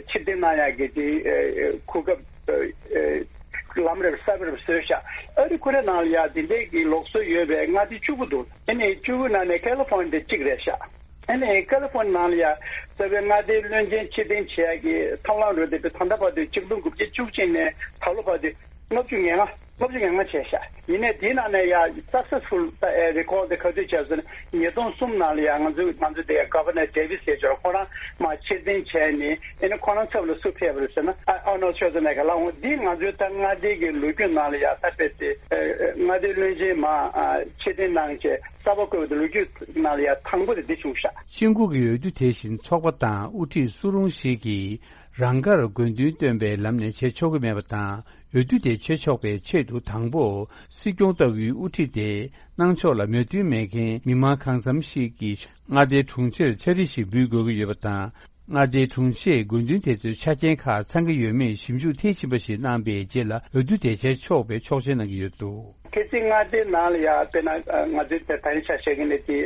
ཕྱིར་འཐེན་གནང་ཡག་གི་དེ་ཨེ་ཨེ་གོ་སྐབས་ཨེ་ཨེ་ལམ་རེ་གསར་པ་རེ་བཟོས་ཤག་ཨ་རི་ཁོ་རའི་ནང་ལ་ཡ་དེ་འདྲའི་གི་ལུགས་སྲོལ་ཡོད་པའི་མངའ་སྡེ་བཅུ་དགུ་འདུག་ཨ་ནི་བཅུ་དགུ་ནང་ནས་ཀ་ལི་ཧྥོ་ནི་ཡ་དེ་གཅིག་རེད་ཤག་ཨ་ནི་ཀ་ལི་ཧྥོ་ནི་ཡ་ནང་ལ་ཡ་རྩ་བའི་མངའ་སྡེའི་བློན་ཆེན་ཕྱིར་འཐེན་བྱེད་ཡག་གི་ཐབས་ལམ་རེ་དེ་ད་ལྟ་བར་དུ་ཆིག་སྟོང་དགུ་བརྒྱ་བཅུ་གཅིག་ནས་ད་ལོ་བར་དུ་ལྔ་བཅུ་ང་ལྔ་ལྔ་བཅུ་ང་ལྔ་བྱས་ཤག་ཡིན་ནའི་དེའི་ནང་ནས་ཡ་successful་ད་ཨེ་recall་དེ་ག་དུས་བྱས་ཟེར་ན། ཉིས་སྟོང་གསུམ་ནང་ལ་ཡ་ང་ཚོ་ང་ཚོ་དེ་Governor Davis་ཟེར་ཅོག་ཁོ་རང་མ་ཕྱིར་འཐེན་བྱས་ནས་ཨེ་ནི་ཁོ་རང་ཚབ་ལ་སུ་ཕེབས་པ་རེད་ཟེར་ན། ཨ་Arnold Schwarzenegger་ལ་འོང་། འདི་ང་ཚོའི་ད་མངའ་སྡེ་གི་ལོ་རྒྱུས་ནང་ལ་ཡ་ད་དཔེ་དེ་ཨེ་མངའ་སྡེའི་བློན་ཆེན་མ་ཨ་ཕྱིར་འཐེན་གནང་བྱས་གསར་པ་བསྐོས་པ་དེ་ལོ་རྒྱུས་ནང་ལ་ཡ་དང་པོ་དེ་འདི་བྱུང་ཤག་ཆིངས་འགོག་གི་འོས་བསྡུ་དེ་བཞིན་ཚོགས་པ་དང་དབུ་ཁྲིད་སུ་རུང་ཞིག་གིས་རང་དགར་དགོས་འདུན་བཏོན་པའི་ལམ་ནས་བྱེད་ཆོག་གི་མེད་པ་དང་། འོས་བསྡུ་དེ་བྱེད་ཆོག་པའི་ཆེད་དུ་དང་པོ་སྲིད་སྐྱོང་ལྟ་བུའི་དབུ་ཁྲིད་དེ་གནང་ཕྱོགས་ལ་མོས་མཐུན་མེད་མཁན་མི་མང་གང་འཚམ་ཞིག་གིས་མངའ་སྡེའི་དྲུང་ཆེར་ཕྱག་བྲིས་ཤིག་འབུལ་དགོས་ཀྱི་ཡོད་པ་དང་། མངའ་སྡེའི་དྲུང་ཆེས་དགོས་འདུན་དེ་ཚོའི་ཆ་རྐྱེན་ཁག་ཚང་གི་ཡོད་མེད་ཞིབ་འཇུག་མཐིལ་ཕྱིན་པ་ཞིག་གནང་པའི་རྗེས་ལ་འོས་བསྡུ་དེ་བྱེད་ཆོག་པའི་ཆོག་མཆན་གནང་གི་ཡོད་འདུག་གལ་སྲིད་མངའ་སྡེའི་ནང་ལ་ཡ་དཔེར་ན་ང་ཚོའི་དེ་ད་རིང་ཆ་བཞག་གི་ནི་དེ་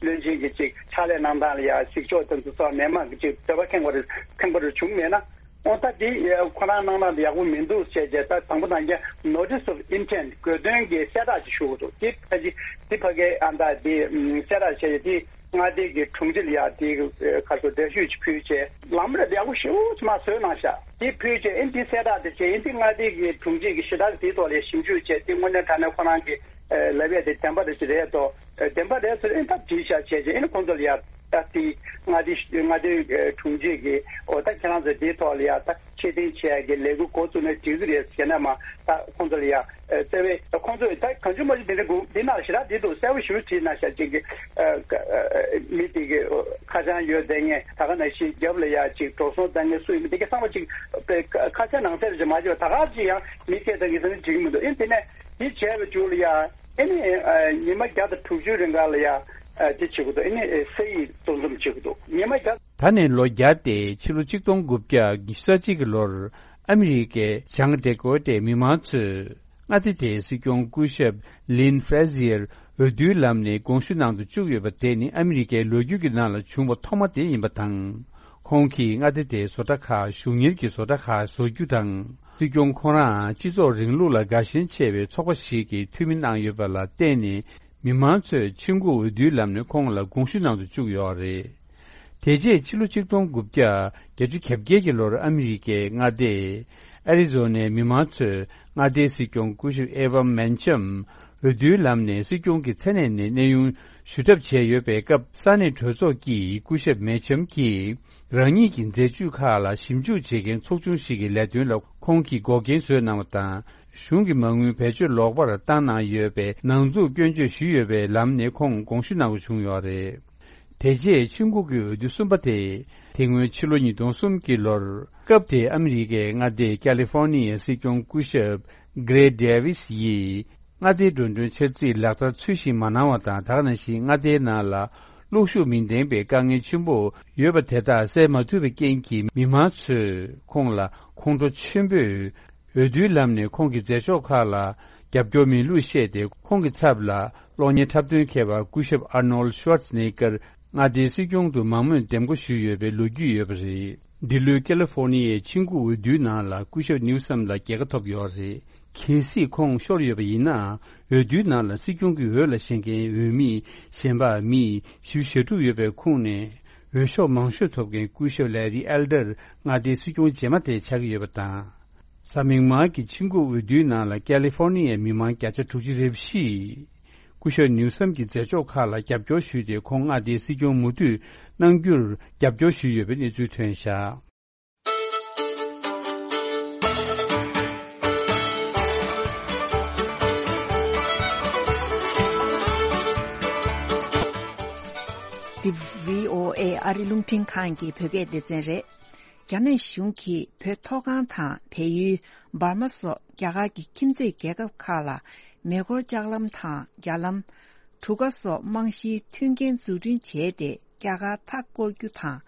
བློན་ཆེན་གྱི་ཅིག་ཕྱག་ལས་གནང་སྟངས་ལ་ཡ་གཟིགས་ཕྱོགས་དེ་ཚོ་སོགས་མི་མང་གི་ཅིག་འདོད་པ་ཁེངས་པ་རེ་ཁེངས་པ་རེ་བྱུང་མེད་ན། འོ་ད་དེ་ཁོ་རང་གནང་སྟངས་དེ་ཡག་པོ་མི་འདུག་ཅེས་བྱས། ད་དང་པོ་ནང་བཞིན་notice of intent་དགོས་འདུན་གྱི་གསལ་བསྒྲགས་ཅིག་ཞུ་དགོས་འདུག་དེ་ཕ་གི་དེ་ཕ་གི་ཨ་ད་དེ་གསལ་བསྒྲགས་བྱས་ཏེ་ མངའ་སྡེ་གི་དྲུང་ཆེ་ལ་ཡ་དེ་ཁ་སོ་འདས་ཤོད་ཅིག་ཕུལ་བྱས་ལམ་རེ་ལེགས་པོ་ཞེ་པོ་ཅིག་མ་བཟོས་གནང་ཤག་དེ་ཕུལ་བྱས་ཨེ་འདི་གསལ་བསྒྲགས་དེ་བྱས་ཨེ་འདི་མངའ་སྡེ་གི་དྲུང་ཆེ་གི་ཞེ་དྲག་དེའི་ཐོག་ལ་ཞིབ་འཇུག་བྱས་དེ་དངོས་གནས་དྲང་གནས་ཁོ་རང་གི་ལབ་ཡས་དེ་བདེན་པ་རེད་ཅེས་རེད་དོ། བདེན་པ་རེད་ཟེར་ཨེ་ད་བྲིས་ཤག་བྱས་རྗེས་ཨེ་ནི་ཁོང་ཚོ་ལ་ཡ་ད་དེ་མངའ་སྡེ་མངའ་སྡེའི་དྲུང་ཆེ་གིས་འོ་ད་ཁྱེད་རང་ཚོ་དེའི་ཐོག་ལ་ཡ་ད་ཆེད་འདེམས་བྱས་ཀྱི་ལས་འགུལ་འགོ་བཙུགས་ནས་འགྲིག་གི་རེད་ཟེར་ན་མ་ད་ཁོང་ཚོ་ལ་ཡ་བརྩེ་བའི་ཁོང་ཚོས་ད་གང་བྱུང་མ་བྱུང་དེ་འདྲ་འགུག་འདི་ནང་ཞེ་དྲག་འདི་འདུག་གསལ་པོ་ཞེ་པོ་བྲིས་གནང་ཤག་ཅིག་གི་མི་དེ་གི་ཁ་བྱང་ཡོད་བསྡད་མཁན་ད་ག་ནང་བཞིན་རྒྱབ་ལ་ཡ་ཅིག་འགྲོ་སོང་བཏང་མཁན་སུ་ཡིན་མིན་དེ་གི་ཚང་མ་ཅིག་ཁ་བྱང་ནང་གསལ་ཅིག་མ་བྱས་པ་ད་ག་ཅིག་ཡང་མི་སྐད་བཏང་གི་ཟེར་ན་འགྲིག་གི་མི་འདུག་ཨེ་དེ་ནས། དེ་བྱས་པའི་མཇུག་ལ་ཡ་ཨེ་ནི་ཉི་མ་བརྒྱ་དང་དྲུག་ཅུ་རིང་ག་ལ་ཡ་དེ་བྱེད་དགོས་འདུག་ཨེ་ནི་ས་ཡིག་གཙོ་འཛོམས་བྱེད་དགོས་འདུག་ཉི་མ་བརྒྱ། ད་ནས་ལོ་བརྒྱ་སྟེ་ཕྱི་ལོ་ཆིག་སྟོང་དགུ་བརྒྱ་ཉི་ཤུ་རྩ་གཅིག་གི་ལོར་ཨ་མི་རི་ཀའི་བྱང་ཌེ་ཀོ་ཊའི་མི་མང་ཚོས་མངའ་སྡེ་དེའི་སྲིད་སྐྱོང་སྐུ་ཞབས་ལིན་ཧྥེ་ཟེར་འོས་བསྡུའི་ལམ་ནས་དགོངས་ཞུ་གནང་དུ་བཅུག་ཡོད་པ་དེ་ནི་ཨ་མི་རི་ཀའི་ལོ་རྒྱུས་ཀྱི་ནང་ལ་བྱུང་བ་ཐོག་མ་དེ་ཡིན་པ་དང་། ཁོང་གིས་མངའ་སྡེ་དེའི་བཟོ་གྲྭ་ཁག་གཞུང་གཉེར་གྱི་བཟོ་གྲྭ་ཁག་བཟོ་རྒྱུ་དང་། སྲིད་སྐྱོང་ཁོ་རང་སྤྱི་ཚོགས་རིང་ལུགས་ལ་དགའ་ཞེན་ཆེ་བའི་ཚོགས་པ་ཞིག་གིས་འཐུས་མི་གནང་ཡོད་པ་ལ་བརྟེན་ནས་མི་མང་ཚོས་ཆིངས་འགོ་འོས་བསྡུའི་ལམ་ནས་ཁོང་ལ་དགོངས་ཞུ་གནང་དུ་བཅུག་ཡོད་རེད། དེ་རྗེས་ཕྱི་ལོ་ཆིག་སྟོང་དགུ་བརྒྱ་བརྒྱད་ཅུ་གྱ་བརྒྱད་ཀྱི་ལོར་ཨ་མི་རི་ཀའི་མངའ་སྡེ་ཨ་རི་ཛོ་ནའི་མི་མང་ཚོས་མངའ་སྡེའི་སྲིད་སྐྱོང་སྐུ་ཞབས་ཨེ་ཝམ་མན་ཆམ་འོས་བསྡུའི་ལམ་ནས་སྲིད་སྐྱོང་གི་མཚན་གནས་ནས་གནས་དབྱུང་ཞུ་གྲབས་བྱས་ཡོད་པའི་སྐབས་ས་གནས་གྲོས་ཚོགས་ཀྱིས་སྐུ་ཞབས་མན་ཆམ་གྱིས། རང་ཉིད་ཀྱི་མཛད་ཇུས་ཁག་ལ་ཞིབ་འཇུག་བྱེད་མཁན་ཚོགས་ཆུང་ཞིག་གི་ལས་དོན་ལ་ཁོང་གིས་འགོག་རྐྱེན་བཟོས་གནང་བ་དང་། གཞུང་གི་མ་དངུལ་བེད་སྤྱོད་ལོག་པར་བཏང་གནང་ཡོད་པའི་ནང་འཛུགས་སྐྱོན་བརྗོད་ཞུས་ཡོད་པའི་ལམ་ནས་ཁོང་དགོངས་ཞུ་གནང་དགོས་བྱུང་ཡོད་རེད། དེ་རྗེས་ཆིངས་འགོ་གི་འོས་བསྡུ་གསུམ་པ་དེ་དེ་སྔོན་ཕྱི་ལོ་ཉིས་སྟོང་གསུམ་གྱི་ལོར་སྐབས་དེའི་ཨ་མི་རི་ཀའི་མངའ་སྡེ་ཀ་ལི་ཧྥོར་ནི་ཡའི་སྲིད་སྐྱོང་སྐུ་ཞབས་Gray Davis་ཡིས། མངའ་སྡེའི་འགྲོ་གྲོན་འཆར་རྩིས་ལག་བསྟར་ཚུལ་བཞིན་མ་གནང་བ་དང་། ད་ག་ནང་བཞིན་མངའ་སྡེའི་ནང་ལ་གློག་ཤུགས་མི་ལྡན་པའི་དཀའ་ངལ་ཆེན་པོ་ཡོད་པ་དེ་དག་སེལ་མ་ཐུབ་པའི་རྐྱེན་གྱིས། མི་མང་ཚོས་ཁོང་ལ་ཁོང་ཁྲོ་ཆེན་པོས་འོས་བསྡུའི་ལམ་ནས་ཁོང་གི་མཛད་ཕྱོགས་ཁག་ལ་རྒྱབ་སྐྱོར་མེད་ལུགས་བཤད་དེ། ཁོང་གི་ཚབ་ལ་གློག་བརྙན་འཁྲབ་སྟོན་མཁས་པ་སྐུ་ཞབས་Arnold Schwarzenegger་མངའ་སྡེའི་སྲིད་སྐྱོང་དུ་མང་མོས་འདེམས་བསྐོ་ཞུས་ཡོད་པའི་ལོ་རྒྱུས་ཡོད་པ་རེད། འདི་ལོའི་ཀ་ལི་ཧྥོར་ནི་ཡའི་ཆིངས་འགོ་འོས་བསྡུའི་ནང་ལ་སྐུ་ཞབས་ནིའུ་སམ་ལ་རྒྱལ་ཁ་ཐོབ་ཡོད་རེད། གལ་སྲིད་ཁོང་ཤོར་ཡོད་པ་ཡིན་ན། འོས་བསྡུའི་ནང་ལ་སྲིད་སྐྱོང་གི་འོས་ལ་བཞེངས་མཁན་འོས་མི་གཞན་པ་མི་བཞི་བཅུ་ཞེ་དྲུག་ཡོད་པའི་ཁོངས་ནས་འོས་ཤོག་མང་ཤོས་ཐོབ་མཁན་སྐུ་ཞབས་ལེ་རི་ཨེལ་ཌར་མངའ་སྡེའི་སྲིད་སྐྱོང་རྗེས་མ་དེ་ཆགས་ཀྱི་ཡོད་པ་དང་། གཟའ་མིག་དམར་གྱི་ཆིངས་འགོ་འོས་བསྡུའི་ནང་ལ་ཀ་ལི་ཧྥོར་ནི་ཡའི་མི་མང་བརྒྱ་ཆ་དྲུག་ཅུ་རེ་བཞི། སྐུ་ཞབས་ནིའུ་སམ་གྱི་མཛད་ཕྱོགས་ཁག་ལ་རྒྱབ་སྐྱོར་ཞུས་ཏེ། ཁོང་མངའ་སྡེའི་སྲིད་སྐྱོང་མུ་མཐུད་གནང་རྒྱུར་རྒྱབ་སྐྱོར་ཞུས་ཡོད་པའི་གནས་ཚུལ་ཐོན་བཞག་འདི་བྷི་ཨོ་ཨེ་ཨ་རི་རླུང་འཕྲིན་ཁང་གི་བོད་སྐད་སྡེ་ཚན་རེད། རྒྱ་ནག་གཞུང་གིས་བོད་མཐོ་སྒང་དང་བལ་ཡུལ་འབར་མ་སོགས་རྒྱ་གར་གྱི་ཁྱིམ་མཚེས་རྒྱལ་ཁབ་ཁག་ལ་མེ་འཁོར་ལྕགས་ལམ་དང་རྒྱ་ལམ། གྲུ་ཁ་སོགས་རྨང་གཞིའི་མཐུན་རྐྱེན་འཛུགས་སྐྲུན་བྱས་ཏེ། རྒྱ་གར་མཐའ་བསྐོར་རྒྱུ་དང་།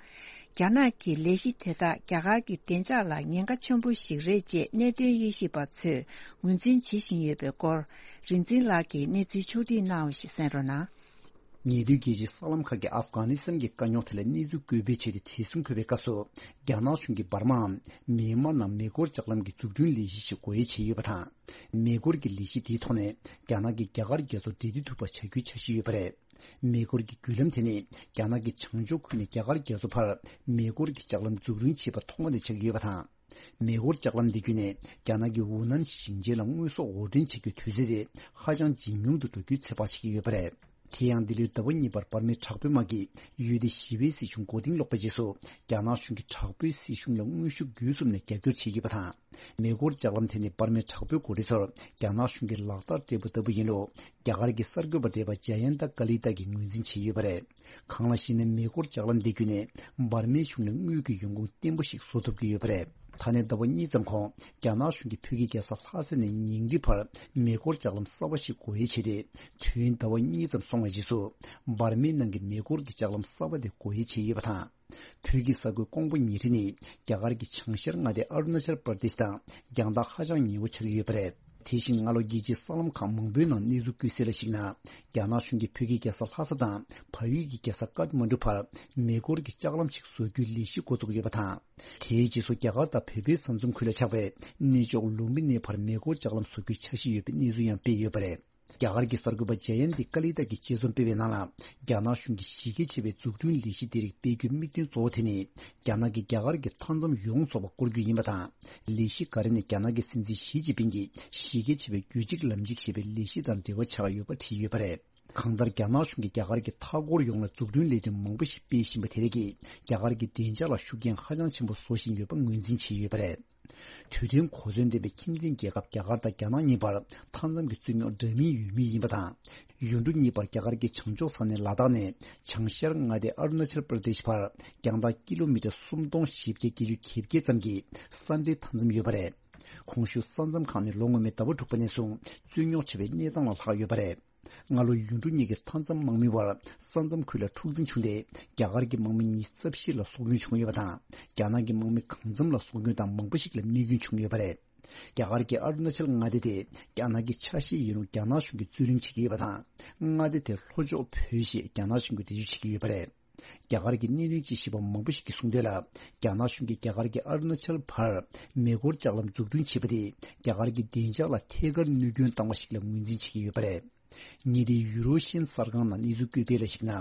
རྒྱ་ནག་གི་ལས་གཞི་དེ་དག་རྒྱ་གར་གྱི་བདེ་འཇགས་ལ་ཉེན་ཁ་ཆེན་པོ་ཞིག་རེད་ཅེས་གནད་དོན་དབྱེ་ཞིབ་པ་ཚོས་ངོས་འཛིན་བྱེད་བཞིན་ཡོད་པའི་སྐོར། རིག་འཛིན་ལགས་ཀྱིས་གནས་ཚུལ་ཕྱོགས་སྒྲིག་གནང་བ་ཞིག་གསན་རོགས་གནང་། ཉེ་དུས་རྒྱལ་སྤྱིའི་གསར་ལམ་ཁག་གིས་ཨབ་གྷ་ནི་སི་ཐན་གྱི་དཀའ་རྙོག་དེ་ལ་གནས་ཚུལ་འགོད་སྤེལ་བྱས་ཏེ། བྲེལ་ཟིང་འཁོལ་བའི་སྐབས་སུ། རྒྱ་ནག་གཞུང་གིས་འབར་མའམ་མེན་མར་ནང་མེ་འཁོར་ལྕགས་ལམ་གྱི་འཛུགས་སྐྲུན་ལས་གཞི་ཞིག་སྒོ་དབྱེ་བྱས་ཡོད་པ་དང་། མེ་འཁོར་གྱི་ལས་གཞི་དེའི་ཐོག་ནས་རྒྱ་ནག་གིས་རྒྱ་གར་རྒྱལ་ཚོགས་འབྲེལ་མཐུད་ཐུབ་པ་བྱ་རྒྱུའི་འཆར་གཞི་ཡོད་པ་རེད། མེ་འཁོར་གྱི་བརྒྱུད་ལམ་དེ་ནི་རྒྱ་ནག་གི་བྱང་ཕྱོགས་ཁུལ་ནས་རྒྱ་གར་རྒྱལ་ཚོགས་བར་མེ་འཁོར་གྱི་ལྕགས་ལམ་འཛུགས་སྐྲུན་བྱས་པ་ཐོག་མ་དེ་ཆགས་ཀྱི་ཡོད་པ་དང་། མེ་འཁོར་ལྕགས་ལམ་འདི་བརྒྱུད་ནས་རྒྱ་ནག་གི་ཝུ་ནན་ཞིང་ཆེན་ལ་དངོས་ཟོག་འོར་འདྲེན་བྱེད་རྒྱུའི་དུས་ཚོད་དེ་ཧ་ཅང་ཇེ་ཉུང་དུ་འགྲོ་རྒྱུའི་ཚོད་དཔག་བྱེད་ཀྱི་ཡོད་པ་རེད། དེ་ཡང་འདི་ལོའི་ཟླ་བ་གཉིས་པར་འབར་མའི་དྲག་པོའི་དམག་གིས་ཡུལ་དེའི་ཞི་བའི་སྲིད་གཞུང་མགོ་རྟིང་སློག་པའི་རྗེས་སུ། རྒྱ་ནག་གཞུང་གིས་དྲག་པོའི་སྲིད་གཞུང་ལ་དངོས་ཤུགས་བརྒྱུད་གསུམ་ནས་རྒྱབ་སྐྱོར་བྱེད་ཀྱི་ཡོད་པ་དང་། མེ་འཁོར་ལྕགས་ལམ་དེ་ནི་འབར་མའི་དྲག་པོའི་འགོ་ཁྲིད་ཚོར་རྒྱ་ནག་གཞུང་གིས་ལག་རྟགས་སྤྲད་པ་ལྟ་བུ་ཡིན་ལུགས་རྒྱ་གར་གྱི་གསར་འགོད་པ་བགྲེས་པ་ཇ་ཡན་ཏ་ཀ་ལི་ཏཱ་གིས་ངོས་འཛིན་བྱས་ཡོད་པ་རེད། གང་ལ་ཞེ་ན། མེ་འཁོར་ལྕགས་ལམ་འདི་བརྒྱུད་ནས་འབར་མའི་གཞུང་ལ་དངུལ་གྱི་ཡོང་ཁུངས་བརྟན་པོ་ཞིག་བཟོ་ཐུབ་ཀྱི་ཡོད་པ་རེད། ད་ནས་ཟླ་བ་གཉིས་ཙམ་གོང་རྒྱ་ནག་གཞུང་གིས་བོད་ཀྱི་རྒྱལ་ས་ལྷ་ས་ནས་ཉིང་ཁྲི་བར་མེ་འཁོར་ལྕགས་ལམ་གསར་པ་ཞིག་སྒོ་དབྱེ་བྱས་ཏེ། དུས་ཡུན་ཟླ་བ་གཉིས་ཙམ་སོང་བའི་རྗེས་སུ། འབར་མའི་ནང་གི་མེ་འཁོར་གྱི་ལྕགས་ལམ་གསར་པ་དེ་སྒོ་དབྱེ་བྱས་ཡོད་པ་དང་། བོད་ཀྱི་ས་ཁུལ་ཀོང་པོ་ཉེ་འཁྲིས་ནི་རྒྱ་གར་གྱི་བྱང་ཤར་མངའ་སྡེ་ཨ་རུ་ན་ཅལ་པར་དེཤ་དང་རྒྱང་ཐག་ཧ་ཅང་ཉེ་བོ་ཆགས་ཀྱི་ཡོད་པ་རེད། དེ་བཞིན་སྔ་ལོ་རྒྱལ་སྤྱིའི་གསར་ལམ་ཁག་མང་པོའི་ནང་གནས་ཚུལ་བཀོད་གསལ་ལ་གཞིགས་ན། རྒྱ་ནག་གཞུང་གིས་བོད་ཀྱི་རྒྱལ་ས་ལྷ་ས་དང་བལ་ཡུལ་གྱི་རྒྱལ་ས་ཀཏ་མན་ཌུ་བར་མེ་འཁོར་གྱི་ལྕགས་ལམ་ཞིག་བཟོ་རྒྱུའི་ལས་གཞི་འགོ་བཙུགས་ཡོད་པ་དང་། དེའི་རྗེས་སུ་རྒྱ་གར་དང་བལ་པོའི་ས་མཚམས་ཁུལ་ལ་ཆགས་པའི་གནས་མཆོག་ལུམ་བི་ནི་བར་མེ་འཁོར་ལྕགས་ལམ་བཟོ་རྒྱུའི་འཆར་གཞི་ཡོད་པའི་གནས་ཚུལ་ཡང་སྤེལ་ཡོད་པ་རེད། རྒྱ་གར་གྱི་གསར་འགོད་པ་ཇ་ཡན་ཏི་ཀ་ལི་ཏ་གིས་དཔྱད་རྩོམ་སྤེལ་བའི་ནང་ལ། རྒྱ་ནག་གཞུང་གིས་གཞི་རྒྱ་ཆེ་བའི་འཛུགས་སྐྲུན་ལས་གཞི་དེ་རིགས་སྤེལ་རྒྱུའི་དམིགས་དོན་གཙོ་བོ་དེ་ནི། རྒྱ་ནག་གིས་རྒྱ་གར་གྱི་མཐའ་མཚམས་ཡོངས་རྫོགས་པ་བསྐོར་རྒྱུ་ཡིན་པ་དང་། ལས་གཞི་འགའ་རེ་ནི་རྒྱ་ནག་གི་སྲིད་འཛིན་ཞི་ཅིན་ཕིང་གིས་གཞི་རྒྱ་ཆེ་བའི་རྒྱུད་གཅིག་ལམ་གཅིག་ཞེས་པའི་ལས་གཞི་དང་འབྲེལ་བ་ཆགས་ཡོད་པ་བྲིས་ཡོད་པ་རེད། གང་ལྟར། རྒྱ་ནག་གཞུང་གིས་རྒྱ་གར་གྱི་མཐའ་འཁོར་ཡོངས་ལ་འཛུགས་སྐྲུན་ལས་དོན་མང་པོ་ཞིག་སྤེལ་བཞིན་པ་དེ་རིགས་ཀྱིས། རྒྱ་གར་གྱི་བདེ་འཇགས་ལ་ཤུགས་རྐྱེན་ཧ་ཅང་ཆེན་པོ་བཟོ་བཞིན་ཡོད་པ་ངོས་འཛིན་བྱས་ཡོད་པ་རེད། དུས་མཐུན་གོ་མཚོན་ལྡན་པའི་ཁྱིམ་མཚེས་རྒྱལ་ཁབ་རྒྱ་གར་དང་རྒྱ་ནག་གཉིས་བར་མཐའ་མཚམས་ཀྱི་རྩོད་རྙོག་འདྲ་མིན་ཡོད་མུས་ཡིན་པ་དང་། ཡུལ་གྲུ་གཉིས་བར་རྒྱ་གར་གྱི་བྱང་ཕྱོགས་ས་གནས་ལ་དྭགས་ནས་བྱང་ཤར་མངའ་སྡེ་ཨ་རུ་ན་ཅལ་པྲ་དེཤ་བར་རྒྱང་ཐག་ཀི་ལོ་མི་ཊར་སུམ་སྟོང་བཞི་བརྒྱ་བརྒྱད་ཅུ་གྱ་བརྒྱད་ཙམ་གྱི་ས་འབྲེལ་མཐའ་མཚམས་ཡོད་པ་རེད། གོང་ཞུས་ས་མཚམས་ཁག་ནི་ལོ་སྔོན་མའི་ཟླ་བ་དྲུག་པ་ནས་བཟུང་རྩོད་རྙོག་ཆེ་བའི་གནས་སྟངས་ལ་ལྷག་ཡོད་པ་རེད། སྔ་ལོ་ཡུལ་གྲུ་གཉིས་ཀྱི་མཐའ་མཚམས་དམག་མི་བར་ས་མཚམས་ཁུལ་ལ་འཁྲུག་འཛིང་བྱུང་སྟེ། རྒྱ་གར་གྱི་དམག་མི་ཉི་ཤུ་རྩ་བཞི་ལ་སྲོག་སྐྱོན་བྱུང་ཡོད་པ་དང་། རྒྱ་ནག་གི་དམག་མི་གང་འཚམ་ལ་སྲོག་སྐྱོན་དང་མང་པོ་ཞིག་ལ་རྨས་སྐྱོན་བྱུང་ཡོད་པ་རེད། རྒྱ་གར་གྱི་ཨ་རུ་ན་ཅལ་མངའ་སྡེ་དེ་རྒྱ་ནག་གི་ཆ་ཤས་ཡིན་རུང་། རྒྱ་ནག་གཞུང་གིས་རྩོད་གླེང་བྱེད་ཀྱི་ཡོད་པ་དང་། མངའ་སྡེ་དེར་ལྷོ་ཕྱོགས་བོད་ཞེས་རྒྱ་ནག་གཞུང་གིས་འགྲེལ་བརྗོད་བྱེད་ཀྱི་ཡོད་པ་རེད། རྒྱ་གར་གྱི་གནད་དོན་དཔྱད་ཞིབ་པ་མང་པོ་ཞིག་གིས་གསུངས་དོན་ལ། རྒྱ་ནག་གཞུང་གིས་རྒྱ་གར་གྱི་ཨ་རུ་ན་ཅལ་བར་མེ་འཁོར་ལྕགས་ལམ་འཛུགས་སྐྲུན་བྱས་པ་དེས་རྒྱ་གར་གྱི་བདེ་འཇགས་ལ་ཐད་ཀར་གནོད་སྐྱོན་བཏང་བ་ཞིག་ལ་ངོས་འཛིན་བྱེད་ཀྱི་ཡོད་པ་རེད། ཉེ་ལྡན་ཡུ་རོ་ཤན་གསར་ཁང་ནང་གནས་ཚུལ་བཀོད་སྤེལ་ལ་གཞིགས་ན།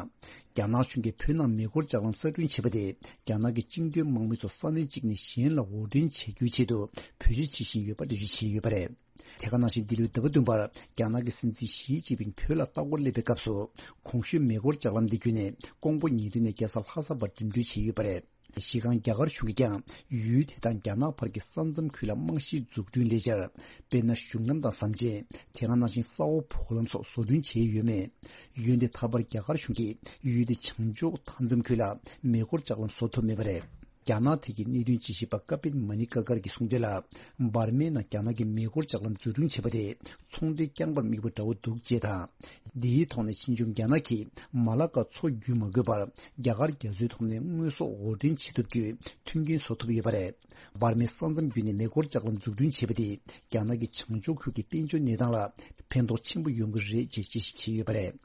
རྒྱ་ནག་གཞུང་གིས་བོད་ནང་མེ་འཁོར་ལྕགས་ལམ་གསར་སྐྲུན་བྱས་པ་དེས་རྒྱ་ནག་གི་བཅིངས་འགྲོལ་དམག་མི་ཚོ་ས་གནས་གཅིག་ནས་གཞན་ལ་འོར་འདྲེན་བྱ་རྒྱུའི་ཆེད་དུ་བེད་སྤྱོད་བྱེད་བཞིན་ཡོད་པ་འགྲེལ་བརྗོད་བྱས་ཡོད་པ་རེད། དེ་ག་ནང་བཞིན། འདི་ལོའི་ཟླ་བ་བདུན་པར་རྒྱ་ནག་གི་སྲིད་འཛིན་ཞི་ཅིན་ཕིང་བོད་ལ་ལྟ་སྐོར་སླེབས་པའི་སྐབས་སུ། གོང་ཞུས་མེ་འཁོར་ལྕགས་ལམ་འདི་བརྒྱུད་ནས་ཀོང་པོ་ཉིན་རེ་ནས་རྒྱལ་ས་ལྷ་ས་བར་འགྲིམ་འགྲུལ་བྱས་ཡོད་པ་རེད། གཞི་རྐང་རྒྱ་གར་གཞུང་གིས་ཀྱང་ཡུལ་དེ་དང་རྒྱ་ནག་བར་གྱི་ས་མཚམས་ཁུལ་ལ་རྨང་གཞིའི་འཛུགས་སྐྲུན་ལས་འཆར། དཔེར་ན། གཞུང་ལམ་དང་ཟམ་ཆེན། དེ་ག་ནང་བཞིན་ས་འོག་བོགས་ལམ་སོགས་བཟོ་སྐྲུན་བྱས་ཡོད་མེད། འོན་ཏེ་ད་བར་རྒྱ་གར་གཞུང་གིས་ཡུལ་དེ་བྱང་ཕྱོགས་མཐའ་མཚམས་ཁུལ་ལ་མེ་འཁོར་ལྕགས་ལམ་བཟོ་ཐུབ་མེད་པ་རེད། རྒྱ་ནག་ཐད་ཀྱི་གནད་དོན་དཔྱད་ཞིབ་པ་ཀ་པིན་མ་ནི་ཀ་ཀར་གྱིས་གསུངས་དོན་ལ། འབར་མའི་ནང་རྒྱ་ནག་གིས་མེ་འཁོར་ལྕགས་ལམ་འཛུགས་སྐྲུན་བྱས་པ་དེ་ཚོང་འབྲེལ་རྐྱང་པར་དམིགས་པ་འདྲ་བོ་འདུག་ཅེས་དང་། འདིའི་ཐོག་ནས་ཕྱིས་འབྱུང་རྒྱ་ནག་གིས་མ་ལ་ཀ་མཚོ་བརྒྱུད་མ་དགོས་པར་རྒྱ་གར་རྒྱ་མཚོའི་ཐོག་ནས་དངོས་ཟོག་འོར་འདྲེན་བྱེད་ཐུབ་རྒྱུའི་མཐུན་རྐྱེན་བཟོ་ཐུབ་ཡོད་པ་རེད། འབར་མའི་ས་མཚམས་བརྒྱུད་ནས་མེ་འཁོར་ལྕགས་ལམ་འཛུགས་སྐྲུན་བྱས་པ་དེས་རྒྱ་ནག་གི་བྱང་ཕྱོགས་ཁུལ་གྱི་དཔལ་འབྱོར་གནས་སྟངས་ལ་ཕན་ཐོགས་ཆེན་པོ་ཡོང་གི་རེད་ཅེས་དཔྱད་ཞིབ་བྱས་ཡོད་པ་རེད།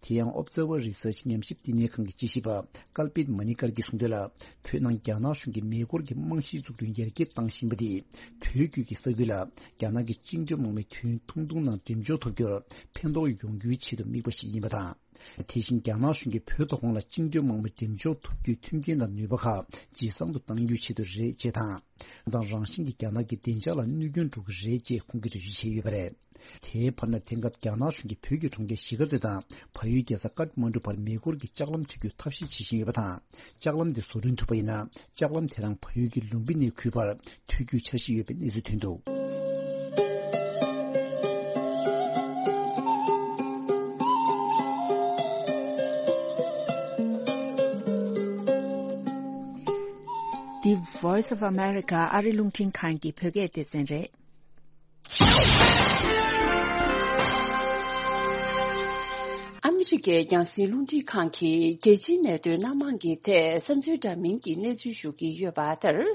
དེ་ཡང་Observer Research ཉམས་ཞིབ་བསྟི་གནས་ཁང་གི་དཔྱད་ཞིབ་པ་ཀལ་པིད་མ་ནི་ཀར་གྱིས་གསུངས་དོན་ལ། བོད་ནང་རྒྱ་ནག་གཞུང་གིས་མེ་འཁོར་གྱི་རྨང་གཞིའི་འཛུགས་སྐྲུན་ཡར་རྒྱས་བཏང་བཞིན་པ་དེས། བོད་བརྒྱུད་ཀྱི་ས་ཁུལ་ལ་རྒྱ་ནག་གི་བཅིངས་འགྲོལ་དམག་མི་དུས་ཐུང་ཐུང་ནང་འགྲེམས་འཇོག་ཐུབ་རྒྱུར་ཕན་ཐོགས་ཡོང་རྒྱུའི་ཆེད་དུ་དམིགས་པ་ཞིག་ཡིན་པ་དང་། དེ་བཞིན་རྒྱ་ནག་གཞུང་གིས་བོད་མཐོ་སྒང་ལ་བཅིངས་འགྲོལ་དམག་མི་འགྲེམས་འཇོག་ཐུབ་རྒྱུའི་མཐུན་རྐྱེན་དང་ནུས་པ་ཁག་ཇེ་བཟང་དུ་གཏང་རྒྱུའི་ཆེད་དུ་རེད་ཅེས་དང་། དང་རང་བཞིན་གྱིས་རྒྱ་ནག་གི་བདེ་འཇགས་ལ་གནོད་སྐྱོན་འགྲོ་གི་རེད་ཅེས་ཁོང་གིས་འགྲེལ་བརྗོད་བྱས་ཡོད་པ་རེད། དེའི་བར་ན། དེང་སྐབས་རྒྱ་ནག་གཞུང་གིས་བོད་ཀྱི་གྲོང་ཁྱེར་གཞིས་ཀ་རྩེ་དང་བལ་ཡུལ་རྒྱལ་ས་ཀཏ་མན་གྲུ་བར་མེ་འཁོར་གྱི་ལྕགས་ལམ་མཐུད་རྒྱུའི་ཐབས་ཤེས་བྱེད་བཞིན་ཡོད་པ་དང་། ལྕགས་ལམ་དེ་བཟོ་སྐྲུན་ཐུབ་པ་ཡིན་ན། ལྕགས་ལམ་དེ་རང་བལ་ཡུལ་གྱི་ལུམ་བི་ནིའི་ཁུལ་བར་མཐུད་རྒྱུའི་འཆར་གཞི་ཡོད་པའི་གནས་ཚུལ་ཐོན་འདུག་འདི་Voice of America ཨ་རི་རླུང་འཕྲིན་ཁང་གི་བོད་སྐད་སྡེ་ཚན་རེད། ཨ་མི་རི་ཀའི་རྒྱང་སྲིང་རླུང་འཕྲིན་ཁང་གིས་རྒྱལ་སྤྱིའི་གནད་དོན་སྣ་མང་གི་ཐད་བསམ་ཚུལ་འདྲ་མིན་གྱི་གནས་ཚུལ་ཞུ་གི་ཡོད་པ་ལྟར།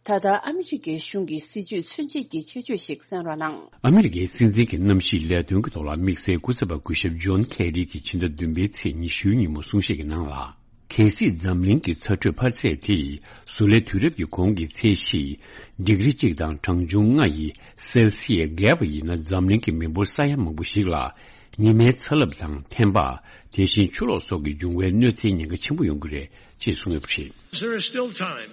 ད་ལྟ་ཨ་མི་རི་ཀའི་གཞུང་གི་སྲིད་བྱུས་མཚོན་བྱེད་ཀྱི་ཁྱད་ཆོས་ཤིག་གསན་རོགས་གནང་། ཨ་མི་རི་ཀའི་སྲིད་འཛིན་གྱི་གནམ་གཤིས་ལས་དོན་གྱི་ཐོག་ལ་དམིགས་བསལ་སྐུ་ཚབ་པ་སྐུ་ཞབས་ཇོན་ཁེ་རི་གྱིས་ཕྱི་ཟླ་བདུན་པའི་ཚེས་ཉི་ཤུའི་ཉིན་མོ་གསུང་བཤད་ཀྱི་ནང་ལ། གལ་སྲིད་འཛམ་གླིང་གི་ཚ་དྲོད་འཕར་ཚད་དེ་བཟོ་ལས་དུས་རབས་ཀྱི་གོང་གི་ཚད་གཞི་ཌིག་རི་གཅིག་དང་གྲངས་ཆུང་ལྔ་ཡི་སེལ་སི་ཡས་བརྒལ་བ་ཡིན་ན། འཛམ་གླིང་གི་མི་འབོར་ས་ཡ་མང་པོ་ཞིག་ལ་ཉི་མའི་ཚ་རླབས་དང་ཐན་པ། དེ་བཞིན་ཆུ་ལོག་སོགས་ཀྱིས་འབྱུང་བའི་གནོད་འཚེའི་ཉེན་ཁ་ཆེན་པོ་ཡོང་གི་རེད་ཅེས་གསུངས་ཡོད་པ་རེད། There is still time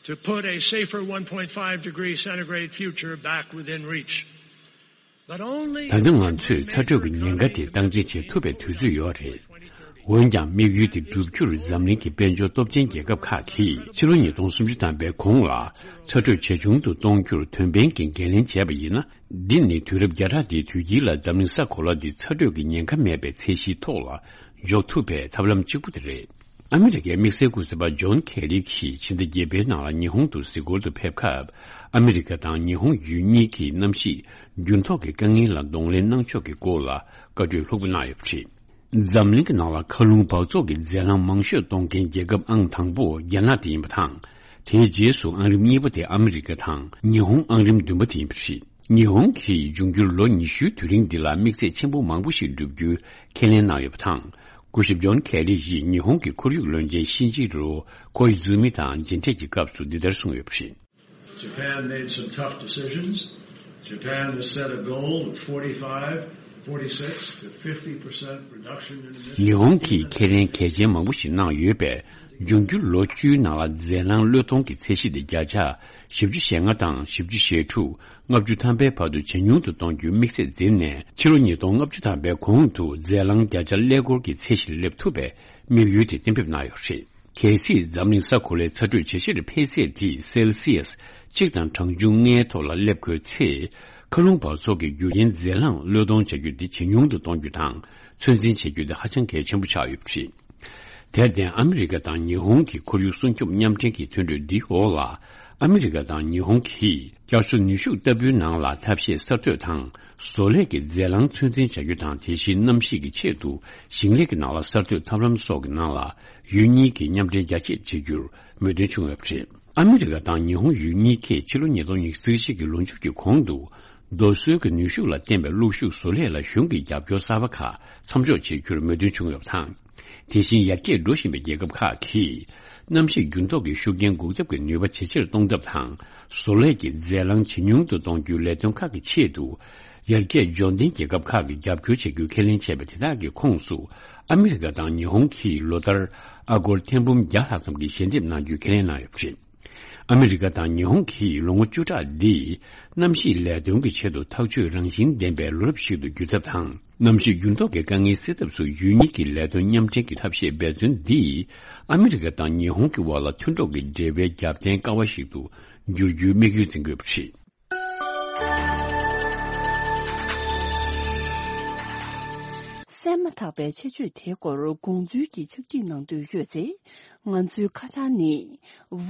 to put a safer one point five degree centigrade future back within reach. ད་ལྟ་ང་ཚོས་ཚ་དྲོད་ཀྱི་ཉེན་ཁ་དེ་སྟངས་འཛིན་བྱེད་ཐུབ་པའི་དུས་ཚོད་ཡོད་རེད། འོན་ཀྱང་། དམིགས་ཡུལ་དེ་བསྒྲུབ་རྒྱུར་འཛམ་གླིང་གི་དཔལ་འབྱོར་སྟོབས་ཆེན་རྒྱལ་ཁབ་ཁག་གིས་ཕྱི་ལོ་ཉིས་སྟོང་སུམ་ཅུ་ཐམ་པའི་གོང་ལ་ཚ་དྲོད་ཇེ་ཆུང་དུ་གཏོང་རྒྱུར་དོན་ཕན་གྱི་འགན་ལེན་བྱས་པ་ཡིན་ན། འདི་ནི་དུས་རབས་བརྒྱ་ཕྲག་འདིའི་དུས་དཀྱིལ་ལ་འཛམ་གླིང་ས་གོ་ལ་འདི་ཚ་དྲོད་ཀྱི་ཉེན་ཁ་མེད་པའི་ཚད་གཞིའི་ཐོག་ལ་འཇོག་ཐུབ་པའི་ཐབས་ལམ་གཅིག་པུ་དེ་རེད། ཨ་མི་རི་ཀའི་དམིགས་བསལ་སྐུ་ཚབ་པ་ཇོན་ཁེ་རི་གྱིས་ཕྱི་ཟླ་བརྒྱད་པའི་ནང་ལ་ཉི་ཧོང་དུ་གཟིགས་སྐོར་དུ་ཕེབས་སྐབས། ཨ་མི་རི་ཀ་དང་ཉི་ཧོང་ཡུལ་གཉིས་ཀྱིས་གནམ་གཤིས་འགྱུར་ལྡོག་གི་དཀའ་ངལ་ལ་གདོང་ལེན་གནང་ཕྱོགས་ཀྱི་སྐོར་ལ་བཀའ་གྲོས་ལྷུག་པོ་གནང་ཡོད་པ་རེད། འཛམ་གླིང་གི་ནང་ལ་མཁའ་རླུང་འབག་བཙོག་གི་རྫས་རླངས་མང་ཤོས་གཏོང་མཁན་རྒྱལ་ཁབ་ཨང་དང་པོ་རྒྱ་ནག་དེ་ཡིན་པ་དང་། དེའི་རྗེས་སུ་ཨང་རིམ་གཉིས་པ་དེ་ཨ་མི་རི་ཀ་དང་ཉི་ཧོང་ཨང་རིམ་བདུན་པ་དེ་ཡིན་པ་རེད། ཉི་ཧོང་གིས་འབྱུང་འགྱུར་ལོ་ཉི་ཤུའི་དུས་རིང་འདི་ལ་དམིགས་ཚད་ཆེན་པོ་མང་པོ་ཞིག་བསྒྲུབ་རྒྱུའི་ཁས་ལེན་གནང་ཡོད་པ་དང་། སྐུ་ཞབས་ཇོན་ཁེ་རི་ཡིས་ཉི་ཧོང་གི་ཁོར་ཡུག་བློན་ཆེན་ཤིན་ཇི་རོ་ཀོ་ཨི་ཛུ་མི་དང་མཇལ་འཕྲད་ཀྱི་སྐབས་སུ་འདི་ལྟར་གསུངས་ཡོད་པ་རེད། Japan made some tough decisions. Japan has set a goal of forty-five forty-six to fifty percent reduction in emissions. ཉི་ཧོང་གིས་ཁས་ལེན་གལ་ཆེན་མང་པོ་ཞིག་གནང་ཡོད་པས། འབྱུང་འགྱུར་ལོ་བཅུའི་ནང་ལ་རྫས་རླངས་གློད་གཏོང་གི་ཚད་གཞི་དེ་བརྒྱ་ཆ་བཞི་བཅུ་ཞེ་ལྔ་དང་བཞི་བཅུ་ཞེ་དྲུག་ལྔ་བཅུ་ཐམ་པའི་བར་དུ་ཇེ་ཉུང་དུ་གཏོང་རྒྱུའི་དམིགས་ཚད་འཛིན་ནས། ཕྱི་ལོ་ཉིས་སྟོང་ལྔ་བཅུ་ཐམ་པའི་གོང་དུ་རྫས་རླངས་བརྒྱ་ཆ་ཀླད་ཀོར་གྱི་ཚད་གཞིར་སླེབས་ཐུབ་པའི་དམིགས་ཡུལ་དེ་གཏན་འབེབས་གནང་ཡོད་པ་རེད། གལ་སྲིད་འཛམ་གླིང་ས་གོ་ལའི་ཚ་དྲོད་ཇེ་ཆེར་འཕེལ་ཚད་དེ་སེལ་སི་ཡས་གཅིག་དང་གྲངས་ཆུང་ལྔའི་ཐོག་ལ་སླེབས་དགོས་ཚེ། མཁའ་རླུང་འབག་བཙོག་གི་རྒྱུ་རྐྱེན་རྫས་རླངས་གློད་གཏོང་བྱ་རྒྱུ་དེ་ཇེ་ཉུང་དུ་གཏོང་རྒྱུ་དང་ཚོད་འཛིན་བྱེད་རྒྱུ་དེ་ཧ་ཅང་གལ་ཆེན་པོ་ཆགས་ཡོད་པ་རེད། དེར་བརྟེན། ཨ་མི་རི་ཀ་དང་ཉི་ཧོང་གི་ཁོར་ཡུག་སྲུང་སྐྱོབ་མཉམ་འབྲེལ་གྱི་མཐུན་གྲོས་འདིའི་འོག་ལ། ཨ་མི་རི་ཀ་དང་ཉི་ཧོང་གིས་བསྐྱར་གསོ་ནུས་ཤུགས་ལྟ་བུའི་ནང་ལ་ཐབས་ཤེས་གསར་གཏོད་དང་། བཟོ་ལས་ཀྱི་རྫས་རླངས་ཚོད་འཛིན་བྱ་རྒྱུ་དང་། དེ་བཞིན་གནམ་གཤིས་ཀྱི་ཆེད་དུ་ཞིང་ལས་ཀྱི་ནང་ལ་གསར་གཏོད་ཐབས་ལམ་སོགས་ཀྱི་ནང་ལ་ཡུལ་གཉིས་ཀྱིས་མཉམ་འབྲེལ་རྒྱ་སྐྱེད་བྱེད་རྒྱུར་མོས་མཐུན་བྱུང་ཡོད་པ་རེད། ཨ་མི་རི་ཀ་དང་ཉི་ཧོང་ཡུལ་གཉིས་ཀས་ཕྱི་ལོ་ཉིས་སྟོང་ཉི་ཤུ་རྩ་གཅིག་གི་ལོ་མཇུག་གི་གོང་དུ། རྡོ་སོལ་གྱི་ནུས་ཤུགས་ལ་བརྟེན་པའི་གློག་ཤུགས་བཟོ་ལས་ལ་གཞུང་གི་རྒྱབ་སྐྱོར་གསར་པ་ཁག་མཚམས་འཇོག་བྱེད་རྒྱུར་མོས་མཐུན་བྱུང་ཡོད་པ་དང་། དེ་བཞིན་ཡར་རྒྱས་འགྲོ་བཞིན་པའི་རྒྱལ་ཁབ་ཁག་གིས་གནམ་གཤིས་འགྱུར་ལྡོག་གི་ཤུགས་རྐྱེན་འགོག་ཐབས་ཀྱི་ནུས་པ་ཇེ་ཆེར་གཏོང་ཐབས་དང་། བཟོ་ལས་ཀྱི་རྫས་རླངས་ཇེ་ཉུང་དུ་གཏོང་རྒྱུའི་ལས་དོན་ཁག་གི་ཆེད་དུ། ཡར་རྒྱས་འབྱོར་ལྡན་རྒྱལ་ཁབ་ཁག་གིས་རྒྱབ་སྐྱོར་བྱེད་རྒྱུ་ཁས་ལེན་བྱས་པ་དེ་དག་གི་ཁོངས་སུ། ཨ་མི་རི་ཀ་དང་ཉི་ཧོང་གིས་ལོ་ལྟར་ཨ་སྒོར་ཐེར་འབུམ་བརྒྱ་ལྷག་ཙམ་གྱི་ཞལ་འདེབས་གནང་རྒྱུའི་ཁས་ལེན་གནང་ཡོད་པ་རེད། ཨ་མི་རི་ཀ་དང་ཉི་ཧོང་གིས་ལོ་ངོ་བཅུ་ཕྲག་འདིས་གནམ་གཤིས་ལས་དོན་གྱི་ཆེད་དུ་ཐག་གཅོད་རང་བཞིན་ལྡན་པའི་ལོ་རབས་ཤིག་ཏུ་འགྱུར་ཐབས་དང་། གནམ་གཤིས་འགྱུར་ལྡོག་གི་དཀའ་ངལ་སེལ་ཐབས་སུ་ཡུལ་གཉིས་ཀྱི་ལས་དོན་མཉམ་འབྲེལ་གྱི་ཐབས་ཤེས་འབད་བརྩོན་འདིས། ཨ་མི་རི་ཀ་དང་ཉི་ཧོང་གི་དབར་ལ་མཐུན་གྲོགས་ཀྱི་འབྲེལ་བའི་རྒྱབ་རྟེན་ཀ་བ་ཞིག་ཏུ་འགྱུར་རྒྱུའི་དམིགས་ཡུལ་འཛིན་དགོས་པ་རེད། གསན་མ་ཐག་པའི་ཆེད་བརྗོད་དེའི་སྐོར་དགོངས་ཚུལ་གྱི་ཕྱག་བྲིས་གནང་འདོད་ཡོད་ཚེ། ང་ཚོའི་ཁ་བྱང་ནི།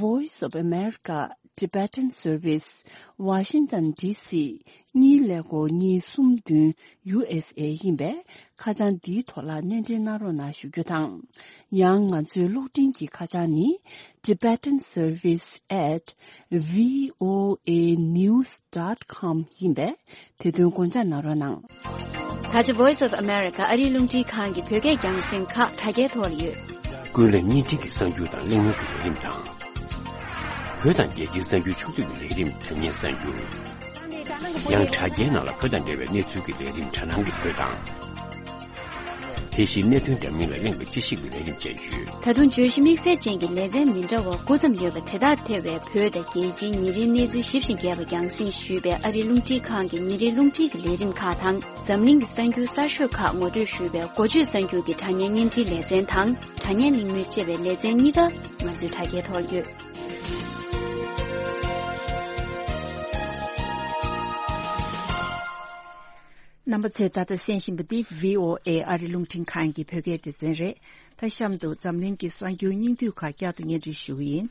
Voice of America Tibetan Service, Washington D C གཉིས་ཀླད་ཀོར་གཉིས་གསུམ་བདུན། ཡུ་ཨེས་ཨེ་ཡིན་པས། ཁ་བྱང་འདིའི་ཐོག་ལ་སྣེ་འདྲེན་གནང་རོགས་གནང་ཞུ་རྒྱུ་དང་། ཡང་ང་ཚོའི་གློག་འཕྲིན་གྱི་ཁ་བྱང་ནི། Tibetan Service at V O A news dot com ཡིན་པས། དེ་དོན་དགོངས་འཇགས་གནང་རོགས་གནང་། ད་ཆ་Voice of America ཨ་རིའི་རླུང་འཕྲིན་ཁང་གི་བོད་སྐད་རྒྱང་སྲིང་ཁག་དྲ་རྒྱའི་ཐོག་ལ་ཡོད། ཀུན་གླེང་བརྙན་འཕྲིན་གྱི་གསར་འགྱུར་དང་གླེང་མོལ་གྱི་ལས་རིམ་དང་། བོད་དང་རྒྱལ་སྤྱིའི་གསར་འགྱུར་ཕྱོགས་བསྡུས་ཀྱི་ལས་རིམ་དྲ་བརྙན་གསར་འགྱུར། ཡང་དྲ་རྒྱའི་ནང་ལ་བོད་དང་འབྲེལ་བའི་གནས་ཚུལ་གྱི་ལས་རིམ་དྲ་སྣང་གི་བོད་དང་། དེ་བཞིན་གནད་དོན་འདྲ་མིན་ལ་གླེང་བའི་དཔྱད་ཞིབ་ཀྱི་ལས་རིམ་བཅས་ཡོད། ད་དུང་བརྗོད་གཞི་དམིགས་བསལ་ཅན་གྱི་ལེ་ཚན་མི་འདྲ་བ་དགུ་ཙམ་ཡོད་པ་དེ་དག་ཐེ་བའི་བོད་དང་རྒྱལ་སྤྱིའི་ཉིན་རེའི་གནས་ཚུལ་ཞིབ་ཅིང་རྒྱས་པ་རྒྱང་སྲིང་ཞུས་པའི་ཨ་རིའི་རླུང་འཕྲིན་ཁང་གི་ཉིན་རེའི་རླུང་འཕྲིན་གྱི་ལས་རིམ་ཁག་དང་། འཛམ་གླིང་གི་གསར་འགྱུར་གསར་ཤོས་ཁག་ངོ་སྤྲོད་ཞུས་པའི་འགོ་བརྗོད་གསར་འགྱུར་གྱི་དྲ་བརྙན་བརྙན་འཕྲིན་ལེ་ཚན་དང་། དྲ་བརྙན་གླེང་མོལ་བཅས་པའི་ལེ་ཚན་གཉིས་ཀ་ང་ཚོའི་དྲ་རྒྱའི་ཐོག་ལ་ཡོད། རྣམ་པ་ཚོས་ད་ལྟ་གསན་བཞིན་པ་འདི་བྷི་ཨོ་ཨེ་ཨ་རི་རླུང་འཕྲིན་ཁང་གི་བོད་སྐད་སྡེ་ཚན་རེད། ད་གཤམ་དུ་འཛམ་གླིང་གི་གསར་འགྱུར་སྙིང་བསྡུས་ཁག་བསྐྱར་དུ་སྙན་སྒྲོན་ཞུ་གི་ཡིན།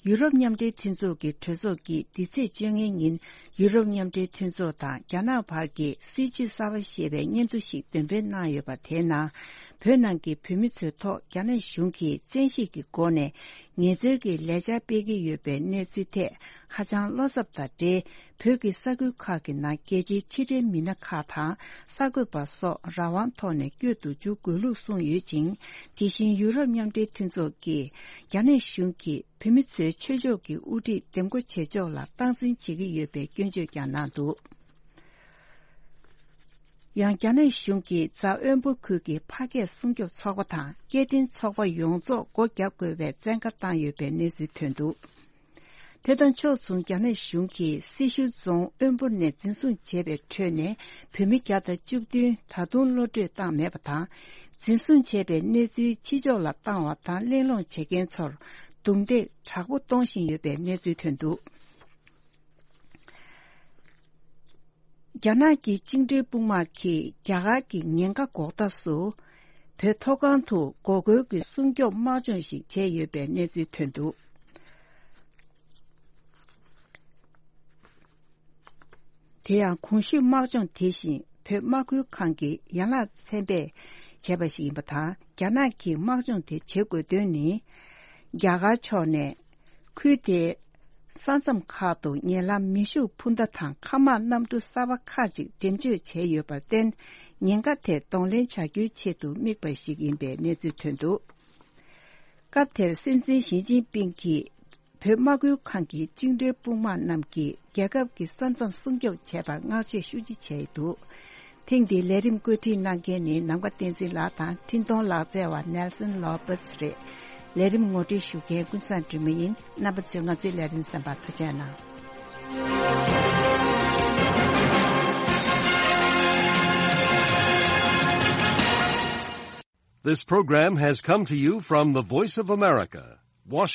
ཡུ་རོབ་མཉམ་འབྲེལ་མཐུན་ཚོགས་ཀྱི་གྲོས་ཚོགས་ཀྱིས་འདི་ཚེས་བཅོ་ལྔའི་ཉིན་ཡུ་རོབ་མཉམ་འབྲེལ་མཐུན་ཚོགས་དང་རྒྱ་ནག་བར་གྱི་སྲིད་བྱུས་གསར་པ་ཞེས་པའི་སྙན་ཐོ་ཞིག་འདོན་སྤེལ་གནང་ཡོད་པ། དེའི་ནང་བོད་ནང་གི་བོད་མི་ཚོའི་ཐོག་རྒྱ་ནག་གཞུང་གིས་བཙན་ཤེད་ཀྱི་སྒོ་ནས་ངལ་རྩོལ་གྱི་ལས་འཆར་སྤེལ་གྱི་ཡོད་པའི་གནས་ཚུལ་ཐད་ཧ་ཅང་བློ་འཚབ་དང་འབྲེལ། བོད་ཀྱི་ས་ཁུལ་ཁག་གི་ནང་རྒྱལ་སྤྱིའི་ཕྱི་འབྲེལ་མི་སྣ་ཁག་དང་གསར་འགོད་པ་སོགས་རང་དབང་ཐོག་ནས་བསྐྱོད་དུ་འཇུག་དགོས་ལུགས་གསུངས་ཡོད་ཅིང་། དེ་བཞིན་ཡུ་རོབ་མཉམ་འབྲེལ་མཐུན་ཚོགས་ཀྱིས་རྒྱ་ནག་གཞུང་གིས་བོད་མི་ཚོའི་ཆོས་ཕྱོགས་ཀྱི་དབུ་ཁྲིད་འདེམས་བསྐོ་བྱེད་ཕྱོགས་ལ་སྟངས་འཛིན་བྱེད་ཀྱི་ཡོད་པའི་སྐྱོན་བརྗོད་ཀྱང་གནང་འདུག། ཡང་རྒྱ་ནག་གཞུང་གིས་རྫ་དབོན་པོ་ཁུལ་གྱི་ཕ་སྐད་སྲུང་སྐྱོབ་ཚོགས་པ་དང་སྐད་འཕྲིན་ཚོགས་པ་ཡོངས་རྫོགས་སྒོ་བརྒྱབ་དགོས་པའི་བཙན་བཀའ་བཏང་ཡོད་པའི་གནས་ཚུལ་ཐོན་འདུག། དེ་དང་ཕྱོགས་མཚུངས་རྒྱ་ནག་གཞུང་གིས་སེར་ཤུལ་རྫོང་དབོན་པོ་ནས་འཛིན་བཟུང་བྱས་པའི་ཁྲོད་ནས་བོད་མི་བརྒྱ་དང་བཅུ་བདུན་ད་དུང་གློད་གྲོལ་བཏང་མེད་པ་དང་། འཛིན་བཟུང་བྱས་པའི་གནས་ཚུལ་ཕྱི་ཕྱོགས་ལ་བཏང་བ་དང་གླེང་སློང་བྱེད་མཁན་ཚོར་རྡུང་རྡེག་དྲག་པོ་གཏོང་བཞིན་ཡོད་པའི་གནས་ཚུལ་ཐོན་འདུག། རྒྱ་ནག་གི་བཅིངས་འགྲོལ་དཔུང་དམག་གིས་རྒྱ་གར་གྱི་ཉེན་ཁ་འགོག་ཐབས་སུ། བོད་མཐོ་སྒང་དུ་འགོག་རྒོལ་གྱི་སྲུང་སྐྱོབ་དམག་སྦྱོང་ཞིག་བྱས་ཡོད་པའི་གནས་ཚུལ་ཐོན་འདུག། དེ་ཡང་གོང་ཞུས་དམག་སྦྱོང་དེ་བཞིན་བོད་དམག་ཁུལ་ཁང་གིས་ཡན་ལག་ཚན་པས་བྱས་པ་ཞིག་ཡིན་པ་དང་། རྒྱ་ནག་གིས་དམག་སྦྱོང་དེ་བྱེད་དགོས་དོན་ནི། རྒྱ་གར་ཕྱོགས་ནས་ཁུལ་དེའི་ས་མཚམས་ཁག་ཏུ་ཉེ་ལམ་མེ་ཤུགས་འཕུར་མདའ་དང་མཁའ་དམག་གནམ་གྲུ་གསར་པ་ཁག་ཅིག་འགྲེམས་སྤྱོད་བྱས་ཡོད་པར་བརྟེན། ཉེན་ཁ་དེ་གདོང་ལེན་བྱ་རྒྱུའི་ཆེད་དུ་དམིགས་པ་ཞིག་ཡིན་པའི་གནས་ཚུལ་ཐོན་འདུག། སྐབས་དེར་སྲིད་འཛིན་ཞི་ཅིན་ཕིང་གིས་བོད་དམག་ཁུལ་ཁང་གི་བཅིངས་འགྲོལ་དཔུང་དམག་རྣམས་ཀྱིས་རྒྱལ་ཁབ་ཀྱི་ས་མཚམས་སྲུང་སྐྱོབ་བྱས་པར་བསྔགས་བརྗོད་ཤུགས་ཆེ་བྱས་འདུག། ཐེངས་འདིའི་ལས་རིམ་བཀོད་སྒྲིག་གནང་མཁན་ནི་ནམ་མཁའ་བསྟན་འཛིན་ལགས་དང་འཕྲིན་གཏོང་ལག་རྩལ་བ་ནེལ་སོན་ལོ་པེས་རེད། ལས་རིམ་ངོ་སྤྲོད་ཞུ་མཁན་ཀུན་བཟང་སྒྲོལ་མ་ཡིན། རྣམ་པ་ཚོས་ང་ཚོའི་ལས་རིམ་གསན་པར་ཐུགས་རྗེ་གནང་། This program has come to you from the Voice of America, Washington.